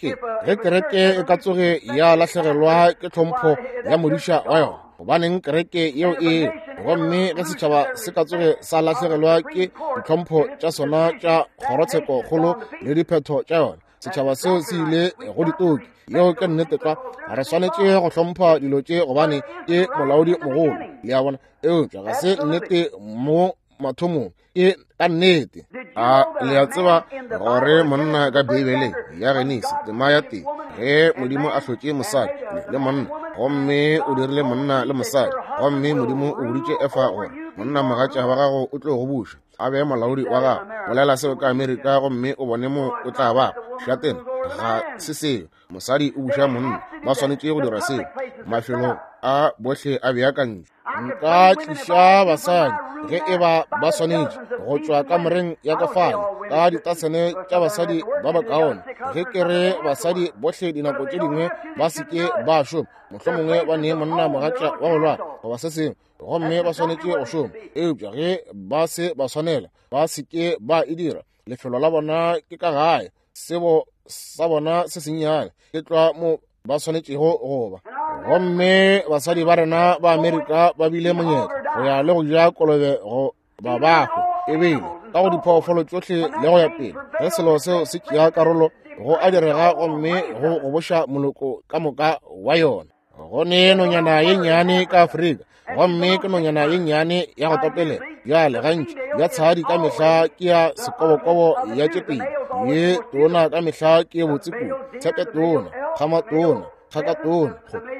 Speaker 1: kereke e ka tsoge ya lahlegelwa ke tlhompho ya modiša wa yona, gobaneng kereke yeo e? Gomme ge setšhaba se ka tsoge sa lahlegelwa ke ditlhompho tša sona tša kgorotshekokgolo le diphetho tša yona, setšhaba seo se ile go ditoki. Yeo ke nnete tlwa. Re swanetše go hlompha dilo tše gobane ke molaodi mogolo, le a bona. Eupša ga se nnete mo mathomong, ke ka nnete. A le a tseba gore monna ka Beibeleng ya Genesi tema ya teng, ge Modimo a hlotše mosadi le monna, gomme o dirile monna le mosadi, gomme Modimo o boditše Efa gore monna mogatša wa gago o tlo go buša, a be molaodi wa gago. Bolela seo ka Amerika gomme o bone mo o tla ba šatena. Ga se seo. Mosadi o buša monna, ba swanetše go dira seo. Mafelo a bohle a beakantšwe. Nka tliša basadi ge e ba ba swanetše go tšwa kamoreng ya ka fale ka ditasene tša basadi ba bakaone. Ge ke re basadi bohle dinako tše dingwe ba se ke ba šoma, mohlomongwe ba nee monna mogatša wa go lwala goba se sengwe, gomme ba swanetše go šoma. Eupša ge ba se ba swanela, ba se ke ba e dira. Lefelo la bona ke ka gae, sebo sa bona se sennyane ke tlwa mo ba swanetšego go ba. Gomme basadi ba rena ba Amerika ba bile monyetla go ya le go ja kolobe go ba bahwe ebile ka go diphoofolo tšohle le go ya pele. Ge selo seo se tšea karolo go a direga, gomme go goboša moloko ka moka wa yona. Go ne nonyana ye nnyane ka Afrika, gomme ke nonyana ye nnyane ya go topelela. Bjale gantši ya tshadi ka mehla ke ya sekobokobo ya tše pedi, ye tona ka mehla ke ye botse kudu, tshepe tona, kgama tona, kgaka tona,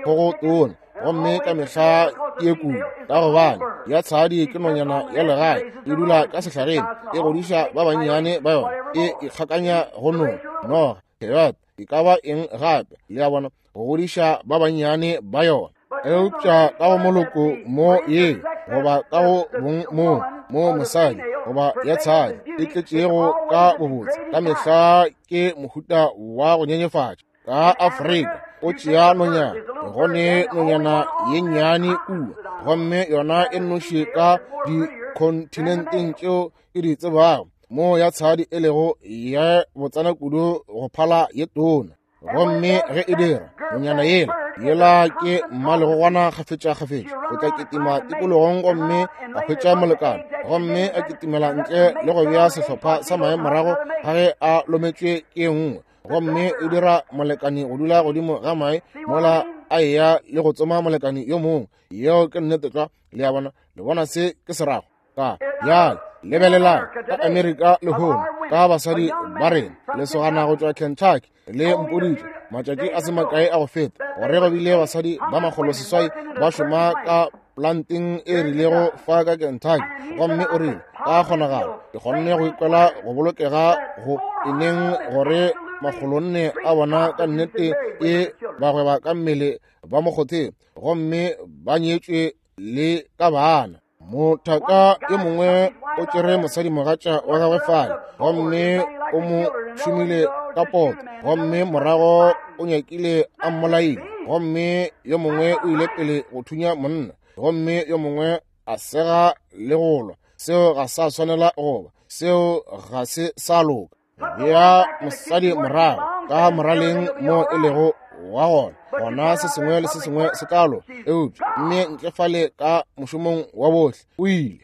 Speaker 1: kgogo tona, gomme ka mehla ke ye kudu, ka gobane ya tshadi ke nonyana ya legae, e dula ka sehlareng, e godiša ba bannyane ba yona, e ikgakanya go nong, noga, coyote, e ka ba eng gape, le a bona, go godiša ba bannyane ba yona. Eupša ka go moloko mo ye, goba ka go bong mo mo mosadi goba ya tshadi e tletšego ka bobotse, ka mehla ke mohuta wa go nyenyefatša. Ka Afrika o tšea nonyana, go ne nonyana ye nnyane kua, gomme yona e nnoši ka dikontinenteng tšeo ke di tsebago mo ya tshadi e lego ya botsana kudu go phala ye tona. Gomme ge e dira nonyana yela yela ke mmalegogwana kgafetša-kgafetša, o tla kitima tikologong gomme a hwetša molekane, gomme a kitimela ntle le go bea sehlopha sa mae morago ga ge a lometšwe ke nngwe, gomme o dira molekane go dula godimo ga mae mola a eya le go tsoma molekane yo mongwe. Yeo ke nnete tlwa. Le a bona? Le bona se ke se rago? Ka bjale lebelelang ka Amerika lehono, ka basadi ba rena. Lesogana go tšwa Kentucky le mpoditše matšatši a se makae a go feta gore go bile basadi ba 800 ba šoma ka planteng e rilego fa ka Kentucky, gomme o rile ka kgonagalo ke kgonne go ikwela go bolokega go eneng gore 400 a bona ka nnete e bagweba ka mmele ba mokgotheng, gomme ba nyetšwe le ka bana. Mothaka yo mongwe o tšere mosadimogatša wa gagwe fale, gomme o mo šomile ka poto, gomme morago o nyakile a mmolaile, gomme yo mongwe o ile pele go thunya monna, gomme yo mongwe a sega le go lwa. Seo ga sa swanela goba, seo ga se sa loka. Bea mosadi morago ka moraleng mo e lego wa gona, gona se sengwe le se sengwe se tla loka. Eupša mme ntle fale ka mošomong wa bohle o ile.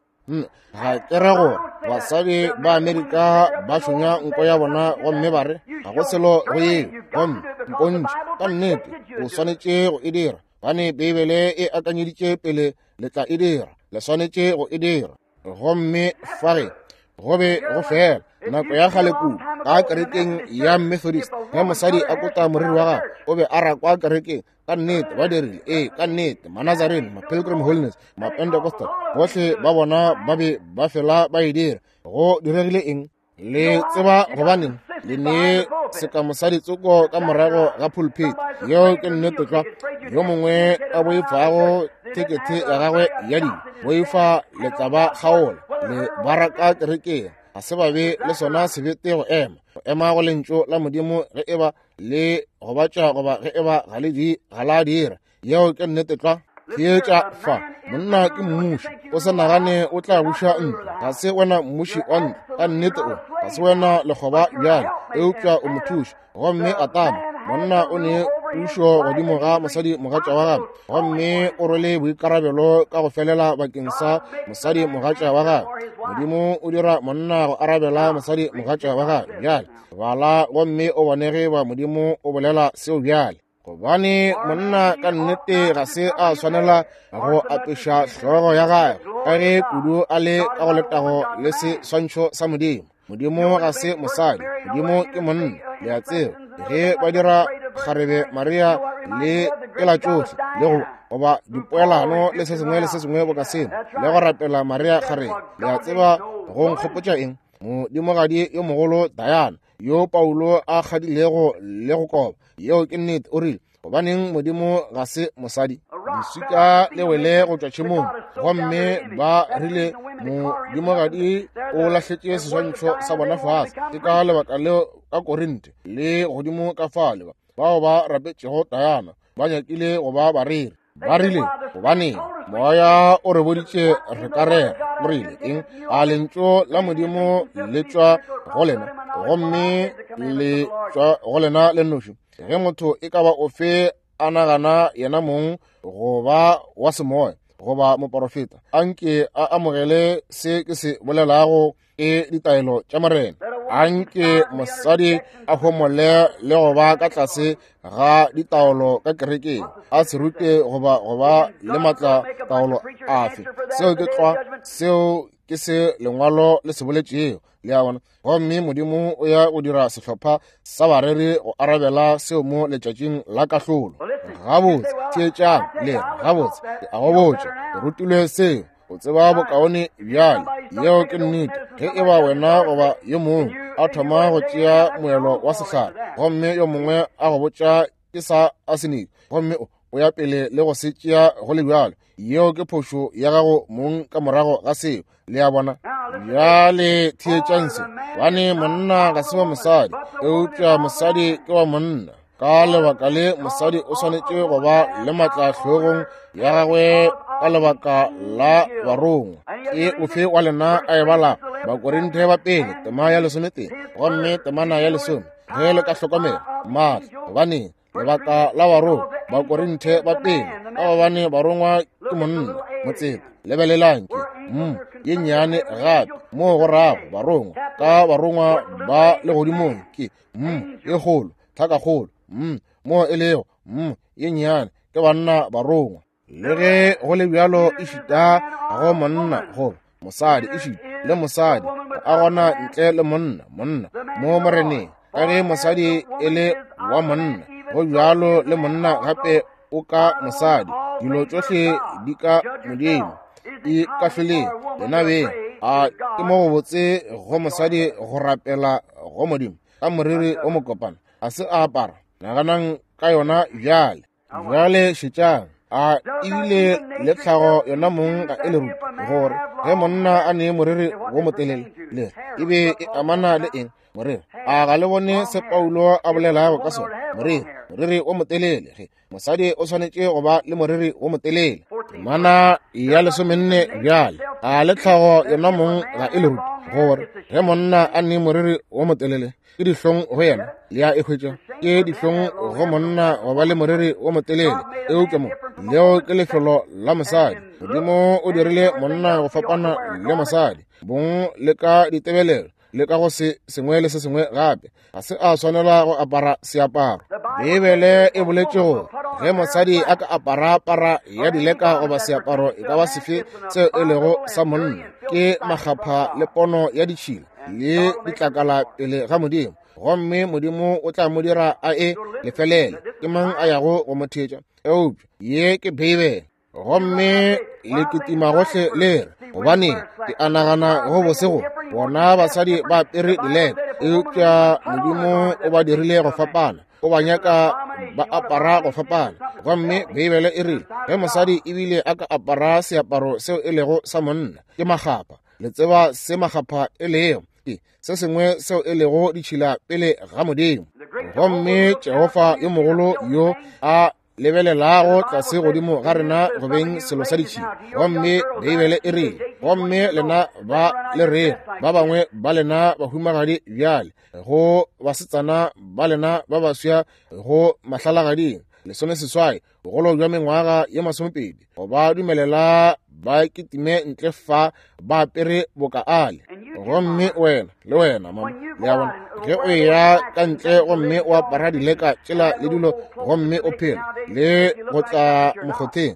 Speaker 1: Ga ke re gore basadi ba Amerika ba šonya nko ya bona gomme ba re ga go selo go yeo, gomme mpontšhe ka nnete o swanetše go e dira, gobane Beibele e akanyeditše pele le tla e dira, le swanetše go e dira. Gomme fare go be go fela. Nako ya kgale kudu ka kerekeng ya Methodist, ge mosadi a kota moriri wa gagwe, o be a rakwa kerekeng. Ka nnete ba dirile, ee, ka nnete. Manazarene, ma-Pilgrim Holiness, ma-Pentecostal, bohle ba bona ba be ba fela ba e dira. Go diregile eng? Le tseba gobaneng le ne seka mosadi tsoko ka morago ga pulpit? Yeo ke nnete tlwa. Yo mongwe a boifago thekethe ya gagwe ya dilo, boifa le tla ba kgaola le baraka kerekeng. Ga se ba be le sona sebete go ema, go ema go lentšu la Modimo, ge eba le gobatša goba ge eba ga le di, ga la dira. Yeo ke nnete tlwa. Theetša fa, monna ke mmuši, o se nagane o tla buša ntlo. Ga se wena mmuši wa ntlo, ka nnete o ga se wena lekgoba bjale, eupša o mothuši. Gomme Atama, monna o ne pušo godimo ga mosadi mogatša wa gagwe, gomme o rwele boikarabelo ka go felela bakeng sa mosadi mogatša wa gagwe. Modimo o dira monna go arabela mosadi mogatša wa gagwe. Bjale bala gomme o bone ge ba Modimo o bolela seo bjale. Gobane monna ka nnete ga se a swanela go apeša hlogo ya gagwe, ka ge kudu a le ka go letago le seswantšho sa Modimo. Modimo ga se mosadi, Modimo ke monna. Le a tseba, ge ba dira kgarebe Maria le ela tšohle le go goba dipoelano le se sengwe le se sengwe boka seo, le go rapela Maria kgarebe, le a tseba go nkgopotša eng? Modimogadi yo mogolo Diana, yo Paulo a kgadilego le go koba. Yeo ke nnete. O rile, gobaneng Modimo ga se mosadi? Leswika le wele go tšwa tšhemong, gomme ba rile modimogadi o lahletše seswantšho sa bona fase. Ke ka lebaka leo ka Korinte le godimo ka fale bao ba rapetšego Diana ba nyakile go ba bareri. Ba rile, gobaneng moya o re boditše re ka rera? O rile eng? A lentšu la Modimo le tšwa go lena, gomme le tšwa go lena le nnoši. Ge motho e ka ba ofe a nagana yena mong go ba wa semoya goba moporofeta, anke a amogele se ke se bolelago ke ditaelo tša Morena. Anke mosadi a homole le go ba ka tlase ga ditaolo ka kerekeng, a se rute goba go ba le matla taolo afe. Seo ke tlwa, seo ke se lengwalo le se boletšego. Le a bona? Gomme Modimo o ya go dira sehlopha sa bareri go arabela seo mo letšatšing la kahlolo. Gabotse, theetšang, le re, gabotse, ke a go botša, ke rutilwe seo. O tseba bokaone bjale. Yeo ke nnete. Ge e ba wena goba yo mongwe a thoma go tšea moelo wa sehlare, gomme yo mongwe a go botša ke sa arsenic, gomme o ya pele le go se tšea go le bjalo, yeo ke phošo ya gago mong ka morago ga seo. Le a bona? Bjale theetšang se. Gobane monna ga se wa mosadi, eupša mosadi ke wa monna. Ka lebaka le mosadi o swanetše go ba le matla hlogong ya gagwe ka lebaka la barongwa. Ke ofe wa lena a e bala Bakorinthe ba pele tema ya 11 gomme temana ya 10, ge le ka hlokomela matla? Gobane lebaka la barongwa, Bakorinthe ba pele, ka gobane barongwa ke monna motseta. Lebelelang ke m ye nnyane gape moo go rago barongwa, ka barongwa ba legodimong ke m ye kgolo, tlhakakgolo m moo e lego m ye nnyane ke banna barongwa. Le ge go le bjalo, ešita go monna goba mosadi, ešita le mosadi a gona ntle le monna, monna mo Moreneng, ka ge mosadi e le wa monna, go bjalo le monna gape o ka mosadi. Dilo tšohle di ka Modimo. E kahloleng lena beng. A ke mo go botse go mosadi go rapela go Modimo ka moriri o mokopana, a se a apara? Naganang ka yona bjale. Bjale šetšang. A ebile le tlhago yona mong ga e le rute gore ge monna a ne moriri wo motelele, le e be e amana le eng? Moriri. A ga le bone se Paulo a bolelago ka sona? Moriri, moriri wo motelele. Ge mosadi o swanetše go ba le moriri wo motelele. Temana ya 14 bjale. A le tlhago yona mong ga e le rute gore ge monna a ne moriri wo motelele, ke dihlong go yena? Le a e hwetša? Ke dihlong go monna go ba le moriri wo motelele, eupša mo leo ke lefelo la mosadi. Modimo o dirile monna go fapana le mosadi, bong le ka ditebelelo le ka go se sengwe le se sengwe gape. Ga se a swanela go apara seaparo. Beibele e boletše gore ge mosadi a ka apara para ya dileka goba seaparo e ka ba sefe seo e lego sa monna, ke makgapha le pono ya ditšhila. le ditlakala pele ga Modimo, gomme Modimo o tla mo dira a e lefelele. Ke mang a yago go mo theetša? Eupša ye ke Beibele. Gomme le kitima gohle le re, gobane ke a nagana go bose go bona basadi ba apere dileka, eupša Modimo o ba dirile go fapana, o ba nyaka ba apara go fapana. Gomme Beibele e rile ge mosadi ebile a ka apara seaparo seo e lego sa monna, ke makgapha. Le tseba se makgapha e lego, ke se sengwe seo e lego ditšhila pele ga Modimo. Gomme Jehofa yo mogolo yo a lebelelago tlase godimo ga rena go beng selo sa ditšhila. Gomme Beibele e rile, gomme lena ba le rego, ba bangwe ba lena bahumagadi bjale, go basetsana ba lena ba baswa go mahlalagading, 18, bogolo bja mengwaga ye 20, go ba dumelela ba kitime ntle fa ba apere boka ale. Gomme wena le wena mama, le a bona, ge o eya ka ntle gomme o apara dileka tšela le dilo, gomme o phela le go tla mokgotheng,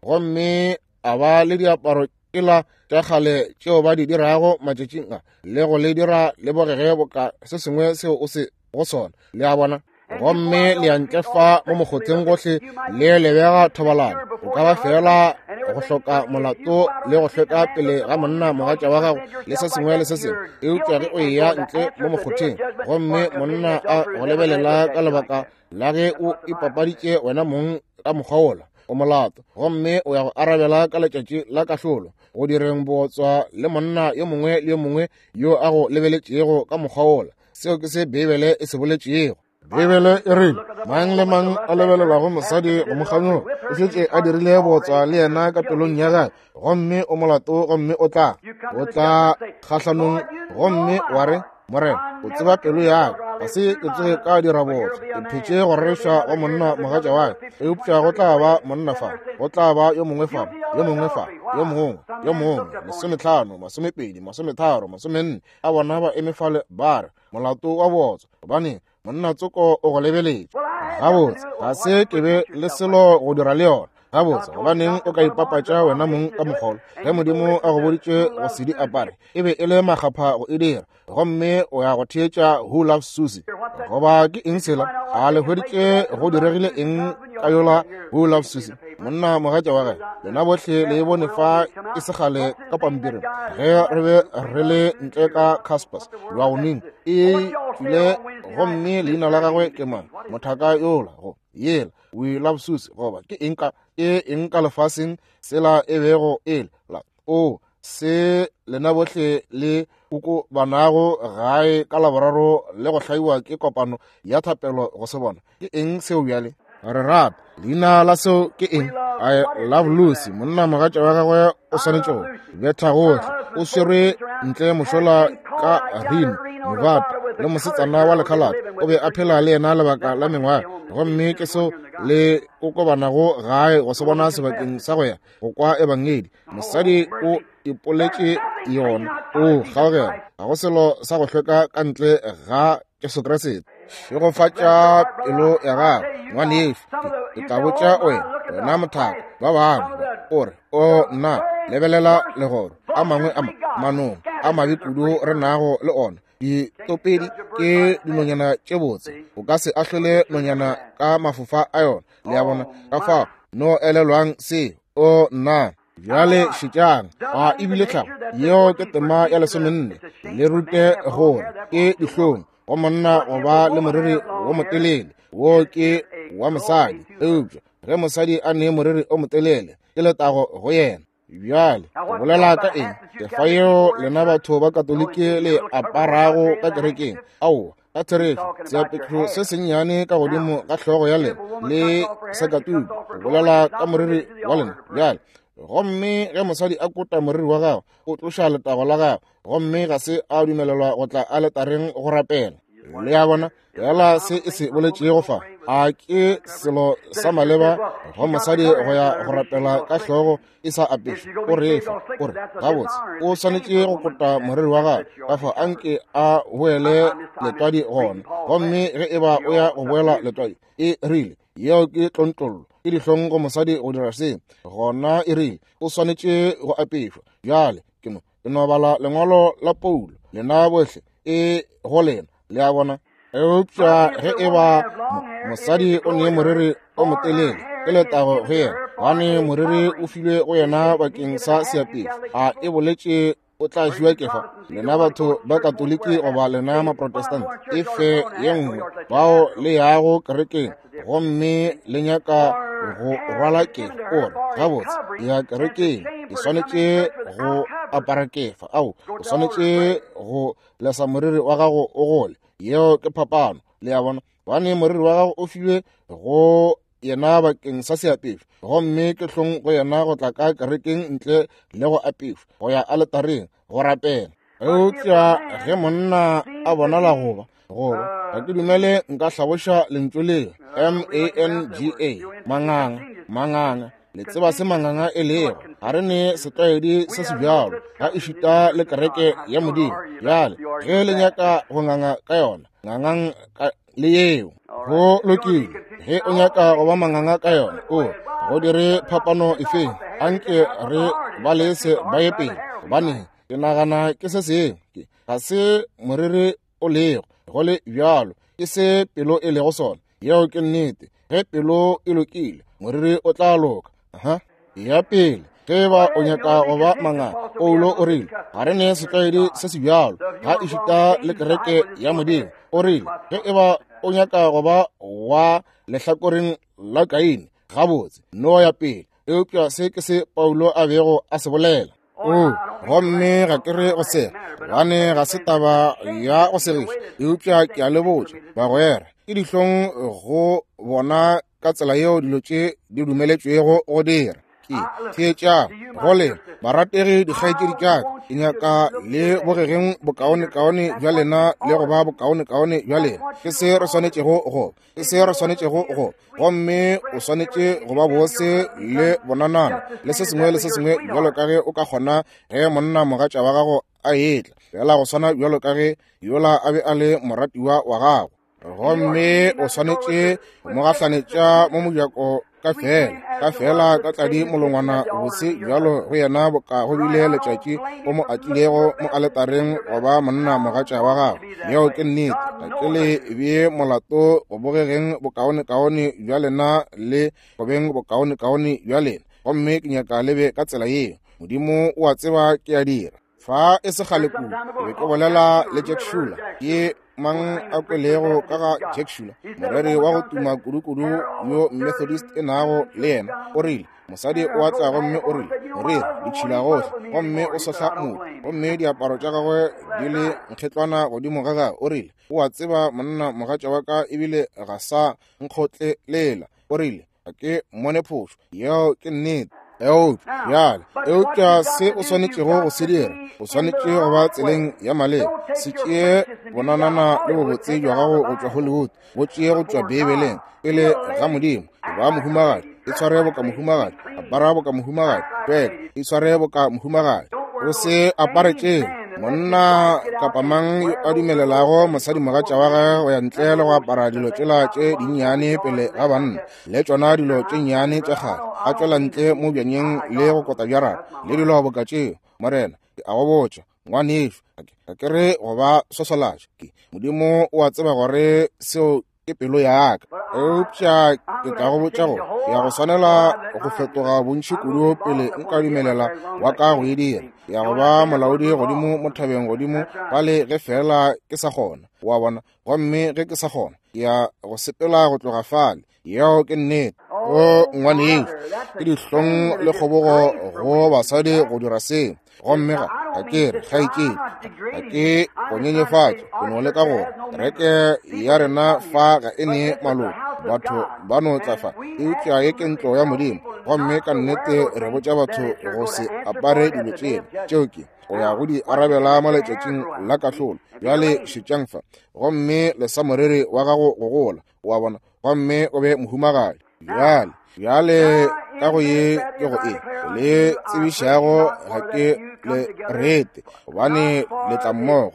Speaker 1: gomme a ba le diaparo tšela tša kgale tšeo ba di dirago matšatšing a, le go le dira le bogege boka se sengwe seo o se go sona, le a bona. Gomme le ya ntle fa mo mokgotheng gohle le lebega thobalano, o ka ba fela go hloka molato le go hlweka pele ga monna mogatša wa gago le se sengwe le se sengwe, eupša ge o eya ntle mo mokgotheng gomme monna a go lebelela ka lebaka la ge o ipapaditše wena mong ka mokgwa wola, o molato, gomme o ya go arabela ka letšatši la kahlolo go direng bootswa le monna yo mongwe le yo mongwe yo a go lebeletšego ka mokgwa wola. Seo ke se Beibele e se boletšego. Beibele e rile, mang le mang a lebelelago mosadi go mo kganyoga o šetše a dirile bootswa le yena ka pelong ya gagwe, gomme o molato, gomme o tla kgahlanong, gomme wa re, Morena, o tseba pelo ya ka, ga se ke tsoge ka dira bootswa, ke phetše go reša go monna mogatša wa ka, eupša go tla ba monna fa, go tla ba yo mongwe fa, yo mongwe fa, yo mongwe, yo mongwe, 50, 20, 30, 40 a bona ba eme fale ba re, molato wa bootswa, gobane monna tsoko o go lebeletše. Gabotse, ga se ke be le selo go dira le yona. Gabotse, gobaneng o ka ipapatša wena mong ka mokgolo ge Modimo a go boditše go se di apare? E be e le makgapha go e dira, gomme o ya go theetša Who Loves Susie. Goba ke eng sela? A le hweditše go diregile eng ka yola Who Loves Susie? Monna mogatša wa gage, lena bohle le e bone fa e segale ka pampiring ge re be re le ntle ka Caspers Wyoming, e tšwile, gomme leina la gagwe ke mang? Mothaka yola go yela We Love Susie, goba ke eng ka e eng ka lefaseng sela e bego e la o se lena bohle le koko banago gae ka Laboraro le go hlaiwa ke kopano ya thapelo go se bona. Ke eng seo bjale? Re rata leina la seo ke eng? I Love Lucy. Monna mogatša wa gagwe o swanetše go betha gohle, o swerwe ntle mošola ka Reno, Nevada, le mosetsana wa lekhalate, o be a phela le yena lebaka la mengwaga, gomme ke seo le kokobanago gae go se bona sebakeng sa go ya go kwa ebangedi. Mosadi o ipoletše yona, o kgaogela, ga go selo sa go hlweka ka ntle ga Jesu Kriste. Šegofatša pelo ya gago, ngwanešu. Ke tla botša wena, wena mothaka, ba bangwe o re, o nna, lebelela legoro, a mangwe a manong a mabe kudu re nago le ona. Ditopedi ke dinonyana tše botse, o ka se ahlole nonyana ka mafofa a yona, le a bona. Ka fao no elelwang se, o nna. Bjale šetšang, a ebile tlhago yeo ke tema ya 14, le rute gore ke dihlong go monna go ba le moriri wo motelele, wo ke wa mosadi, eupša ge mosadi a ne moriri o motelele ke letago go yena. Bjale go bolela ka eng? Kefa yeo lena batho ba Katoliki le aparago ka kerekeng, aowa, ka therešo, seapešo se sennyane ka godimo ga hlogo ya lena le sakatuku, go bolela ka moriri wa lena. Bjale, gomme ge mosadi a kota moriri wa gagwe, o tloša letago la gagwe, gomme ga se a dumelelwa go tla aletareng go rapela. Le a bona? Fela se e se boletšego fa, a ke selo sa maleba go mosadi go ya go rapela ka hlogo e sa apešwe? O refa, o re, gabotse, o swanetše go kota moriri wa gagwe, ka fao anke a boele letwadi gona. Gomme ge e ba o ya go boela letwadi, e rile, yeo ke tlontlollo, ke dihlong go mosadi go dira se. Gona e rile, o swanetše go apešwa. Bjale ke no Ke no bala lengwalo la Paulo, lena bohle e go lena, le a bona. Eupša ge e ba mosadi o ne moriri o motelele, ke letago go yena, gobane moriri o filwe go yena bakeng sa seapešo. A e boletše o tla fiwa kefa, lena batho ba Katoliki goba lena Maprotestant, e fe ye nngwe bao le yago kerekeng gomme le nyaka go rwala kefa, o re, gabotse, ya kerekeng e swanetše go apara kefa. Ao, o swanetše go lesa moriri wa gago o gole. Yeo ke phapano, le a bona, gobane moriri wa gago o filwe go yena bakeng sa seapešo, gomme ke hlong go yena go tla ka kerekeng ntle le go apešwa, go ya aletareng go rapela. Eupša ge monna a bonala goba goba ga ke dumele nka hlaboša lentšu leo, M-A-N-G-A, manganga, manganga. Le tseba se manganga e lego. Ga re ne setlwaedi se se bjalo, ga ešita le kereke ya Modimo. Bjale, ge le nyaka go nganga ka yona, ngangang ka le yeo. Go lokile. Ge o nyaka go ba manganga ka yona, o go dire phapano efeng? Anke re ba lese ba ye pele, gobane ke nagana ke se sengwe. Ga se moriri o lego, go le bjalo, ke se pelo e lego sona. Yeo ke nnete. Ge pelo e lokile, moriri o tla loka. Aha. Ya pele, ge ba o nyaka go ba manganga, Paulo o rile, ga re ne setlwaedi se se bjalo, ga ešita le kereke ya Modimo. O rile, ge e ba o nyaka go ba wa lehlakoreng la Kaine, gabotse, no ya pele. Eupša se ke se Paulo a bego a se bolela. O, gomme ga ke re go sega, gobane ga se taba ya go segiša, eupša ke a le botša, bagwera, ke dihlong go bona ka tsela yeo dilo tše di dumeletšwego go dira. Ke theetšang go lena, barategi dikgaetšedi tša ka, ke nyaka le bogegeng bokaonekaone bja lena le go ba bokaonekaone bja lena. Ke se re swanetšego go, ke se re swanetšego go, gomme o swanetše go ba bose le bonanana le se sengwe le se sengwe bjalo ka ge o ka kgona ge monna mogatša wa gago a etla, fela go swana bjalo ka ge yola a be a le moratiwa wa gago. Gomme o swanetše go mo gahlanetša mo mojako ka fela, ka fela ka tladi molongwana bose bjalo go yena boka go bile letšatši o mo atlilego mo aletareng go ba monna mogatša wa gago. Yeo ke nnete. Ga ke le bee molato go bogegeng bokaonekaone bja lena le go beng bokaonekaone bja lena, gomme ke nyaka le be ka tsela yeo. Modimo o a tseba ke a dira. Fa e se kgale kudu, ke be ke bolela le Jack Shuler. Ke mang a kwelego ka ga Jack Shuler, moreri wa go tuma kudu-kudu yo Methodist e nago le yena? O rile, mosadi o a tla gomme o rile, moreri, ditšhila gohle, gomme o sohla modu, gomme diaparo tša gagwe di le nkgetlwana godimo ga gagwe. O rile, o a tseba monna mogatša wa ka ebile ga sa nkgotlelela. O rile, ga ke mmone phošo. Yeo ke nnete. Eupša bjale, eupša se o swanetšego go se dira, o swanetše go ba tseleng ya maleba. Se tšee bonanana le bobotse bja gago go tšwa Hollywood, bo tšee go tšwa Beibeleng, pele ga Modimo. Ba mohumagadi, e tshware boka mohumagadi, apara boka mohumagadi, tweka, e tshware boka mohumagadi. O se apare tšeo. Monna kapa mang yo a dumelelago mosadimogatša wa gagwe go ya ntle le go apara dilo tšela tše dinnyane pele ga banna, le tšona dilo tše nnyane tša kgale, a tšwela ntle mo bjanyeng le go kota bjarata le dilo boka tšeo, Morena, ke a go botša, ngwanešu, ga ke re go ba swaswalatša, ke Modimo o a tseba gore seo ke pelo ya ka. Eupša ke tla go botša gore ke ya go swanela go fetoga bontši kudu pele nka dumelela wa ka go e dira. Ke ya go ba molaodi godimo mo thabeng godimo fale ge feela ke sa kgona, wa bona. Gomme ge ke sa kgona, ke ya go sepela go tloga fale. Yeo ke nnete. O ngwanešu, ke dihlong le kgobogo go basadi go dira seo. Gomme ga ke re kgaetšedi, ga ke go nyenyefatša, ke no leka gore kereke ya rena fa ga e ne maloko, batho ba no tla fa, eupša ye ke ntlo ya Modimo, gomme ka nnete re botša batho go se apare dilo tšela tšeo ke go ya go di arabela mo letšatšing la kahlolo. Bjale šetšang fa, gomme lesa moriri wa gago go gola, wa bona, gomme o be mohumagadi. Bjale, bjale ka go ye ke go e le tsebišago, ga ke le rete, gobane le tla mmogo,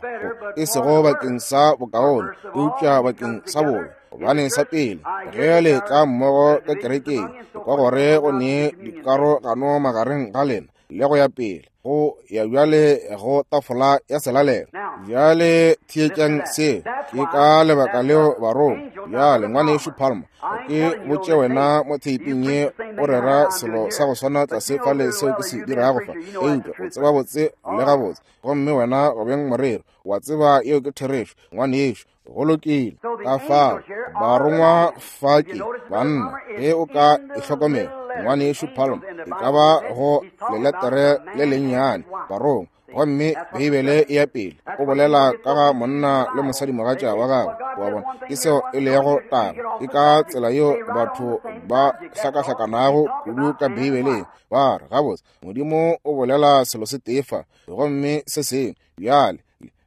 Speaker 1: e sego bakeng sa bokaone, eupša bakeng sa bobe. Gobane sa pele, ge le tla mmogo ka kerekeng, ke kwa gore go ne dikarogano magareng ga lena. le go ya pele, go ya bjale go tafola ya selalelo. Bjale theetšang seo. Ke ka lebaka leo barongwa. Bjale, Ngwanešu Palmer, ke botše wena mo theiping ye o rera selo sa go swana tlase fale seo ke se dirago fa, eupša o tseba botse le gabotse, gomme wena go beng moreri, wa tseba yeo ke therešo, ngwanešu. Go lokile. Ka fao barongwa fa ke banna, ge o ka e hlokomela, Ngwanešu Palmer, e ka ba go leletere le lennyane barongwa. Gomme Beibele e ya pele, o bolela ka ga monna le mosadimogatša wa gagwe. Wa bona, ke seo e lego taba. Ke ka tsela yeo batho ba hlakahlakanago kudu ka Beibeleng. Ba re, gabotse, Modimo o bolela selo se tee fa, gomme se sengwe. Bjale,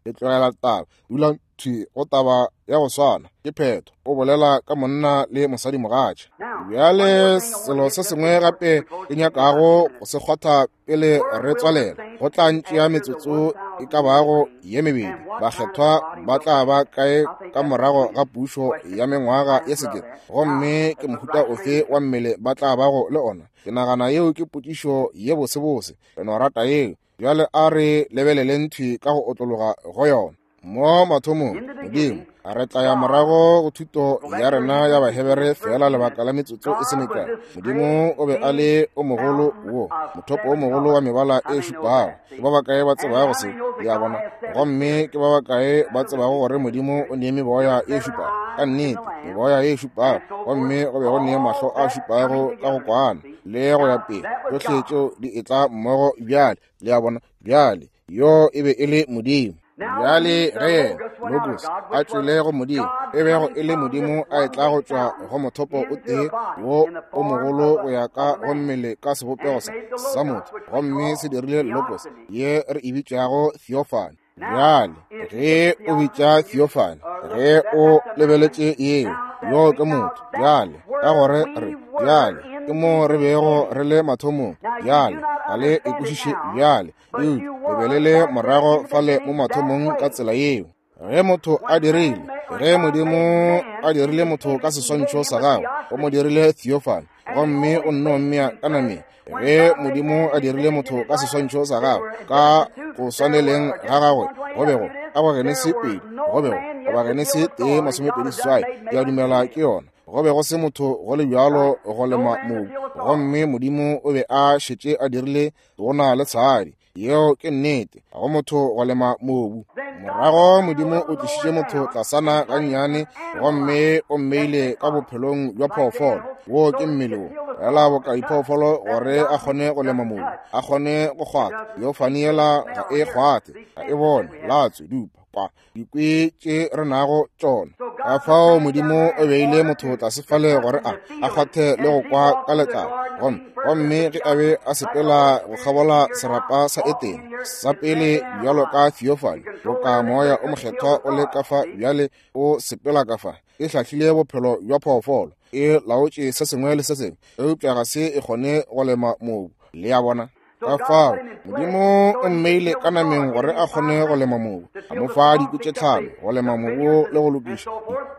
Speaker 1: le tlogela taba, dulang thwi go taba ya go swana. Ke phetho. O bolela ka monna le mosadimogatša. Bjale selo se sengwe gape ke nyakago go se kgwatha pele re tswalela, go tla ntšea metsotso e ka bago ye mebedi. Bakgethwa ba tla ba kae ka morago ga pušo ya mengwaga ye sekete, gomme ke mohuta ofe wa mmele ba tla bago le ona? Ke nagana yeo ke potšišo ye bosebose. Re no rata yeo. Bjale a re lebeleleng thwi ka go otlologa go yona. Mo mathomong, Modimo, re tla ya morago go thuto ya rena ya Bahebere feela lebaka la metsotso e se mekae. Modimo o be a le o mogolo wo, mothopo o mogolo wa mebala e šupago. Ke ba bakae ba tsebago se? Le a bona? Gomme ke ba bakae ba tsebago gore Modimo o nee meboya e šupago? Ka nnete, meboya e šupago. Gomme go be go nee mahlo a šupago ka go kwana, le go ya pele. Tšohle tšeo di etla mmogo bjale. Le a bona? Bjale, yo e be e le Modimo. Bjale ge yena Logos a tšwele go Modimo, e bego e le Modimo a etla go tšwa go mothopo o tee wo o mogolo go ya ka go mmele ka sebopego sa motho, gomme se dirile Logos ye re e bitšago theophany. Bjale ge o bitša theophany, ge o lebeletše yeo, yoo ke motho. Bjale ka gore re, bjale ke mo re bego re le mathomong. Bjale ga le e kwešiše bjale, eupša le be le le morago fale mo mathomong ka tsela yeo. Ge motho a dirile, ge Modimo a dirile motho ka seswantšho sa gagwe, o mo dirile theophany, gomme o nno mmea ka nameng. Ge Modimo a dirile motho ka seswantšho sa gagwe, ka go swaneleng ga gagwe, go bego ka go Genesi 2, go bego goba Genesi 1:28, ke a dumela ke yona, go be go se motho go le bjalo go lema mobu, gomme Modimo o be a šetše a dirile tona le tshadi. Yeo ke nnete, ga go motho go lema mobu. Morago Modimo o tlišitše motho tlasana gannyane, gomme o mmeile ka bophelong bja phoofolo. Wo ke mmele wo, fela boka diphoofolo, gore a kgone go lema mobu, a kgone go kgwatha. Theophany yela ga e kgwathe, ga e bone, latswe, dupa, kwa, dikwe tše re nago tšona. Ka fao Modimo o beile motho tlase fale gore a a kgwathe le go kwa ka letlalo. Gomme, gomme ge a be a sepela go kgabola serapa sa Etene, sa pele bjalo ka theophany, boka Moya o Mokgethwa o le ka fa bjale o sepela ka fa, e hlahlile bophelo bja phoofolo, e laotše se sengwe le se sengwe, eupša ga se e kgone go lema mobu. Le a bona? Ka fao Modimo o mmeile ka nameng gore a kgone go lema mobu, a mo fa dikwi tše tlhano go lema mobu le go lokiša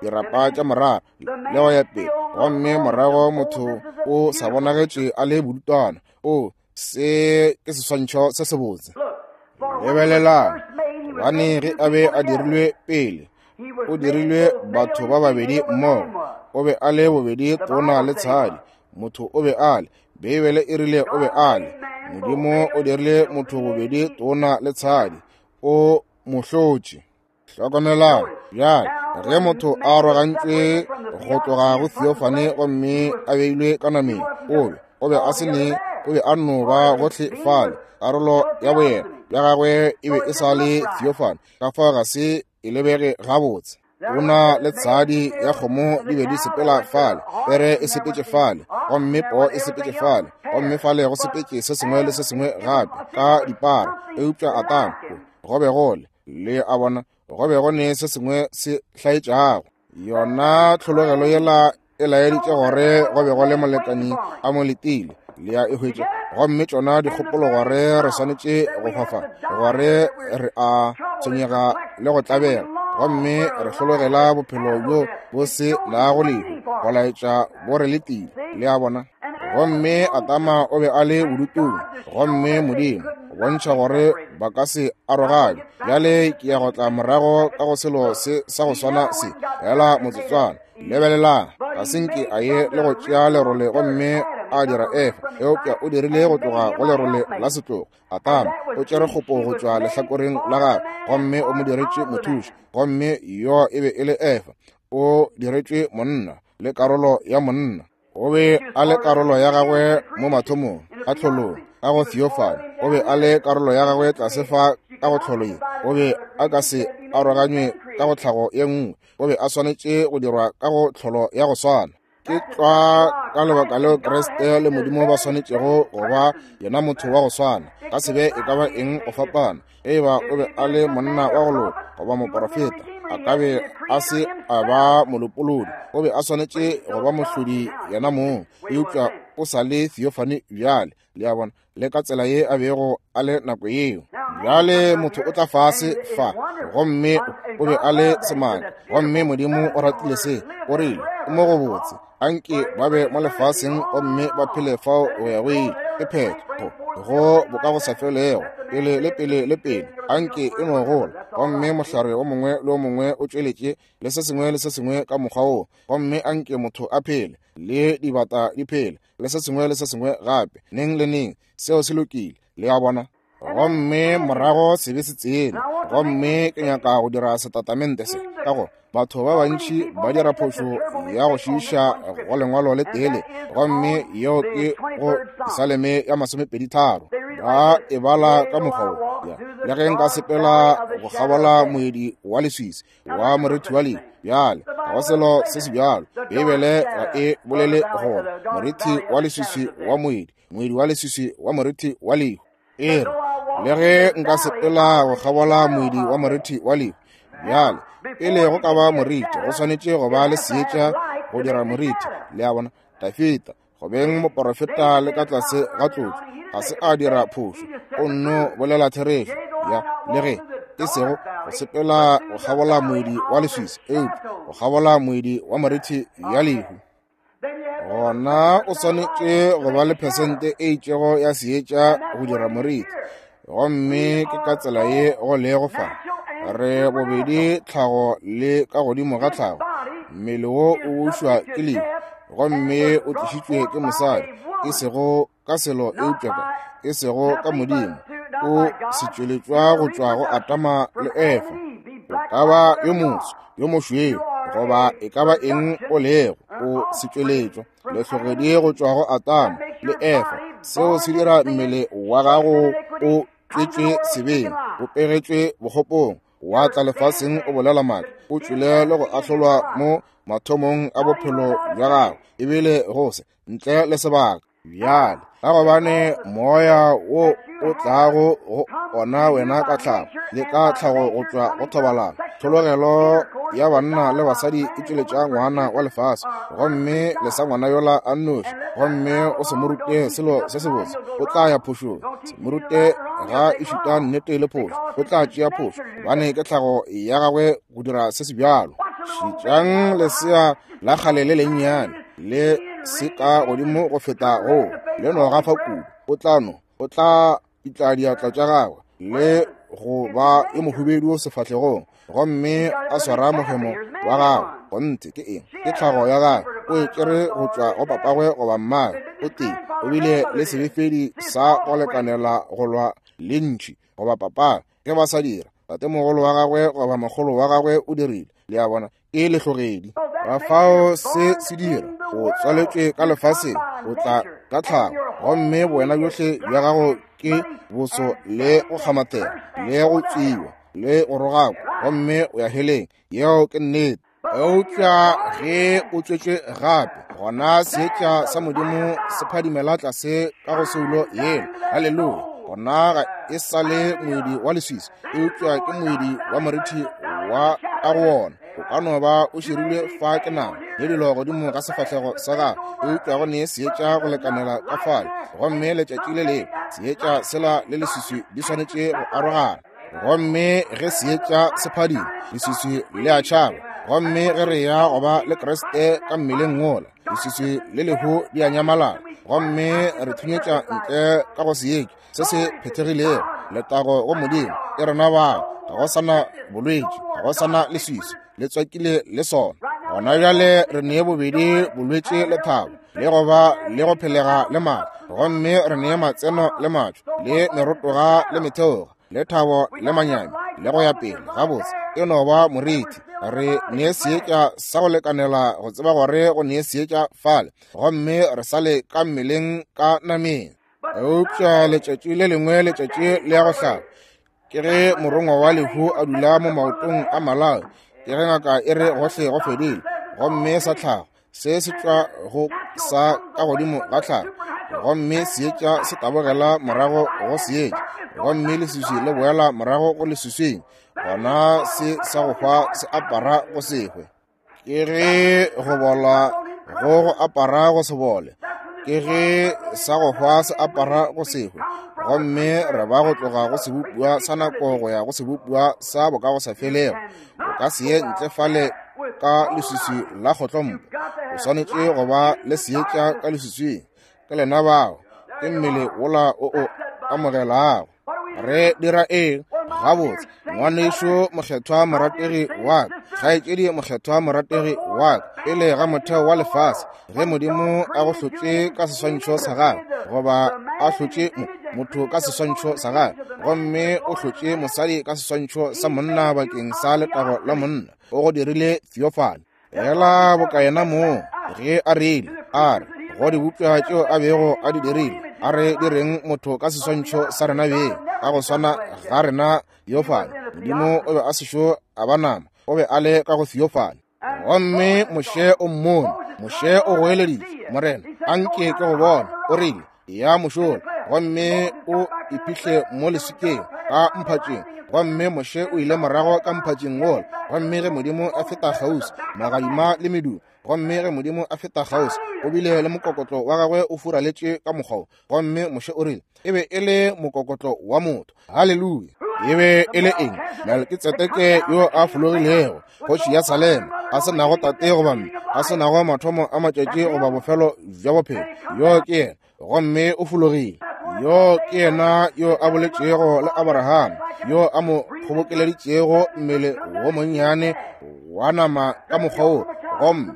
Speaker 1: dirapa tša morara le go ya pele. Gomme morago motho o sa bonagetše a le bodutwana. O, se ke seswantšho se sebotse. Lebelelang, gobane ge a be a dirilwe pele, o dirilwe batho ba babedi mmogo. O be a le bobedi tona le tshadi. Motho o be a le, Beibele e rile o be a le. Modimo o dirile motho bobedi tona le tshadi, o mo hlotše. Hlokomelang bjale, ge motho a arogantšwe go tloga go theophany gomme a beilwe ka nameng, o be, o be a se ne, o be a no ba gohle fale. Karolo ya boyena bja gagwe e be e sa le theophany, ka fao ga se e lebege gabotse. Tona le tshadi ya kgomo di be di sepela fale, pere e sepetše fale, gomme poo e sepetše fale, gomme fale go sepetše se sengwe le se sengwe gape ka dipara. Eupša Atama, go be go le, le a bona, go be go ne se sengwe se hlaetšago. Yona tlhologelo yela e laeditše gore go be go le molekani a mo letile. Le a e hwetša. Gomme tšona dikgopolo gore re swanetše go hwafa, gore re a tshwenyega le go tlabega, gomme re hlologela bophelo bjo bo se nago lehu, go laetša bo re letile. Le a bona? Gomme Adama o be a le bodutung, gomme Modimo go bontšha gore ba ka se aroganywe. Bjale ke ya go tla morago ka go selo se sa go swana se, feela motsotswana. Lebelelang, ga se nke a ye le go tšea lerole gomme a dira Efa, eupša o dirile go tloga go lerole la setlogo. Adama o tšere kgopo go tšwa lehlakoreng la gagwe gomme o mo diretše mothuši, gomme yo e be e le Efa. O diretšwe monna le karolo ya monna. O be a le karolo ya gagwe mo mathomong a tlholong ka go theophany. O be a le karolo ya gagwe tlase fa ka go tlholo ye. O be a ka se aroganywe ka go tlhago ye nngwe. O be a swanetše go dirwa ka go tlholo ya go swana. Ke tlwa ka lebaka leo Kriste le Modimo ba swanetšego go ba yena motho wa go swana. Ka se be e ka ba eng go fapana. Ge e ba o be a le monna wa go loka goba moporofeta, a ka be a se a ba molopolodi. O be a swanetše go ba mohlodi yena mong, eupša o sa le theophany bjale. Le a bona, le ka tsela ye a bego a le nako yeo. Bjale motho o tla fase fa, gomme o be a le semaka, gomme Modimo o ratile se. O rile, O mo go botse, anke ba be mo lefaseng gomme ba phele fao go ya go ile. Ke phetho go boka go sa felego, pele le pele le pele. Anke e no gola, gomme mohlare o mongwe le o mongwe o tšweletše le se sengwe le se sengwe ka mokgwa woo, gomme anke motho a phele le dibata di phele le se sengwe le se sengwe gape, neng le neng. Seo se lokile, le a bona. Gomme morago sebe se tsene. Gomme ke nyaka go dira setatamente se, ka gore batho ba bantši ba dira phošo ya go šiiša go lengwalo le tele, gomme yeo ke go Saleme ya 23. Ba e bala ka mokgwa wo, ya, le ge nka sepela go kgabola moedi wa leswiswi wa morithi wa lehu. Bjale ga go selo se se bjalo. Beibele ga e bolele gore morithi wa leswiswi wa moedi, moedi wa leswiswi wa morithi wa lehu. E re, le ge nka sepela go kgabola moedi wa morithi wa lehu. Bjale pele go ka ba morithi, go swanetše go ba le seetša go dira morithi. Le a bona? Dafita, go beng moporofeta le ka tlase ga tlotšo, ga se a dira phošo, o nno bolela therešo. Ya, le ge e sego go sepela go kgabola moedi wa leswiswi, eupša go kgabola moedi wa morithi ya lehu. Gona o swanetše go ba le phesente e itšego ya seetša go dira morithi, gomme ke ka tsela ye go lego fa. Re bobedi tlhago le ka godimo ga tlhago. Mmele wo o bušwa ke lehu, gomme o tlišitšwe ke mosadi, e sego ka selo eupša ka, e sego ka Modimo. O setšweletšwa go tšwa go Adama le Efa. O ka ba yo moso, yo mošweu, goba e ka ba eng o lego, o setšweletšwa lehlogedi go tšwa go Adama le Efa. Seo se dira mmele wa gago o tšwetšwe sebeng, o pegetšwe bokgopong, wa tla lefaseng o bolela maaka, o tšwele le go ahlolwa mo mathomong a bophelo bja gago, ebile go se ntle le sebaka. Bjale, ka gobane moya wo o tlago go ona wena ka tlhago le ka tlhago go tšwa go thobalano, tlhologelo ya banna le basadi e tšweletša ngwana wa lefase, gomme lesa ngwana yola a nnoši, gomme o se mo rute selo se sebotse, o tla ya phošong. Se mo rute ga e šuta nnete le phošo, o tla tšea phošo, gobane ke tlhago ya gagwe go dira se se bjalo. Šetšang lesea la kgale le lennyane le se ka godimo go feta go le no gafa kudu, o tla no, o tla pitla diatla tša gagwe le go ba yo mohubedu sefahlegong, gomme a swara mohemo wa gagwe. Gonthe ke eng? Ke tlhago ya gagwe. O e tšere go tšwa go papagwe goba mmagwe. O tee o bile le sebefedi sa go lekanela go lwa le ntšhi goba papagwe ge ba sa dira. Tatemogolo wa gagwe goba makgolo wa gagwe o dirile. Le a bona? Ke lehlogedi. Ka fao se se dira, o tswaletšwe ka lefaseng, o tla ka tlhago, gomme bowena bjohle bja gago ke boso le go kgamathega le go tswiwa le go rogakwa, gomme o ya heleng. Yeo ke nnete. Eupša ge o tswetšwe gape, gona seetša sa Modimo se phadimela tlase ka go soulo yela. Haleluya! Gona ga e sa le moedi wa leswiswi, eupša ke moedi wa morithi wa ka go wona. O ka no ba o širilwe fa ke nama le dilo godimo ga sefahlego sa gago, eupša go ne seetša go lekanela ka fale. Gomme letšatši le lengwe seetša sela le leswiswi di swanetše go arogana. Gomme ge seetša se phadima, leswiswi le a tšhaba. Gomme ge re ya go ba le Kriste ka mmeleng wola, leswiswi le lehu di a nyamalala. Gomme re thunyetša ntle ka go seetša se se phethegilego. Letago go Modimo, ke rena bao. Ga go sa na bolwetši, ga go sa na leswiswi, le tswakile le sona. Gona bjale re nee bobedi bolwetši le thabo, le go ba le go phelega le maatla. Gomme re nee matseno le matšo, le merotoga le metheoga, le thabo le manyami, le go ya pele. Gabotse, e no ba morithi. Re nee seetša sa go lekanela go tseba gore go nee seetša fale, gomme re sa le ka mmeleng ka nameng. Eupša letšatši le lengwe letšatši le ya go hlaba, ke ge morongwa wa lehu a dula mo maotong a malao, ke ge ngaka e re gohle go fedile, gomme sa tlhago se se tšwa go sa ka godimo ga tlhago, gomme seetša se tabogela morago go seetša, gomme leswiswi le boela morago go leswiswing, gona se sa go hwa se apara go se hwe. Ke ge go bola go go apara go se bole, ke ge sa go hwa se apara go se hwe, gomme re ba go tloga go sebopiwa sa nako go ya go sebopiwa sa bokagosafelego. O ka se ye ntle fale ka leswiswi la kgotlompo, o swanetše go ba le seetša ka leswiswing. Ke lena bao, ke mmele wola o o amogelago. Re dira eng? Gabotse, ngwanešu mokgethwa morategi wa ka, kgaetšedi mokgethwa morategi wa ka, pele ga motheo wa lefase, ge Modimo a go hlotše ka seswantšho sa gagwe, goba a hlotše motho ka seswantšho sa gagwe, gomme o hlotše mosadi ka seswantšho sa monna bakeng sa letago la monna, o go dirile theophany. Fela boka yena moo ge a rile, a re go dibopša tšeo a bego a di dirile, a re direng motho ka seswantšho sa rena beng, ka go swana ga rena theophany. Modimo o be a sešo a ba nama, o be a le ka go theophany. Gomme Moshe o mmone, Moshe o goeleditše, Morena, a nke ke go bona. O rile, ya mošola, gomme o iphihle mo leswikeng ka mphatšeng. Gomme Moshe o ile morago ka mphatšeng wola, gomme ge Modimo a feta kgauswi, magadima le medumo, gomme ge Modimo a feta kgauswi, o bile le mokokotlo wa gagwe o furaletše ka mokgwa wo. Gomme Moshe o rile, e be e le mokokotlo wa motho. Haleluya! E be e le eng? Melkitsedeke yo a fologilego, kgoši ya Salema, a se nago tate goba mme, a se nago mathomo a matšatši goba bofelo bja bophelo. Yo ke yena, gomme o fologile. Yo ke yena yo a boletšego le Abraham, yo a mo kgobokeleditšego mmele wo monnyane wa nama ka mokgwa wo, gomme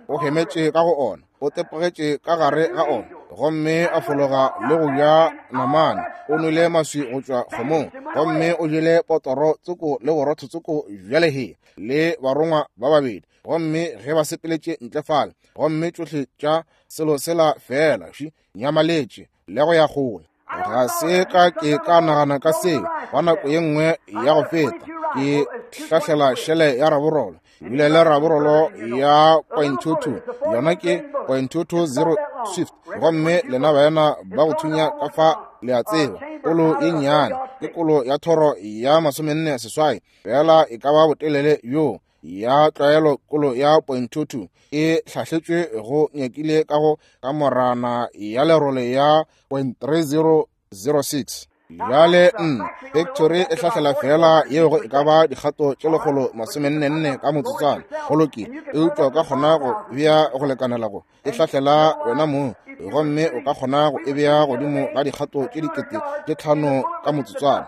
Speaker 1: o hemetše ka go ona. o tepogetše ka gare ga ona gomme a fologa le go ja namane. O nwele maswi go tšwa kgomong, gomme o jele potoro tsoko le borotho tsoko bja lehea le barongwa ba babedi. Gomme ge ba sepeletše ntle fale, gomme tšohle tša selo sela feela ši nyamaletše le go ya kgole. Ga se ka ke ka nagana ka seo ba nako ye nngwe ya go feta. Ke hlahlela šele ya raborolo, ebile le raborolo ya 0.22, yona ke 0.220 swift. Gomme lena baena ba go thunya ka fa le a tseba, kolo ye nnyane ke kolo ya thoro ya 48, fela e ka ba botelele bjoo ya tlwaelo. Kolo ya 0.22 e hlahletšwe go nyakile ka go kamorana ya lerole ya 0.3006. Bjale nna factory e hlahlela fela yeo go e ka ba dikgato tše 144 ka motsotswana. Go lokile, eupša o ka kgona go bea go lekanela go e hlahlela wena mong, gomme o ka kgona go e bea godimo ga dikgato tše 5000 ka motsotswana.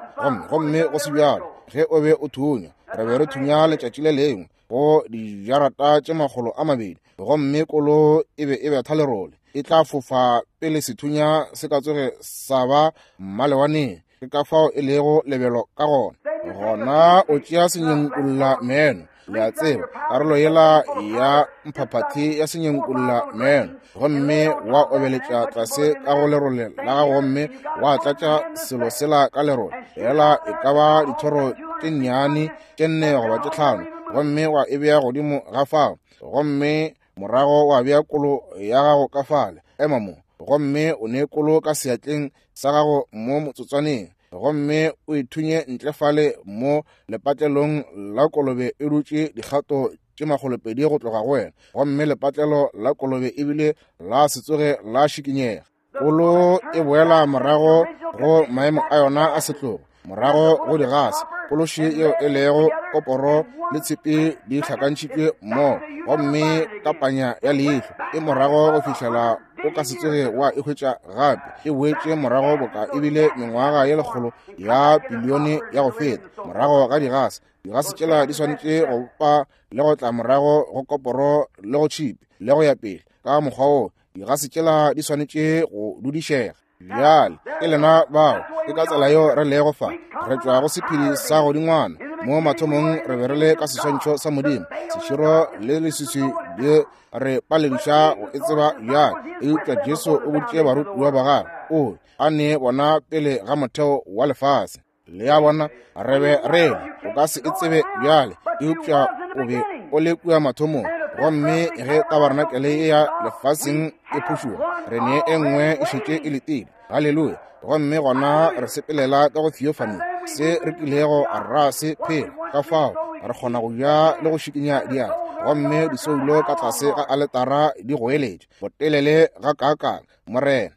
Speaker 1: Gomme go se bjalo, ge o be o thunya, re be re thunya letšatši le lengwe go dijarata tše 200, gomme kolo e be e betha lerole, e tla fofa pele sethunya se ka tsoge sa ba mmalewaneng. Ke ka fao e lego lebelo ka gona. Gona o tšea senyenkulla meno, le a tseba, karolo yela ya mphaphathi ya senyenkulla meno, gomme wa obeletša tlase ka go lerole la gago, gomme wa tlatša selo sela ka lerole, fela e ka ba dithoro tše nnyane tše 4 goba tše 5, gomme wa e bea godimo ga fao, gomme morago wa bea kolo ya gago ka fale. Ema mo, gomme o ne kolo ka seatleng sa gago mo motsotswaneng, gomme o e thunye ntle fale mo lepatlelong la kolobe e dutše dikgato tše 200 go tloga go wena, gomme lepatlelo la kolobe ebile la se tsoge la šikinyega. Kolo e boela morago go maemo a yona a setlogo, morago go digase. Pološi yeo e lego koporo le tshipi di hlakantšhitšwe mmogo, gomme ka panya ya leihlo e morago go fihlela O ka se tsoge wa e hwetša gape. E boetše morago boka e bile mengwaga ye lekgolo ya pilione ya go feta, morago ga digase. Digase tšela di swanetše go bopa le go tla morago go koporo le go tšhipi le go ya pele ka mokgwa wo. Digase tšela di swanetše go dudišega. Bjale ke lena bao, ke ka tsela yeo re lego fa. Re tšwa go sephedi sa godingwana. Mo mathomong re be re le ka seswantšho sa Modimo. Seširo le leswiswi di re palediša go e tseba bjale. Eupša Jesu o boditše barutiwa ba gagwe, o a ne bona pele ga motheo wa lefase. Le a bona, re be re le, o ka se e tsebe bjale, eupša o be o le kua mathomong. Gomme ge tabarenakele ye ya lefaseng e phušoga, re ne e nngwe e šetše e letile. Haleluya! Gomme gona re sepelela ka go theophany, se re kilego ra se phela. Ka fao re kgona go ja le go šikinya diatla, gomme disoulo ka tlase ga aletara di goeletša botelele gakaakang, Morena.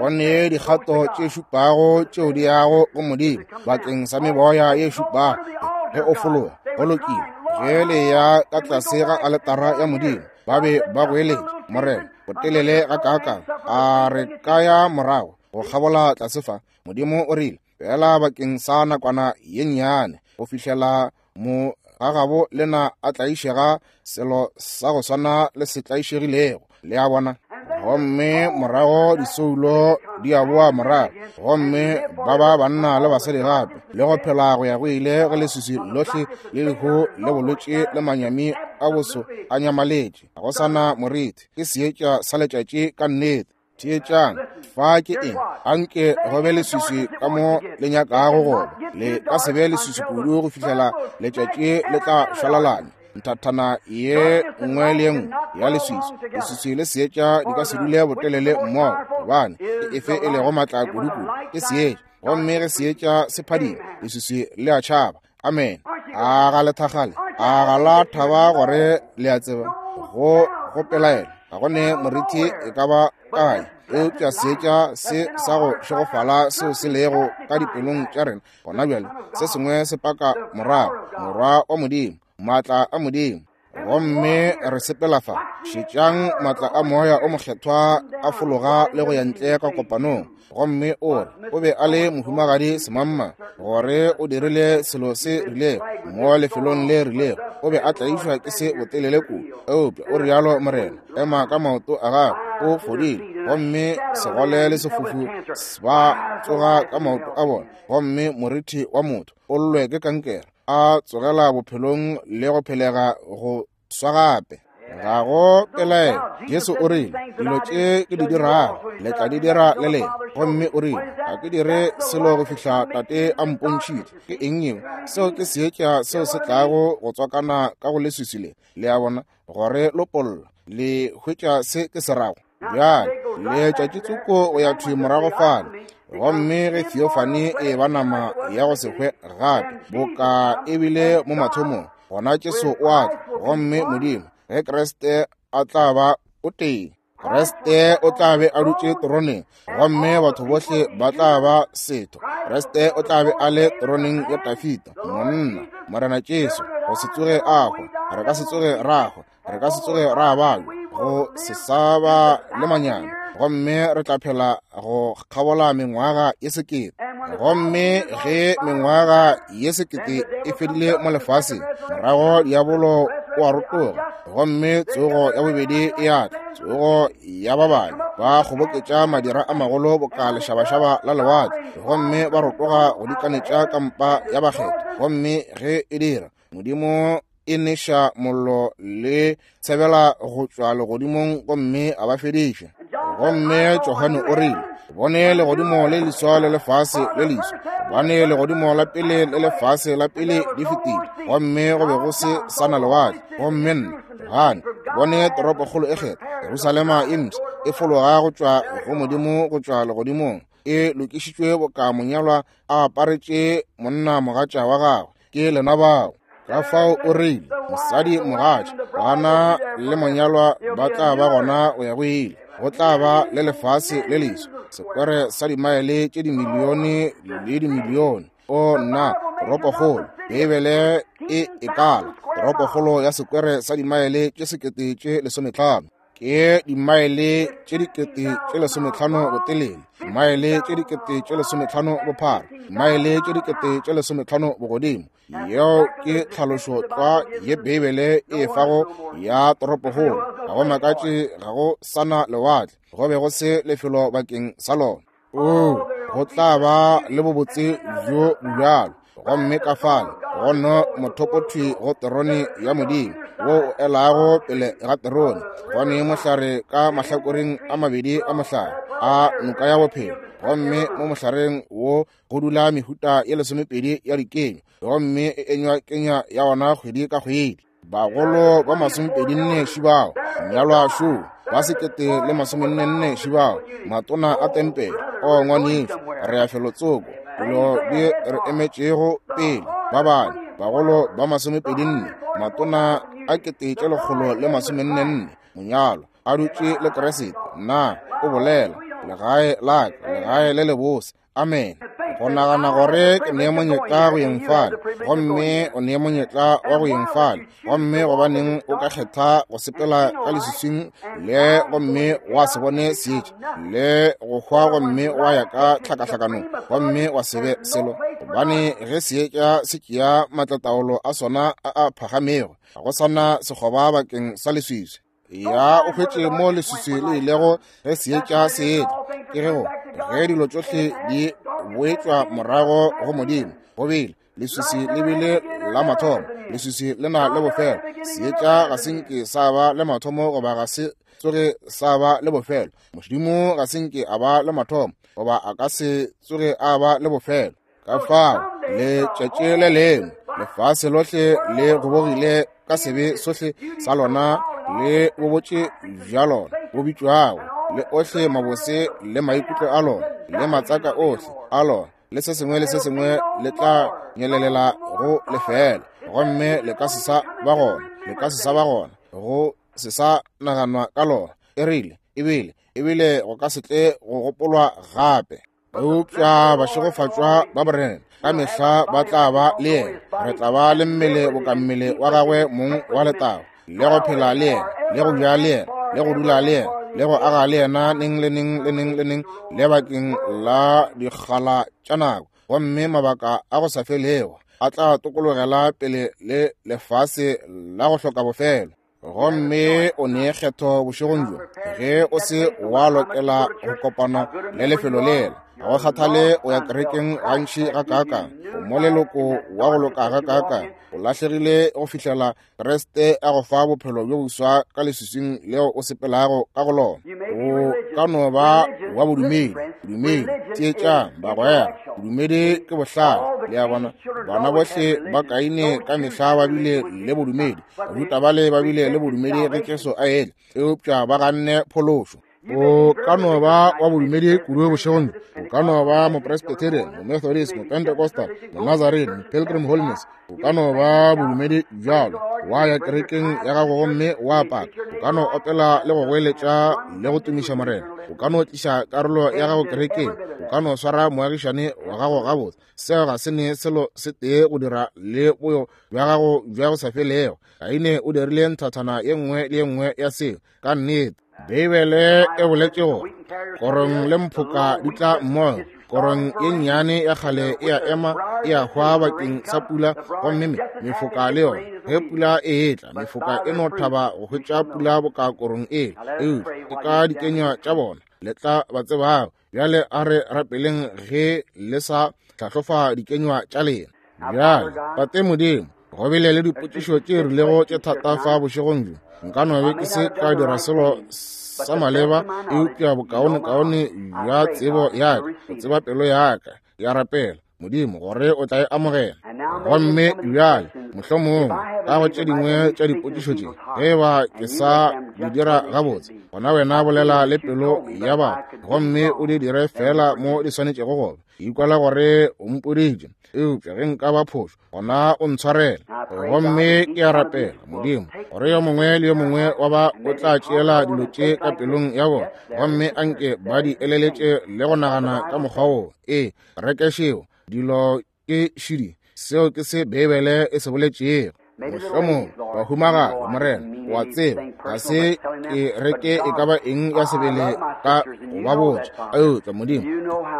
Speaker 1: Go ne dikgato tše šupago tšeo di yago go Modimo bakeng sa meboya ye šupago ge o fologa. Go lokile. Ge le ya ka tlase ga aletara ya Modimo, ba be ba goeletša, Morena, botelele gakaakang a re ka ya morago go kgabola tlase fa? Modimo o rile, Fela bakeng sa nakwana ye nnyane, go fihlela mo gagabo lena a tlaišega selo sa go swana le se tlaišegilego. Le a bona? Gomme morago disoulo di a boa morago, gomme ba ba banna le basadi gape, le go phela go ya go ile ge leswiswi lohle le lehu le bolwetši le manyami a boso a nyamaletše. Ga go sa na moriti, ke seetša sa letšatši ka nnete. Theetšang, fa ke eng? Anke go be leswiswi ka mo le nyakago go ba. Le ka se be leswiswi kudu go fihlela letšatši le tla šwalalanya nthathana ye nngwe le ye nngwe ya leswiswi. Leswiswi le seetša di ka se dule botelele mmogo, gobane ke efe e lego matla kudukudu? Ke seetša. Gomme ge seetša se phadima, leswiswi le a tšhaba. Amen. A ga le thakgale? A ga la thaba gore le a tseba? Go go pelaelo ga go ne morithi e ka ba kae, eupša seetša se sa go šegofala seo se lego ka dipelong tša rena gona bjale, se sengwe se paka morago Morwa wa Modimo, maatla a Modimo. Gomme re sepela fa. Šetšang maatla a Moya o Mokgethwa a fologa le go ya ntle ka kopanong. Gomme o re, o be a le mohumagadi semamma, gore o dirile selo se rilego mo lefelong le rilego. O be a tlaišwa ke se botelele kudu. Eupša o rialo Morena, ema ka maoto a gago, o fodile. Gomme segole le sefofu ba tsoga ka maoto a bona. Gomme morithi wa motho o llwe ke kankere, a tsogela bophelong le go phelega go swa gape. Ga go pelaelo, Jesu o rile, dilo tše ke di dirago le tla di dira le lena. Gomme o rile, ga ke dire selo go fihla Tate a mpontšhitše. Ke eng yeo? Seo ke seetša seo se tlago go tswakana ka go leswiswi le, le a bona, gore lopolla. Le hwetša se ke se rago? Bjale, letšatši tsoko go ya thwi morago fale, gomme ge theophany e ba nama ya go se hwe gape, boka e bile mo mathomong, gona Jesu o a tla, gomme Modimo, ge Kriste a tla ba o tee, Kriste o tla be a dutše teroneng, gomme batho bohle ba tla ba setho. Kriste o tla be a le teroneng ya Dafida, monna, Morena Jesu, go se tsoge a hwa. Re ka se tsoge ra hwa. Re ka se tsoge ra babja, go se sa ba le manyami, gomme re tla phela go kgabola mengwaga ye sekete. Gomme ge mengwaga ye sekete e fedile mo lefaseng, morago diabolo o a rotoga, gomme tsogo ya bobedi e a tla, tsogo ya ba babe ba kgoboketša madira a magolo boka lešabašaba la lewatle, gomme ba rotoga go dikanetša kampa ya bakgethwa. Gomme ge e dira, Modimo e neša mollo le tshebela go tšwa legodimong gomme a ba fediša. Gomme Johane o rile, bone legodimo le leswa le lefase le leswa, gobane legodimo la pele le lefase la pele di fetile, gomme go be go se sa na lewatle. Gomme nna, Johane, bone toropokgolo e kgethwa, Jerusalema e mpsha, e fologa go tšwa go Modimo go tšwa legodimong, e lokišitšwe boka monyalwa a aparetše monna mogatša wa gagwe. Ke lena bao. Ka fao o rile, mosadi mogatša, bana le monyalwa ba tla ba gona go ya go ile. Go tla ba le lefase le leswa, sekwere sa dimaele tše dimilione le dimilione. O nna, toropokgolo, Beibele e e kala, toropokgolo ya sekwere sa dimaele tše 15,000. Ke dimaele tše 15,000 botelele, maele tše 15,000 bophara, maele tše 15,000 bogodimo. Yeo ke tlhalošo tlwa ye Beibele e fago ya toropokgolo. Ga go makatše ga go sana lewatle, go be go se lefelo bakeng sa lona. Oo, go tla ba le bobotse bjo bjalo. Gomme ka fale go no mothopothwi go terone ya Modimo wo o elago pele ga terone, go ne mohlare ka mahlakoreng a mabedi a mohlare a noka ya bophelo, gomme mo mohlareng wo go dula mehuta ye 12 ya dikenyo, gomme e enywa kenya ya ona kgwedi ka kgwedi. Bagolo ba 24 šibao, mnyalwa šo, ba 1044 šibao, matona a tempele. O ngwanešu, re ya felotsoko, dilo di re emetšego pele. Ba bane, bagolo ba 24, matona a 144, monyalwa a dutše le Kriste. Na o bolela legae la ka, legae le lebose. Amen. Go nagana gore ke ne monyetla go yeng fale, gomme o ne monyetla wa go yeng fale, gomme gobaneng o ka kgetha go sepela ka leswiswing le gomme wa se bone seetša, le go hwa gomme wa ya ka tlhakahlakanong gomme wa se be selo? Gobane ge seetša se tšea maatlataolo a sona a a phagamego, ga go sana sekgoba bakeng sa leswiswi. Ya o hwetše mo leswiswi le ilego ge seetša se etla, ke ge go ge dilo tšohle di boetšwa morago go Modimo. Go bile leswiswi le bile la mathomo, leswiswi le na le bofelo. Seetša ga se nke sa ba le mathomo goba ga se tsoge sa ba le bofelo. Modimo ga se nke a ba le mathomo goba a ka se tsoge a ba le bofelo. Ka fao letšatši le lengwe lefase lohle le gobogile ka sebe sohle sa lona le bobotše bja lona bo bitšwago, le ohle mabose le maikutlo a lona le matsaka ohle a lona le se sengwe le se sengwe le tla nyelelela go lefela, gomme le ka se sa ba gona, le ka se sa ba gona, go se sa naganwa ka lona. E rile, ebile, ebile go ka se tle go gopolwa gape. Eupša bašegofatšwa ba Morena ka mehla ba tla ba le yena. Re tla ba le mmele boka mmele wa gagwe mong wa letago, le go phela le yena, le go ja le yena, le go dula le yena, le go aga le yena neng le neng le neng le neng, le bakeng la dikgala tša nako. Gomme mabaka a go sa felego a tla tokologela pele le lefase la go hloka bofelo. Gomme o ne kgetho bošegong bjo, ge o se wa lokela go kopana le lefelo lela. Ga go kgathale o ya kerekeng gantši gakaakang, o mo leloko wa go loka gakaakang, o lahlegile go fihlela Kriste a go fa bophelo bjo boswa ka leswiswing leo o sepelago ka go lona. O ka no ba wa bodumedi, bodumedi, theetšang bagwera, bodumedi ke bohlale. Le a bona, bana bohle ba Kaine ka mehla ba bile le bodumedi. Bajuda bale ba bile le bodumedi ge Jesu a etla, eupša ba ganne phološo. O ka no ba wa bodumedi kudu bošegong bjo. O ka no ba Mopresbyterian, Momethodist, Mopentecostal, Monazarene, Mopilgrim Holiness. O ka no ba bodumedi bjalo, wa ya kerekeng ya gago gomme wa paka. O ka no opela le go goeletša le go tumiša Morena. O ka no tliša karolo ya gago kerekeng. O ka no swara moagišane wa gago gabotse. Seo ga se ne selo se tee go dira le boyo bja gago bja go sa felego. Kaine o dirile nthathana ye nngwe le ye nngwe ya seo. Ka nnete, Beibele e boletše gore korong le mphoka di tla mmogo. Korong ye nnyane ya kgale e a ema, e a hwa bakeng sa pula, gomme mefoka le yona. Ge pula e etla, mefoka e no thaba go hwetša pula boka korong e, eupša ke ka dikenywa tša bona le tla ba tsebago. Bjale a re rapeleng ge le sa hlahlofa dikenywa tša lena. Bjale, Tate Modimo, go bile le dipotšišo tše rilego tše thata fa bošegong bjo. Nka no be ke se ka dira selo sa maleba, eupša bokaonekaone bja tsebo ya ka, go tseba pelo ya ka, ke a rapela, Modimo, gore o tla e amogela. Gomme bjale, mohlomongwe, ka go tše dingwe tša dipotšišo tše, ge e ba ke sa di dira gabotse, gona wena bolela le pelo ya batho, gomme o di dire feela mo di swanetšego go ba. Ke ikwela gore o mpoditše, eupša ge nka ba phošo, gona o ntshwarele. Gomme ke a rapela, Modimo, gore yo mongwe le yo mongwe wa ba o tla tšeela dilo tše ka pelong ya bona, gomme anke ba di eleletše le go nagana ka mokgwa wo. Ee, rekešeo, dilo ke šidi. Seo ke se Beibele e se boletšego. Mohlomong bahumagadi, Morena, O a tseba, ga se ke reke e ka ba eng ya sebele ka go ba botša. Eupša Modimo,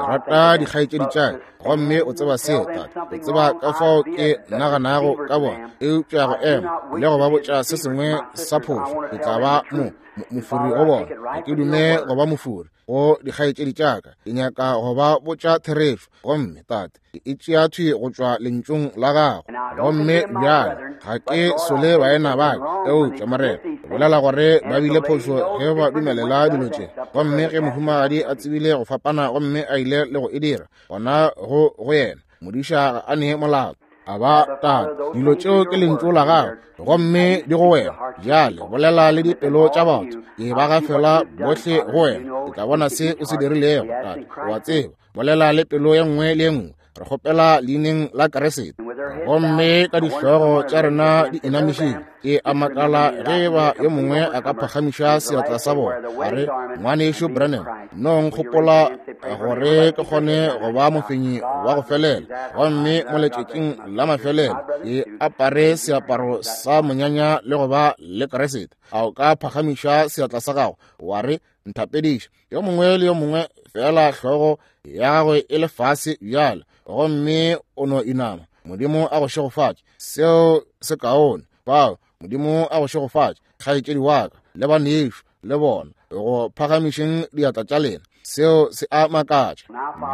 Speaker 1: ke rata dikgaetšedi tša ka, gomme o tseba seo, Tate. O tseba ka fao ke naganago ka bona. Eupša go ema le go ba botša se sengwe sa phošo, ke tla ba mofori go bona. Ga ke dume go ba mofori go dikgaetšedi tša ka. Ke nyaka go ba botša therešo. Gomme, Tate, ke e tšea thwi go tšwa lentšung la gago. Gomme bjale ga ke sole baena ba ka, eupša Morena, ke bolela gore ba bile phošo ge ba dumelela dilo tše. Gomme ge mohumagadi a tsebile go fapana gomme a ile le go e dira, gona go go yena modiša ga a ne molato. A ba, Tate, dilo tšeo ke lentšu la gago, gomme di go wena. Bjale bolela le dipelo tša batho, ke ba gafela bohle go wena. Ke tla bona se o se dirilego, Tate. O a tseba, bolela le pelo ye nngwe le ye nngwe. Re kgopela leineng la Kriste. Gomme ka dihlogo tša rena di inamišitše, ke a makala ge e ba yo mongwe a ka phagamiša seatla sa bona, a re, Ngwanešu Branham, no nkgopola gore ke kgone go ba mofenyi wa go felela, gomme mo letšatšing la mafelelo ke apare seaparo sa monyanya le go ba le Kriste. A o ka phagamiša seatla sa gago wa re, Nthapediše? Yo mongwe le yo mongwe fela hlogo ya gagwe e le fase bjale, gomme o no inama. Modimo a go šegofatše. Seo se kaone. Bao, Modimo a go šegofatše, kgaetšedi wa ka le banešu le bona, go phagamišeng diatla tša lena. Seo se a makatša.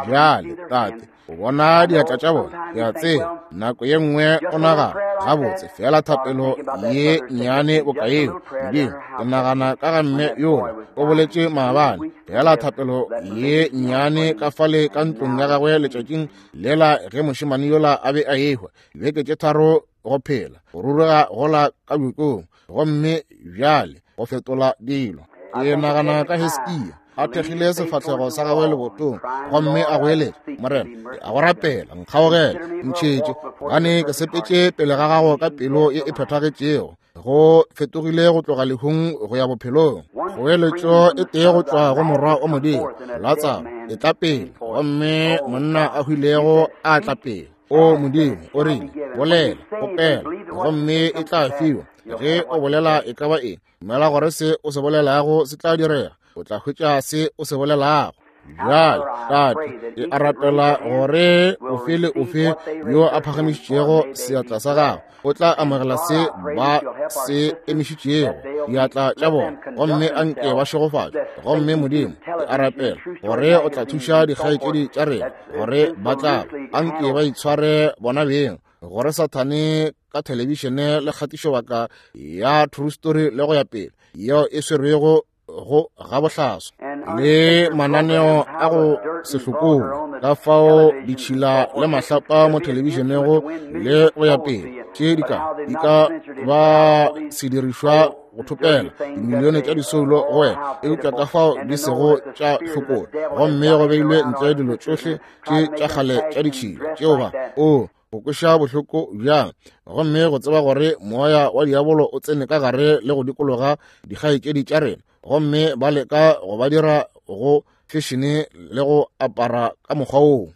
Speaker 1: Bjale, Tate, o bona diatla tša bona. Ke a tseba nako ye nngwe o nagana gabotse fela thapelo ye nnyane boka yeo. Modimo, ke nagana ka ga mme yola o boletše maabane, fela thapelo ye nnyane ka fale ka ntlong ya gagwe letšatšing lela ge mošemane yola a be a ehwa, dibeke tše 3 go phela, go ruruga gola ka bjokong, gomme bjale go fetola dilo. Ke nagana ka Hiskia a thekgile sefahlego sa gagwe lebotong gomme a goeletša, Morena, ke a go rapela, nkgaogele, ntšhetše, gobane ke sepetše pele ga gago ka pelo ye e phethagetšego. Go fetogile go tloga lehung go ya bophelong. Kgoeletšo e tee go tšwa go Morwa wa Modimo, Latsaro, e tla pele, gomme monna a hwilego a tla pele. O Modimo, o rile, bolela, kgopela, gomme e tla fiwa. Ge o bolela e ka ba eng, dumela gore se o se bolelago se tla direga, o tla hwetša se o se bolelago. Bjale, Tate, ke a rapela gore ofe le ofe yo a phagamišitšego seatla sa gagwe o tla amogela se ba se emišitšego diatla tša bona, gomme a nke ba šegofatšwe. Gomme Modimo, ke a rapela gore o tla thuša dikgaetšedi tša rena gore ba tla a nke ba itshware bona beng, gore Sathane ka thelebišene le kgatišobaka ya True Story le go ya pele yeo e swerwego go gabohlaswa le mananeo a go se hlokolo, ka fao ditšhila le mahlapa mo thelebišenego le go ya pele, tše di ka ba sedirišwa go thopela dimilione tša disoulo go wena, eupša ka fao di sego tša hlokola, gomme go beilwe ntle dilo tšohle tše tša kgale tša ditšhila tšeo ba o go kweša bohloko bjang, gomme go tseba gore moya wa diabolo o tsene ka gare le go dikologa dikgaetšedi tša rena, gomme ba leka go ba dira go fešene le go apara ka mokgwa woo.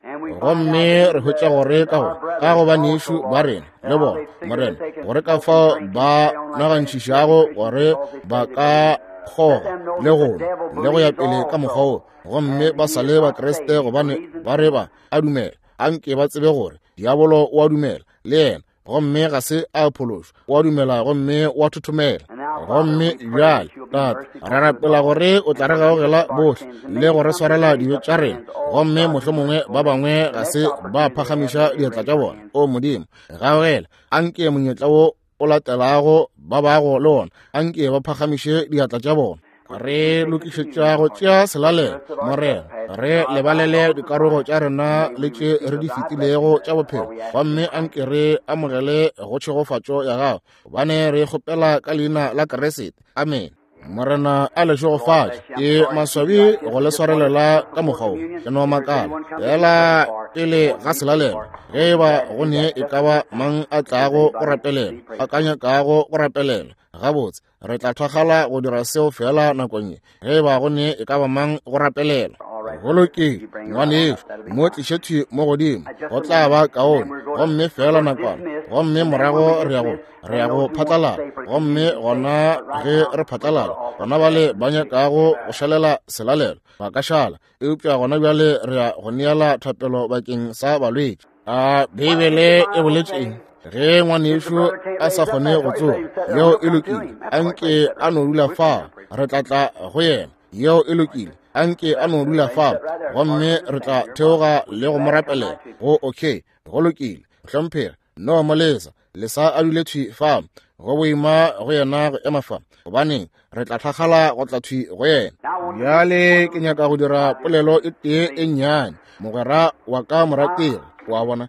Speaker 1: Gomme re hwetša gore ka go ka go banešu ba rena le bona, Morena, gore ka fao ba nagantšhišago gore ba ka kgoga le go nwa le go ya pele ka mokgwa woo, gomme ba sa le Bakriste gobane ba re ba a dumela. Anke ba tsebe gore diabolo o a dumela le yena, gomme ga se a phološwa. O a dumela gomme o a thothomela. Gomme bjale, Tate, re rapela gore o tla re gaogela bohle le go re swarela dibe tša rena. Gomme mohlomongwe ba bangwe ga se ba phagamiša diatla tša bona. O Modimo, gaogela. Anke monyetla wo o latelago ba bago le ona, anke ba phagamiše diatla tša bona. Re lokišetša go tšea selalelo, Morena, re lebalele dikarogo tša rena le tše re di fetilego tša bophelo, gomme anke re amogele go tšhegofatšo ya gago, gobane re kgopela ka leina la Kriste. Amen. Morena a le šegofatše. Ke maswabi go le swarelela ka mokgwa wo, ke no makala fela pele ga selalelo ge e ba go ne e ka ba mang a tlago go rapelela, a ka nyakago go rapelela. Gabotse, re tla thwagala go dira seo fela nakong ye, ge e ba go ne e ka ba mang go rapelela. Go lokile, ngwanešu, mo tliše thwi mo godimo, go tla ba kaone. Gomme fela nakwana Gomme morago re ya go re ya go phatlalala. Gomme gona ge re phatlalala, gona bale ba nyakago go šalela selalelo ba ka šala. Eupša gona bjale re ya go neela thapelo bakeng sa balwetši. A Beibele e boletše eng? Ge ngwanešu a sa kgone go tsoga, yeo e lokile, anke a no dula fa, re tla tla go yena. Yeo e lokile, anke a no dula fa, gomme re tla theoga le go mo rapelela. Go okay, go lokile, hlomphega, no mo lesa, lesa a dule thwi fa, go boima go yena go ema fa, gobaneng re tla tlhagala go tla thwi go yena. Bjale ke nyaka go dira polelo e tee e nnyane, mogwera wa ka morategi, wa bona.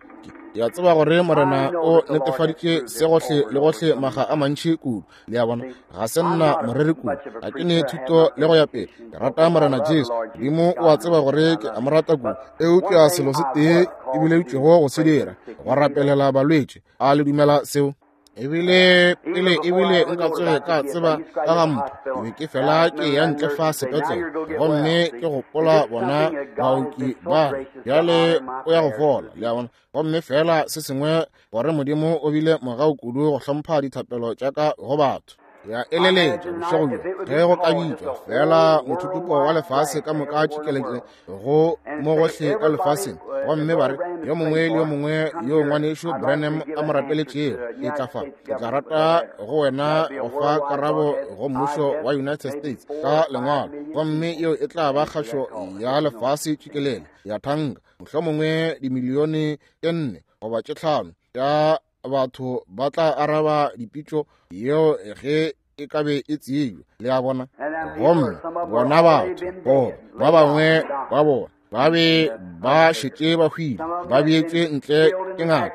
Speaker 1: Ke a tseba gore Morena o netefaditše se gohle le gohle maga a mantši kudu. Le a bona, ga se nna moreri kudu, ga ke ne thuto le go ya pele. Ke rata Morena Jesu, Modimo o a tseba gore ke a mo rata kudu. Eupša selo se tee ke bileditšwego go se dira, go rapelela balwetši. A le dumela seo? Ebile pele ebile nka tsoge ka tseba ka ga mpho, ke be ke fela ke ya ntle fa sepetlele, gomme ke gopola bona baoki ba bjale o ya go fola, le a bona. Gomme fela se sengwe gore Modimo o bile mogau kudu go hlompha dithapelo tša ka go batho. Ya eleletša bošego bjo ge go ka bitšwa fela mothutupo wa lefase ka moka tšikelekele go mo gohle ka lefaseng, gomme ba re yo mongwe le yo mongwe yo ngwanešu Branham a mo rapeletšego e tla fa, ke tla rata go wena go fa karabo go mmušo wa United States ka lengwalo, gomme yeo e tla ba kgašo ya lefase tšikelele ya thanka, mohlomongwe dimilione tše 4 goba tše 5 tša batho ba tla araba dipitšo yeo ge e ka be e tsebja. Le a bona? Gomme bona batho, goba ba bangwe ba bona ba be ba šetše ba hwile, ba beetšwe ntle ke ngaka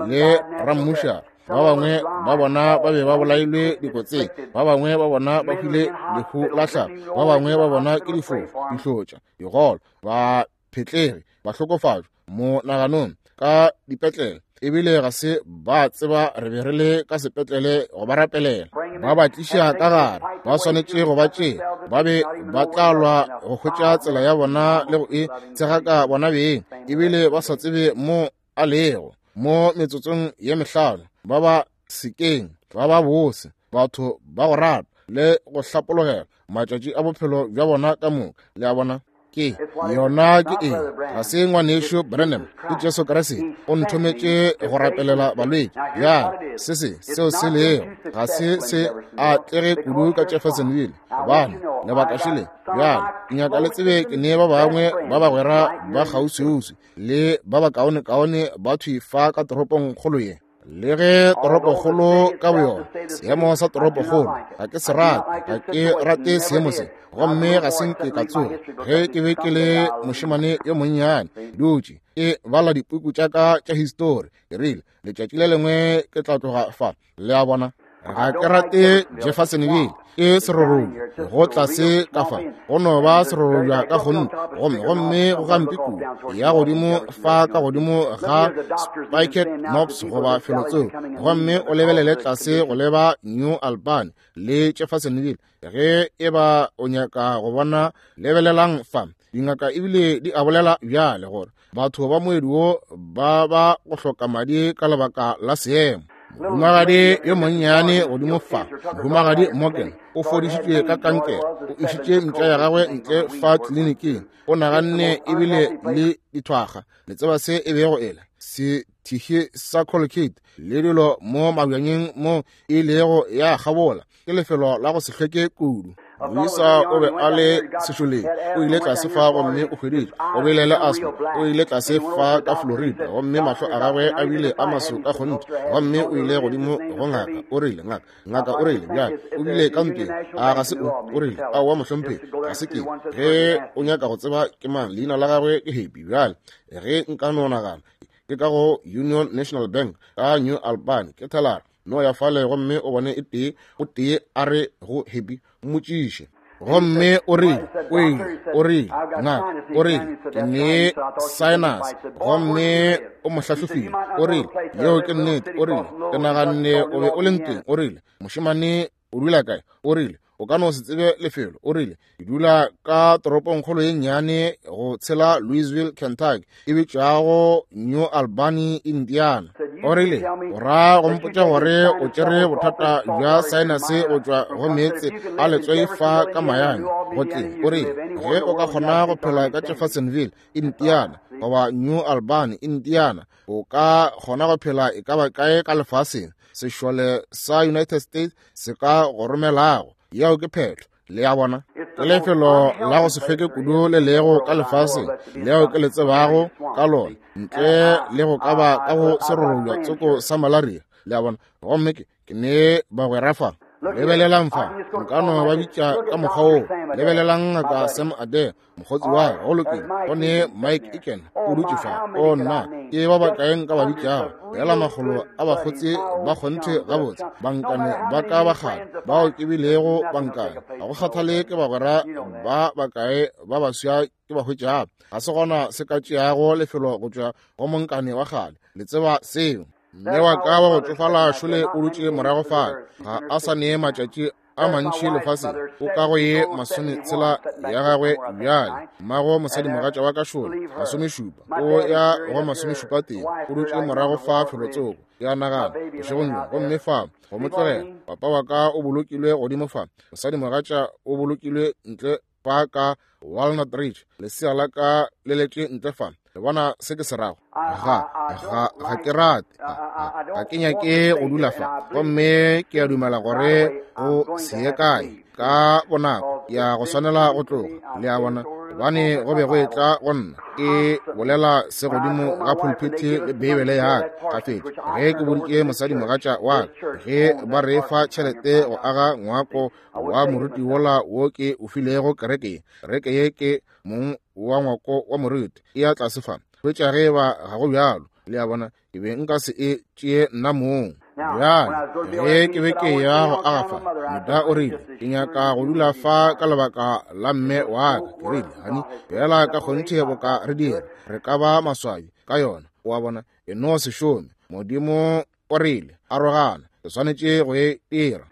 Speaker 1: le rammušara. Ba bangwe ba bona ba be ba bolailwe dikotsing, ba bangwe ba bona ba hwile lehu la tlhago, ba bangwe ba bona ke difofu, dihlotša, digolo, ba phetlege, ba hlokofatšwa mo naganong ka dipetlele, ebile ga se ba tseba re be re le ka sepetlele go ba rapelela. Ba ba tliša ka gare, ba swanetše go ba tšea, ba be ba tla lwa go hwetša tsela ya bona le go e tshegaka bona beng, ebile ba sa tsebe mo a lego. Mo metsotsong ye mehlano ba ba sekeng, ba ba bose, batho ba go rata le go hlapologela matšatši a bophelo bja bona ka moka. Le a bona? Ke yona ke eng? Ga se ngwanešu Branham, ke Jesu Kriste o nthometše go rapelela balwetši. Bjale se se seo se lego ga se se atlege kudu ka Jeffersonville, gobane lebaka šele. Bjale ke nyaka le tsebe ke ne ba bangwe ba bagwera ba kgauswiuswi le ba bakaonekaone ba thwi fa ka toropong kgolo ye. Le ge toropokgolo ka boyona, seemo sa toropokgolo, ga ke se rate, ga ke rate seemo se, gomme ga se nke ka tsoga. Ge ke be ke le mošemane yo monnyane, dutše ke bala dipuku tša ka tša histori, ke rile, letšatši le lengwe ke tla tloga fa. Le a bona? Ga ke rate Jeffersonville, ke serorobja go tlase ka fa, go no ba serorobja ka kgonthe, gomme gomme go gampe kudu ya godimo fa ka godimo ga Spiket Knobs goba felotsoko, gomme o lebelele tlase go leba New Albany le Jeffersonville. Ge e ba o nyaka go bona, lebelelang fa. Dingaka ebile di a bolela bjale gore batho ba moedi wo ba ba go hloka madi ka lebaka la seemo. Mohumagadi yo monnyane godimo fa, Mohumagadi Morgan, o fodišitšwe ka kankere, o išitše mpša ya gagwe ntle fa tleliniking, o naganne ebile le dithwaga, le tseba se e bego e le sethihi sa Colgate le dilo mo mabjanyeng mo e ilego ya kgabola, ke lefelo la go se hlweke kudu. Moisa o be a le sešoleng, o ile tlase fa gomme o hweditše o bile le asthma, o ile tlase fa ka Florida gomme mahlo a gagwe a bile a maso ka kgonthe, gomme o ile godimo go ngaka, o rile, ngaka, ngaka o rile, bjale o bile ka mpeng, a ga se o? O rile, aowa mohlomphegi, ga se ke. Ge o nyaka go tseba ke mang, leina la gagwe ke Happy. Bjale ge nka no nagana, ke ka go Union National Bank ka New Albany, ke thelara no ya fale gomme o bone e tee o tee a re go Happy, mmotšiše. Gomme o rile, o ile, o rile, ngaka, o rile, ke ne sinus, gomme o mo hlahlofile. O rile, yeo ke nnete. O rile, ke naganne o be o le ntweng. O rile, mošemane o dula kae? O rile, o ka no se tsebe lefelo. O rile, ke dula ka toropongkgolo ye nnyane go tshela Louisville, Kentucky, e bitšwago New Albany, Indiana. O rile, o ra go mpotša gore o tšere bothata bja saenase go tšwa go meetse a letswai fa ka Miami, go tle. O rile, ge o ka kgona go phela ka Jeffersonville, Indiana, goba New Albany, Indiana, o ka kgona go phela e ka ba kae ka lefaseng, sešole sa United States se ka go romelago. Yeo ke phetho. Le a bona, ke lefelo la go se hlweke kudu le lego ka lefaseng leo ke le tsebago ka lona, ntle le go ka ba ka go serorobja tsoko sa malaria. Le a bona, gomme ke ne bagwera fa. Lebelelang fa, nka no ba bitša ka mokgwa woo. Lebelelang Ngaka Sam Adair, mokgotsi wa ka, go lokile. Go ne Mike Eakin o dutše fa. O nna, ke ba bakae nka ba bitšago? Fela makgolo a bakgotsi ba kgonthe gabotse, bankane ba ka ba kgale bao ke bilego bankane. Ga go kgathale ke bagwera ba bakae ba baswa ke ba hwetšago, ga se gona se ka tšeago lefelo go tšwa go monkane wa kgale. Le tseba seo. Mme wa ka wa go tšofala šole o dutše morago fale, ga a sa ne matšatši a mantši lefaseng, o ka go ye 60 ya gagwe bjale. Mmago mosadimogatša wa ka šole 70, o ya go 71, o dutše morago fa felotsoko. Ke a nagana bošegong bjo, gomme fa go mo tlogela. Papa wa ka o bolokilwe godimo fa, mosadimogatša o bolokilwe ntle fa ka Walnut Ridge, lesea la ka le letše ntle fa. Le bona se ke se rago? Ga, ga, ga ke rate, ga, ga ke nyake go dula fa, gomme ke a dumela gore go se ye kae ka bonako ke ya go swanela go tloga. Le a bona, gobane go be go etla go nna ke bolela se godimo ga pulpiti le Beibele ya ka gafetša, ge ke boditše mosadimogatša wa ka, ge ba re fa tšhelete go aga ngwako wa moruti wola wo ke o filego kereke ye, kereke ye ke mong wa ngwako wa moruti, e ya tlase fa, hwetša ge ba ga go bjalo. Le a bona, ke be nka se e tšee nna mong. Bjale ge ke be ke ya go aga fa, Meda o rile, ke nyaka go dula fa ka lebaka la mme wa ka. Ke rile, hani, fela ka kgonthe boka re dira, re ka ba maswabi ka yona. O a bona, e no se šome. Modimo o rile, arogana, ke swanetše go e dira.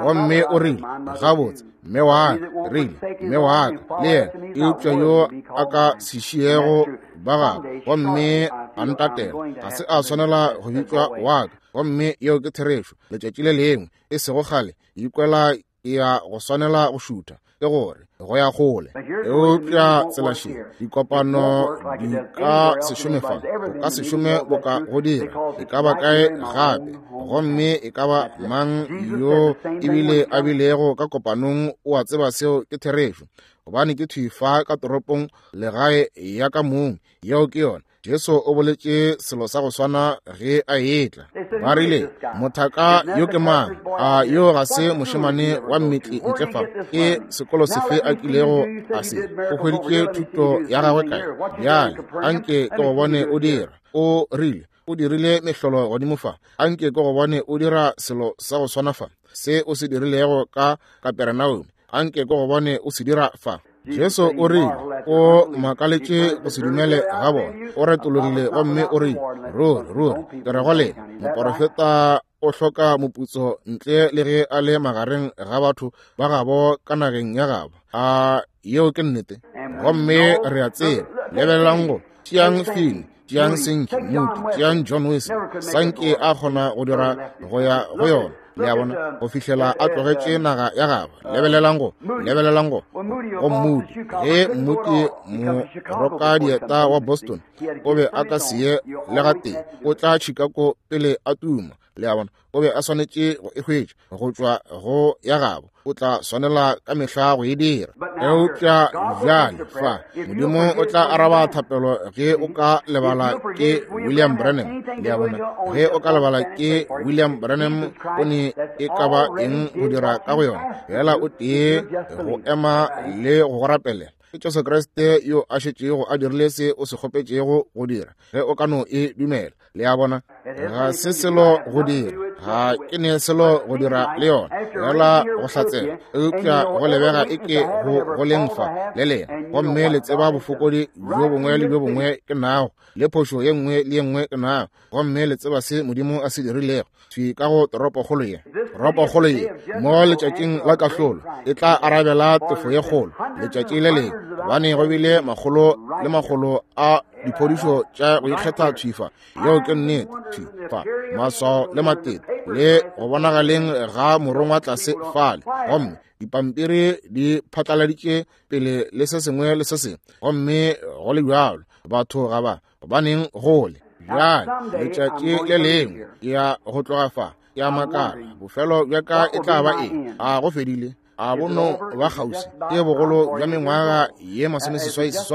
Speaker 1: Gomme o rile, gabotse, mme wa ka, ke rile, mme wa ka le yena, eupša yo a ka se šiego ba gagwe gomme a ntatela, ga se a swanela go bitšwa wa ka. Gomme yeo ke therešo. Letšatši le lengwe, e sego kgale, ikwela e ya go swanela go šutha, ke gore go ya kgole. Eupša tsela še, dikopano di ka se šome fa, o ka se šome boka go dira e ka ba kae gape. Gomme e ka ba mang yo ebile a bilego ka kopanong o a tseba seo ke therešo, gobane ke thwi fa ka toropong legae ya ka mong. Yeo ke yona. Jesu o boletše selo sa go swana ge a etla. Ba rile, mothaka yo ke mang? A yo ga se mošemane wa mmetli ntle fa? Ke sekolo sefe a kilego a se? O hweditše thuto ya gagwe kae? Bjale, anke ke go bone o dira. O rile, o dirile mehlolo godimo fa. Anke ke go bone o dira selo sa go swana fa, se o se dirilego ka Kaperenaume. Anke ke go bone o se dira fa. Jesu o rile, o makaletše go se dumele ga bona. O retologile gomme o rile, ruri, ruri, ke re go lena, moporofeta o hloka moputso ntle le ge a le magareng ga batho ba gabo ka nageng ya gabo. A yeo ke nnete? Gomme re a tseba. Lebelelang go tšeang Finn, tšeang Sankey, Moody, tšeang John Wesley. Sankey a kgona go dira go ya go yona, le a bona, go fihlela a tlogetše naga ya gagwe. Lebelelang go, lebelelang go, go Moody. Ge Moody morokadieta wa Boston o be a ka se ye le gatee, o tla Chicago pele a tuma. Le a bona, o be a swanetše go e hwetša go tšwa go ya gabo, o tla swanela ka mehla go e dira. Eupša bjale fa, Modimo o tla araba thapelo ge o ka lebala ke William Branham. Le a bona, ge o ka lebala ke William Branham, o ne e ka ba eng go dira ka go yona? Fela o tee go ema le go go rapelela. Ke Jesu Kriste yo a šetšego a dirile se o se kgopetšego go dira, ge o ka no e dumela. Le a bona, ga se selo go dira, ga ke ne selo go dira le yona, fela go hlatsela. Eupša go lebega e ke go go leng fa le lena, gomme le tseba bofokodi bjo bongwe le bjo bongwe ke nago, le phošo ye nngwe le ye nngwe ke nago, gomme le tseba se Modimo a se dirilego thwi ka go toropokgolo ye. Toropokgolo ye mo letšatšing la kahlolo e tla arabela tefo ye kgolo letšatši le lengwe, gobane go bile makgolo le makgolo a diphodišo tša go ikgetha thwi fa. Yeo ke nnete, thwi fa, maswao le matete le go bonagaleng ga morongwa tlase fale, gomme dipampiri di phatlaladitše pele le se sengwe le se sengwe, gomme go le bjalo batho ga ba gobaneng gole. Bjale letšatši le lengwe ke ya go tloga fa, ke a makala bofelo bja ka e tla ba eng. A go fedile? A bono ba kgauswi ke bogolo bja mengwaga ye 86,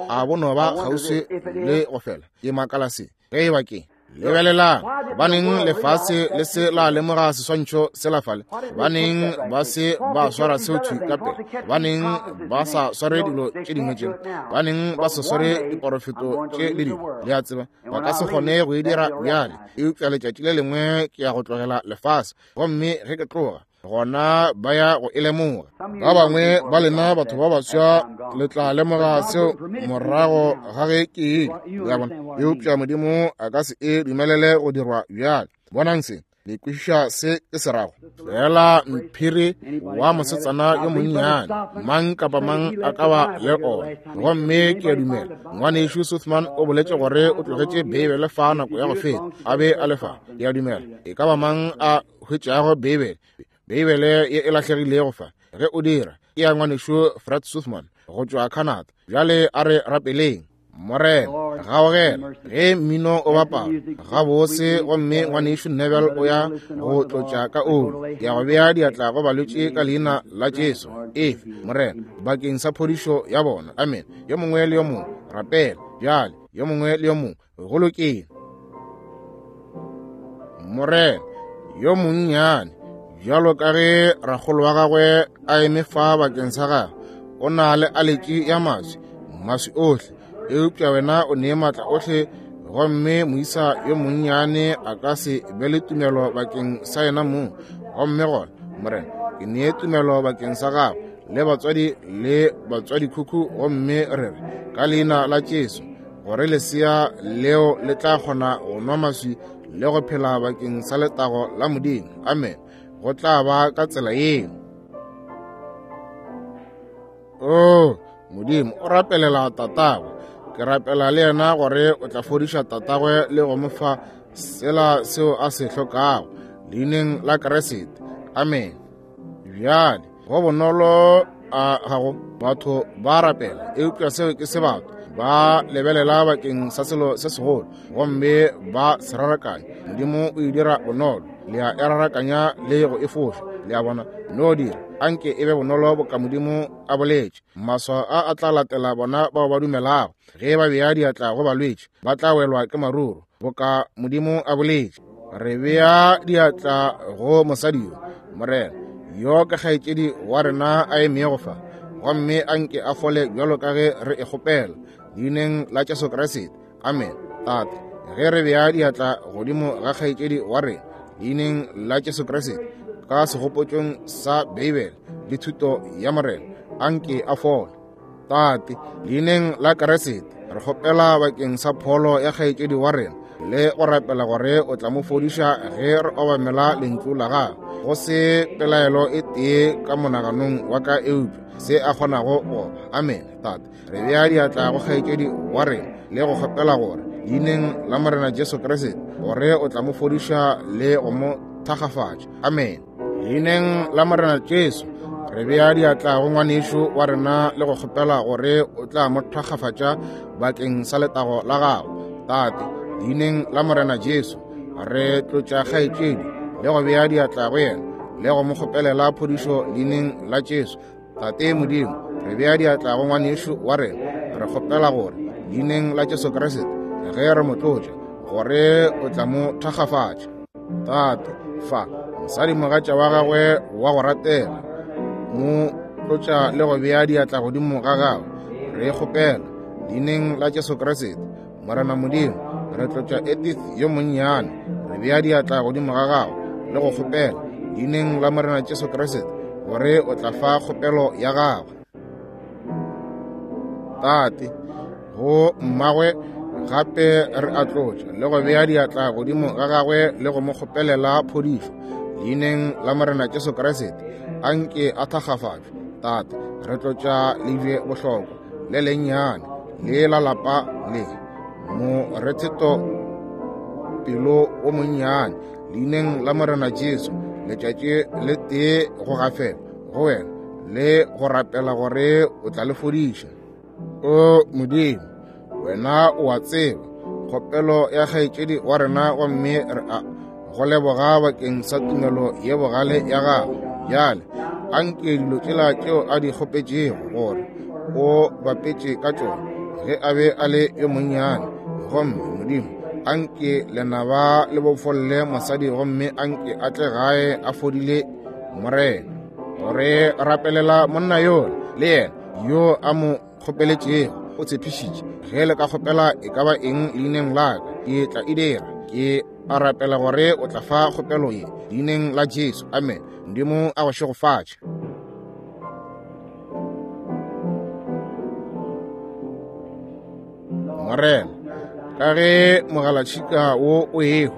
Speaker 1: a bono ba kgauswi le go fela? Ke makala se ge e ba ke lebelelang. Gobaneng lefase le se la lemoga seswantšho se la fale? Gobaneng ba se ba swara seo thwi ka pele? Gobaneng ba sa sware dilo tše dingwe tše? Gobaneng ba sa sware diporofeto tše le dilo? Le a tseba, ba ka se kgone go e dira bjale, eupša letšatši le lengwe ke ya go tlogela lefase, gomme ge ke tloga, gona ba ya go e lemoga. Ba bangwe ba lena batho ba baswa le tla lemoga seo morago ga ge ke ile, le a bona. Eupša Modimo a ka se e dumelele go dirwa bjale. Bonang se, le kwešiša se ke se rago? Fela mphiri wa mosetsana yo monnyane, mang kapa mang a ka ba le ona. Gomme ke a dumela ngwanešu Suthman o boletše gore o tlogetše Beibele fa nako ya go feta, a be a le fa. Ke a dumela e ka ba mang a hwetšago Beibele, Beibele ye e lahlegilego fa, ge o dira, ke ya ngwanešu Fred Suthman go tšwa Canada. Bjale a re rapeleng. Morena, gaogela ge mmino o bapala gabose, gomme ngwanešu Neville o ya go tlotša ka oli, ya go bea diatla go balwetši ka leina la Jesu. Efe, Morena, bakeng sa phodišo ya bona. Amen. Yo mongwe le yo mongwe rapela bjale, yo mongwe le yo mongwe. Go lokile. Morena yo monnyane, bjalo ka ge rakgolo wa gagwe a eme fa bakeng sa gagwe, o na le aletši ya maswi, maswi ohle, eupša wena o nee maatla ohle, gomme moisa yo monnyane a ka se be le tumelo bakeng sa yena mong. Gomme gona, Morena, ke nee tumelo bakeng sa gagwe le batswadi le batswadikhukhu, gomme re re ka leina la Jesu gore lesea leo le tla kgona go nwa maswi le go phela bakeng sa letago la Modimo. Amen. Go tla ba ka tsela yeo. Oh, Modimo o rapelela tatagwe. Ke rapela le yena gore o tla fodiša tatagwe le go mo fa sela seo a se hlokago, leineng la Kriste. Amen. Bjale go bonolo a gago batho ba rapela, eupša seo ke se batho ba lebelela bakeng sa selo se segolo gomme ba se rarakanya. Modimo o e dira bonolo, le a e rarakanya le go e foša. Le a bona? No dira anke e be bonolo boka Modimo a boletše. Maswao a a tla latela bona bao ba dumelago. Ge ba bea diatla go balwetši, ba tla welwa ke maruru, boka Modimo a boletše. Re bea diatla go mosadi yo, Morena, yo ke kgaetšedi wa rena a emego fa, gomme a nke a fole bjalo ka ge re e kgopela, leineng la Jesu Kriste. Amen. Tate, ge re bea diatla godimo ga kgaetšedi wa rena, leineng la Jesu Kriste, ka segopotšong sa Beibele le thuto ya Morena, a nke a fole. Tate, leineng la Kriste, re kgopela bakeng sa pholo ya kgaetšedi wa rena le go rapela gore o tla mo fodiša ge re obamela lentšu la gagwe. Go se pelaelo e tee ka monaganong wa ka eupša se a kgonago go ba. Amen. Tate, re bea diatla go kgaetšedi wa rena le go kgopela gore leineng la Morena Jesu Kriste gore o tla mo fodiša le go mo thakgafatša. Amen. Leineng la Morena Jesu re bea diatla go ngwanešu wa rena le go kgopela gore o tla mo thakgafatša bakeng sa letago la gago. Tate, leineng la Morena Jesu re tlotša kgaetšedi le go bea diatla go yena le go mo kgopelela phodišo leineng la Jesu. Tate Modimo, re bea diatla go ngwanešu wa rena, re kgopela gore leineng la Jesu Kriste ge re mo tlotša gore o tla mo thakgafatša. Tate, fa mosadi mogatša wa gagwe wa go ratega, mo tlotša le go bea diatla godimo ga gagwe, re kgopela leineng la Jesu Kriste. Morena Modimo, re tlotša Edith yo monnyane, re bea diatla godimo ga gagwe le go kgopela leineng la Morena Jesu Kriste gore o tla fa kgopelo ya gagwe. Tate, go mmagwe gape re a tlotša le go bea diatla godimo ga gagwe le go mo kgopelela phodišo leineng la Morena Jesu Kriste. A nke a thakgafatšwe. Tate, re tlotša lebje bohlokwa le lennyane le la lapa le. Moretheto pelo o monnyane, leineng la Morena Jesu, letšatši le tee go gafela go wena le go rapela gore o tla le fodiša. O Modimo, wena o a tseba kgopelo ya kgaetšedi wa rena, gomme re a go leboga bakeng sa tumelo ye bogale ya gago. Bjale anke dilo tšela tšeo a di kgopetšego gore o bapetše ka tšona ge a be a le yo monnyane. Gomme Modimo, anke lenaba le bofolle mosadi, gomme anke a tle gae a fodile, Morena. Gore rapelela monna yola le yena yo a mo kgopeletšego, o tshepišitše, ge le ka kgopela e ka ba eng leineng la ka, ke tla e dira. Ke a rapela gore o tla fa kgopelo ye leineng la Jesu. Amen. Modimo a go šegofatše. Morena, ka ge mogalatšhika wo o ehwa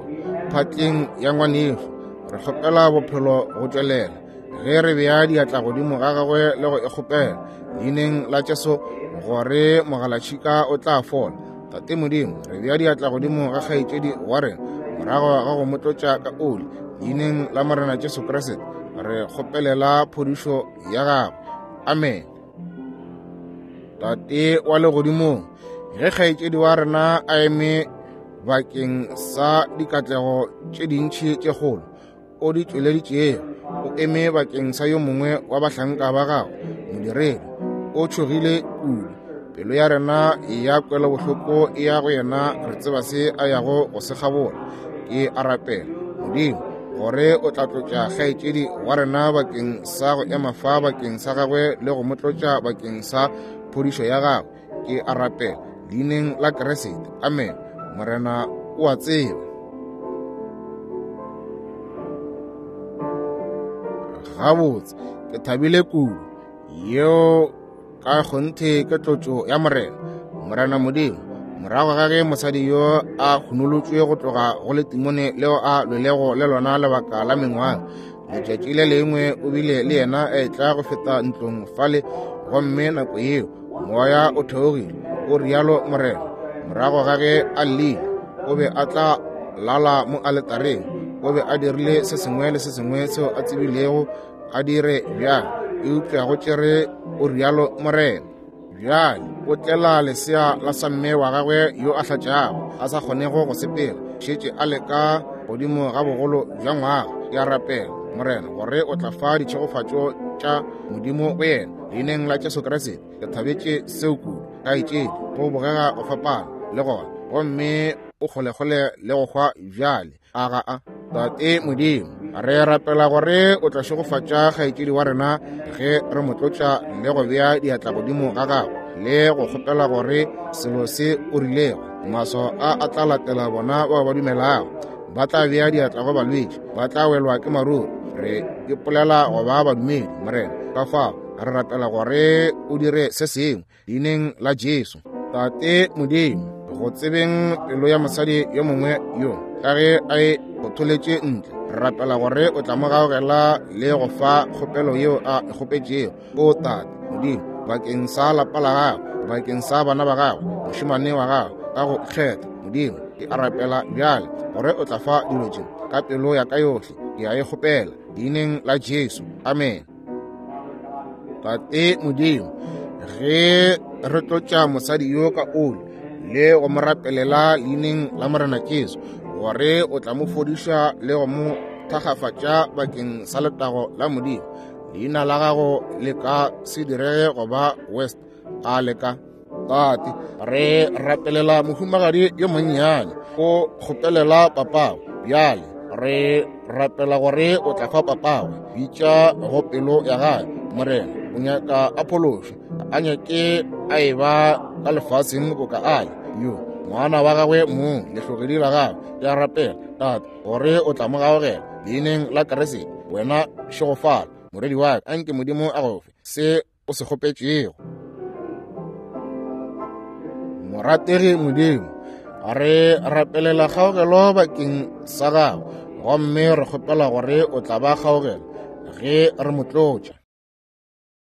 Speaker 1: phatleng ya ngwaneso, re kgopela bophelo go tšwelela ge re bea diatla godimo ga gagwe le go e kgopela leineng la Jesu gore mogalatšhika o tla fola. Tate Modimo, re bea diatla godimo ga kgaetšedi wa rena morago ga go mo tlotša ka oli leineng la Morena Jesu Kriste, re kgopelela phodišo ya gagwe. Amen. Tate wa legodimong, ge kgaetšedi wa rena a eme bakeng sa dikatlego tše dintši tše kgolo o di tšweleditšego, o eme bakeng sa yo mongwe wa bahlanka ba gagwe, modiredi, o tšhogile kudu. Pelo ya rena ya kwelobohloko e ya go yena, re tseba se a yago go se kgabola. Ke a rapela, Modimo, gore o tla tlotša kgaetšedi wa rena bakeng sa go ema fa bakeng sa gagwe le go mo tlotša bakeng sa phodišo ya gagwe. Ke a rapela leineng la Kriste. Amen. Morena o a tseba. Gabotse, ke thabile kudu. Yeo ka kgonthe ke tlotšo ya Morena. Morena Modimo, morago ga ge mosadi yo a hunolotšwe go tloga go letimone leo a lwelego le lona lebaka la mengwaga, letšatši le lengwe o bile le yena a etla go feta ntlong fale, gomme nako yeo moya o theogile, o rialo Morena. Morago ga ge a llile, o be a tla lala mo aletareng, o be a dirile se sengwe le se sengwe seo a tsebilego a dire bjang, eupša go tšere o rialo Morena. Bjale o tlela lesea la samme wa gagwe yo a hlatšago, a sa kgonego go sepela, šetše a leka godimo ga bogolo bja ngwaga. Ke a rapela, Morena, gore o tla fa ditšhegofatšo tša Modimo go yena leineng la Jesu Kriste. Ke thabetše seo kudu, kgaetšedi, go bogega go fapana le gona, gomme o kgolekgole le go hwa bjale. A ga a? Tate Modimo, re rapela gore o tla šegofatša kgaetšedi wa rena ge re mo tlotša le go bea diatla godimo ga gagwe le go kgopela gore selo se o rilego maswao a a tla latela bona bao ba dumelago. Ba tla bea diatla go balwetši, ba tla welwa ke maruri. Re ipolela go ba badumedi, Morena. Ka fao re rapela gore o dire se sengwe leineng la Jesu. Tate Modimo, go tsebeng pelo ya mosadi yo mongwe yo ka ge a e otholetše ntle, re rapela gore o tla mo gaogela le go fa kgopelo yeo a e kgopetšego. O Tate Modimo, bakeng sa lapa la gagwe, bakeng sa bana ba gagwe, mošemane wa gagwe ka go kgetha, Modimo, ke a rapela bjale gore o tla fa dilo tše ka pelo ya ka yohle. Ke a e kgopela leineng la Jesu. Amen. Tate Modimo, ge re tlotša mosadi yo ka oli le go mo rapelela leineng la Morena Jesu, gore o tla mo fodiša le go mo thakgafatša bakeng sa letago la Modimo. Leina la gago le ka se direge go ba West, a le ka? Tate, re rapelela mohumagadi yo monnyane, o kgopelela papagwe. Bjale re rapela gore o tla fa papagwe bitša go pelo ya gagwe. Morena, o nyaka a phološwe, a nyake a e ba ka lefaseng boka a le yo ngwana wa gagwe mong, lehlogedi la gagwe. Ke a rapela, Tate, gore o tla mo gaogela leineng la Kriste. Wena šegofala, moredi wa ka, anke Modimo a go fe se o se kgopetšego. Morategi Modimo, re rapelela kgaogelo bakeng sa gago, gomme re kgopela gore o tla ba kgaogela ge re mo tlotša.